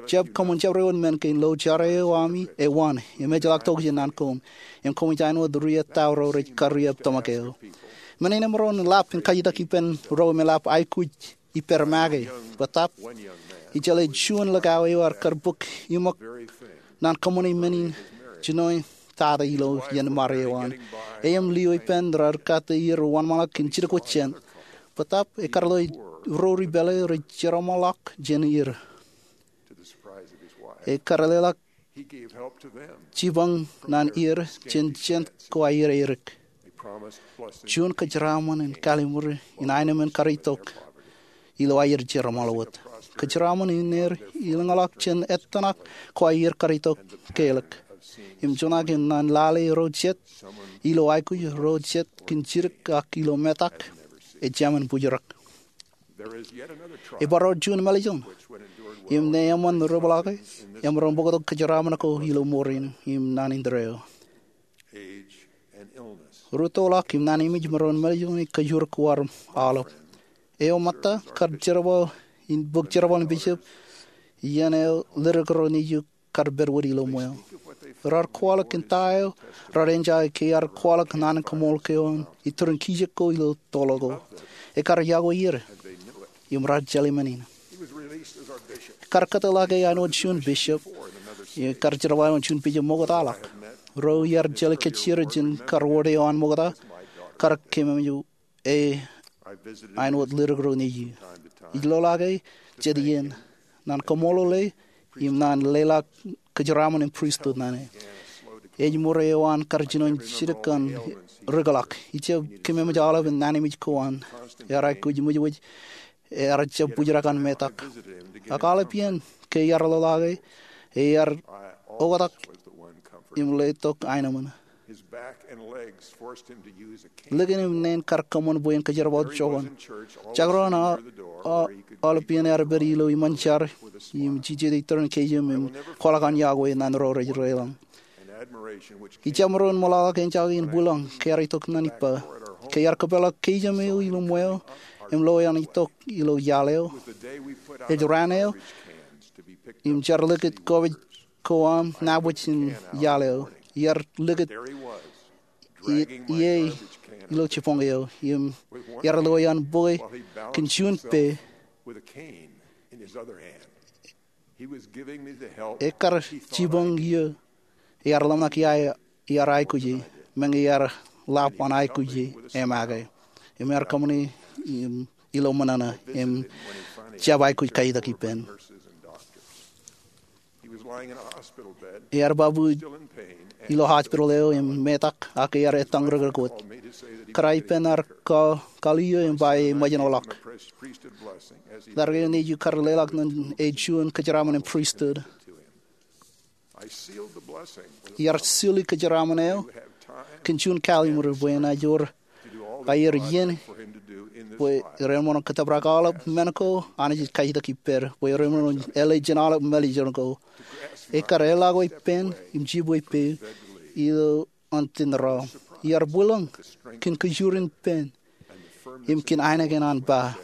jab kōṃṃan jabdewōt men kein, lo jar eo ami ewōn im ejjeḷọk tokjān ñan koṃ, im koṃij āinwōt ri ettā ro rej karreoik tōmak eo. Men in emaroñ in lap in kajjitōk ippān ro im eḷap aikuj ippād make. Bōtaab, ijjeḷā juon likao eo ear kar bōk iṃōk ñan kōṃṃane men in jino tata ilo iien ṃare eo an. E im lio ippān raar kate er wōnṃaanḷọk kōn jidik wōt jān. Bōtaab, e kar lo ro ri pāle rej jerbal ḷọk jān er. E kar leḷọk jipañ ñan er jān jet ko aer edik. Juon kōjeraṃṃan in kallimur in aenōṃṃan kar itok ilo aer jerbal wōt. Kōjeraṃṃan in er ilōñḷọk jān ettōṇak ko aer kar itok kelōk. Im juon aō in ñan lale ro jet ilo aikuj, ro jet kōn jidik ak ilo metak, ejāmin bōjrak. Ebar wōr juon mālejjoñ im ñe eṃṃan ri peḷaake, emaroñ bōktok kōjeraṃṃan ko ilo ṃoor in im naan in tōre eo. Rūttoḷọk im nañinmej emaroñ in mālejjoñe kōjur ko aolep. Eo ṃōtta kar jerbal in bōk jerbal in bishop iien eo ledik ro nejū kar pād wōt ilo ṃweo. Raar kwaḷọk kōn ta eo raar enjoy ke ear kwaḷọk naan in kaṃool ko an iturin kijek ko ilo toḷ ko. E kar yokwe er im raar jelṃae men in. Kar kōtḷọk e āinwōt juon bishop im kar jerbal āinwōt juon bishop ṃoktaḷọk. Ro iar jelōt kōjro jān kar wōr eo an ṃokta kar kememej e āinwōt ledik ro nejū. Ij loḷọk e jet iien ñan kaṃṃoolol e im ñan leḷọk kōjeraṃṃan in pristut ñan e. Ej ṃōre eo an kar jino jidik kōn rikḷọk. Ij jab kememej aolep in nañinmej ko an ear aikuj ṃwijṃwij, ear jab bōjrak an metak. Ak aolep iien ke iar loḷọk e, ear oktak im letok aenōṃṃan. Likin im neen kar kōṃṃan bwe en kōjerbal joñan. Jekdọọn aolep iien ear pād ilo iṃōn jar im jijet iturin kōjām im kwaḷọk an yokwe ñan ro rej deḷọñ. Ij jab maroñ in ṃōḷaḷọk enjake in bwilōñ ke ear itok ñan ippa. Ke ear kōpeḷḷọk kōjām eo ilo ṃweo im loe an itok ilo iaḷ eo, ej raan eo im jar likūt garbage ko an nabōj in iaḷ eo. Ear likūt ie ilo jibboñ eo im ear loe an bwe kōn juon pe. Ekar jipañ iiō, ear ḷōmṇak ia ear aikuji, meñe ear ḷap an aikuji emake. Im ear kōṃṃane ilo ṃōṇōṇō im jab aikuj kajjitōk ippān. Ear ba bwe ilo hospital eo im metak ak ear ettañ rikdik wōt. Kōrā ippān ear kalliō im ba e ṃōjṇọ ḷọk. Ḷadik eo nejū kar leḷọk ñan e juon kōjeraṃṃan in pristut. Iar sili kōjeraṃṃan eo kōn juon kalliṃur bwe enaaj wōr aer iien bwe ren maroñ kōttōprak aolep men ko Anij ej kajjitōk ippād bwe ren maroñ āle jān aolep mālejjoñ ko. Ekar eḷḷọk ippān im jibwe ippāer ilo an tōn raṇ. Iar bwilōñ kōn kōjur in pen im kōn ainikien an ba,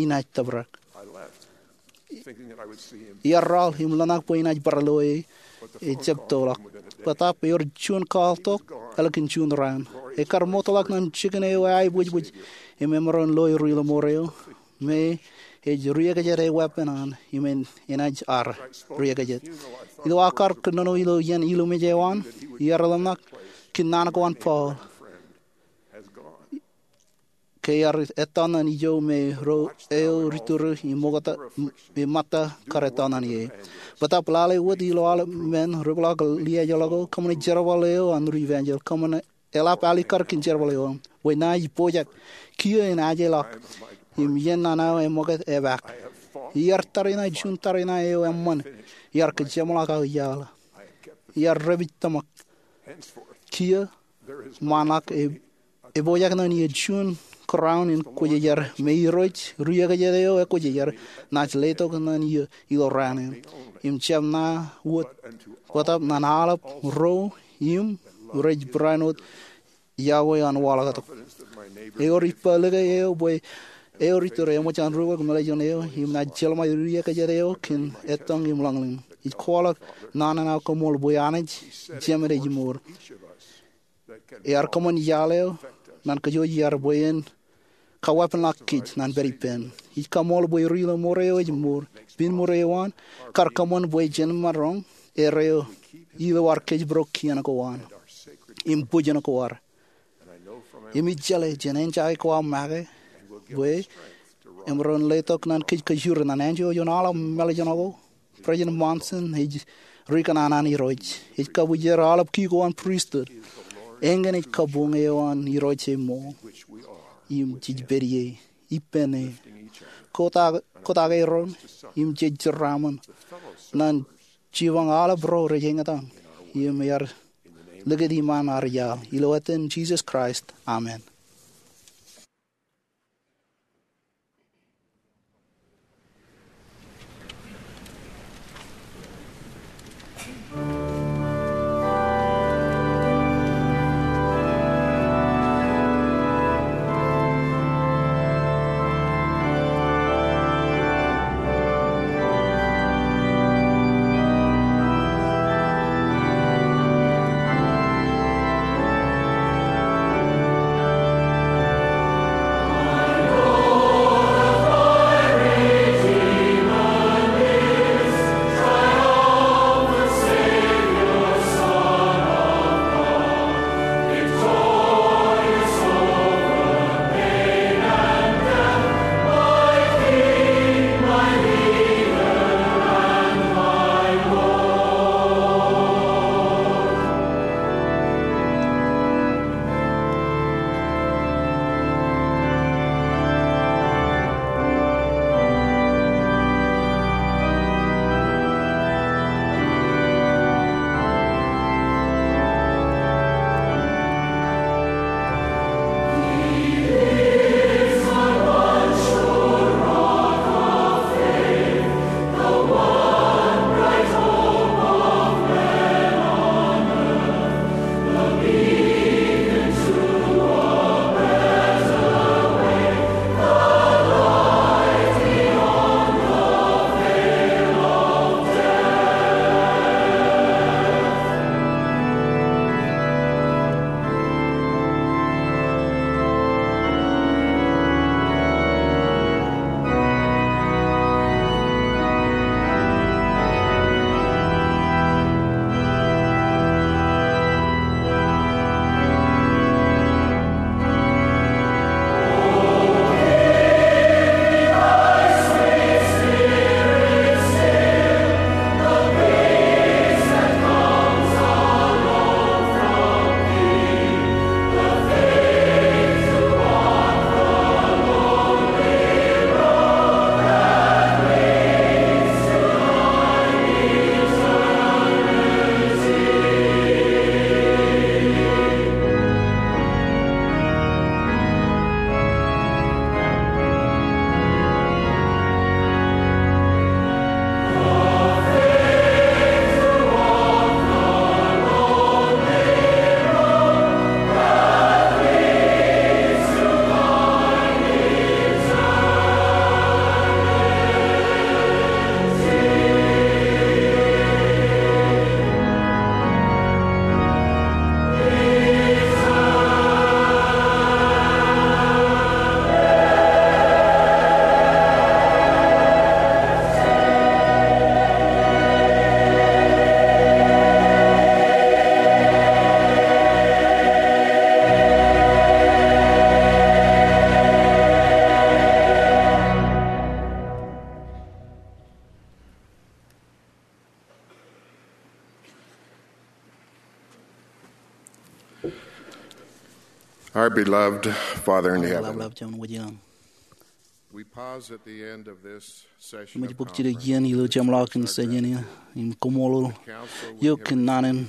inaaj tōprak. Iar raḷ im ḷōmṇak bwe inaaj bar loe e, ejab tōlọk. Bōtaab ewōr juon kwaḷtok ālikin juon raan. Ekar ṃootḷọk ñan jikin eo eaiboojboj im emaroñ loe ri ḷōṃoor eo me ej riekjed e weeppān an im enaaj ar riekjed. Ilo aō kar kōnono ilo iien ilumej eo an, iar ḷōmṇak kōn naan ko an Paul ke ear ettā ñan ijo me ro eo ri tūru im ṃōtta kar ettā ñan ie. Bōtaab lale wōt ilo aolep men, ri peḷaakin liaajḷọk ko, kōṃṃane jerbal eo an ri evanjelis, kōṃṃane eḷap alikkar kōn jerbal eo an. Bwe ña ij pojak kiiō in ajeḷọk im iien naan eo eṃṃakūt epaak. Iar tariṇae juon tariṇae eo eṃṃan. Iar kōjeṃḷọk aō iaḷ. Iar dāpij tōmak. Kiiō ṃaanḷọk epojak ñan eō juon crown in kwōjarjar me Irooj riekjed eo ekwōjarjar naaj letok ñan eō ilo raan in. Im jab ṇa wōt bōtaab ñan aolep ro im rej barāinwōt iọkwe an waḷọktok. Ewōr ippa like eo bwe eo ri tūru eṃōj an rubak meḷeḷe eo im naaj jeḷā ṃae riekjed eo kōn ettoñ im ḷañlōñ. Ij kwaḷọk naan in aō koṃṃool bwe Anij Jemān ej mour. Ear kōṃṃan iaḷ eo ñan kōj iar bwe en kaweeppānḷọk kōj ñan pād ippān. Ij kaṃṃool bwe ri ḷōṃoor eo ej mour. Piin ṃure eo an kar kōṃṃan bwe jen maroñ erreo ilo ad kōjparok kien ko an im bwijin ko ad. Im ij jeḷā jān enjeḷ ko aō make bwe emaroñ letok ñan kōj kajjioñ ñan anjọ ioon aolep mālejān ko. President Monson ej ri kōṇaan an Irooj. Ej kabwijer aolep ki ko an pristut. Eñin ej kabuñ eo an Irooj ej ṃool. Im jej pād ie ippān e. Kotak, kotak erom im jej jeraaṃṃan ñan jipañ aolep ro rej eñtaan im ear likūt iṃaan ad iaḷ. Ilo etan Jisōs Kraist, amen. Our beloved Father in heaven, Ḷapḷap Jemān wōj eo an. We pause at the end of this session of conference. Eṃōj bōk jidik iien ilo jeṃḷọkin session in im koṃṃool eok kōn naan in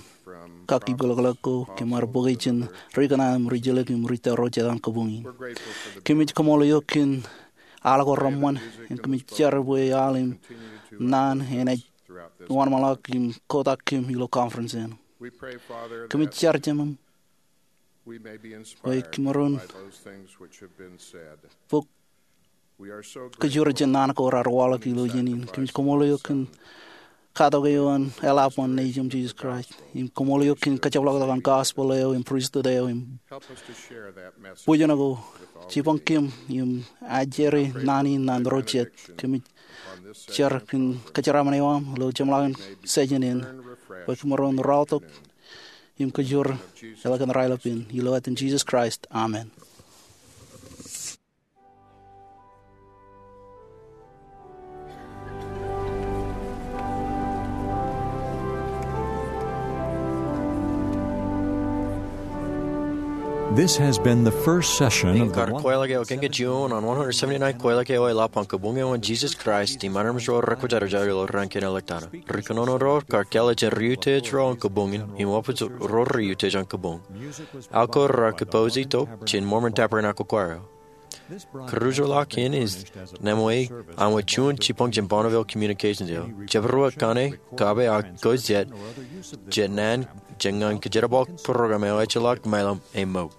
kaki bōlōklōk ko, kōm ar bōke jān ri kōṇaan im ri jilkinḷọk im ri tōro jet an kabuñ in. We're grateful for the Kōmij koṃṃool eok kōn al ko reṃṃan, im kōmij jar bwe al im naan enaaj wōnṃaanḷọk im kotak kōm ilo conference in. We pray, Father, Kōmij that jar Jemem we may be inspired by those things which have been said. Bwe kōm ar bōk kōjro jān naan ko raar waḷọk ilo iien in. Kōmij koṃṃool eok kōn katok eo an eḷap an Nejiṃ Jesus Christ. Im koṃṃool eok kōn kajepḷọktok an gospel eo im pristut eo im bōjṇọ ko. Jipañ kōm im ajri naan in ñan ro jet. Kōmij jar kōn kōjeraaṃṃan eo aṃ ilo jeṃḷọkin session in, bwe kōm maroñ raorōk im kōjro ilo kōn raelep in, ilo etan Jesus Christ. Amen. This has been the first session of the kar kwaḷọk eo kōn kōj eo an one hundred seventy-nine kwaḷọk eo eḷap an kabuñ eo an Jesus Christ im armej ro rekwōjarjar ilo raan kein eo ḷọk tata. Ri kōnono ro kar kāālōt jān ri utiej ro an kabuñ in im wōpij ro ri utiej an kabuñ. Al ko raar kōpooj tok jān Mormon Tabernacle Choir eo. Kūrjulọk in ej ṇemwōj an wōt juon jipañ jān Bonneville Communications eo. Jepdewōt kaṇe, kōbe ak kōj jet, jet naan jān ñan kōjerbal program eo ejjeḷọk mejān ṃool.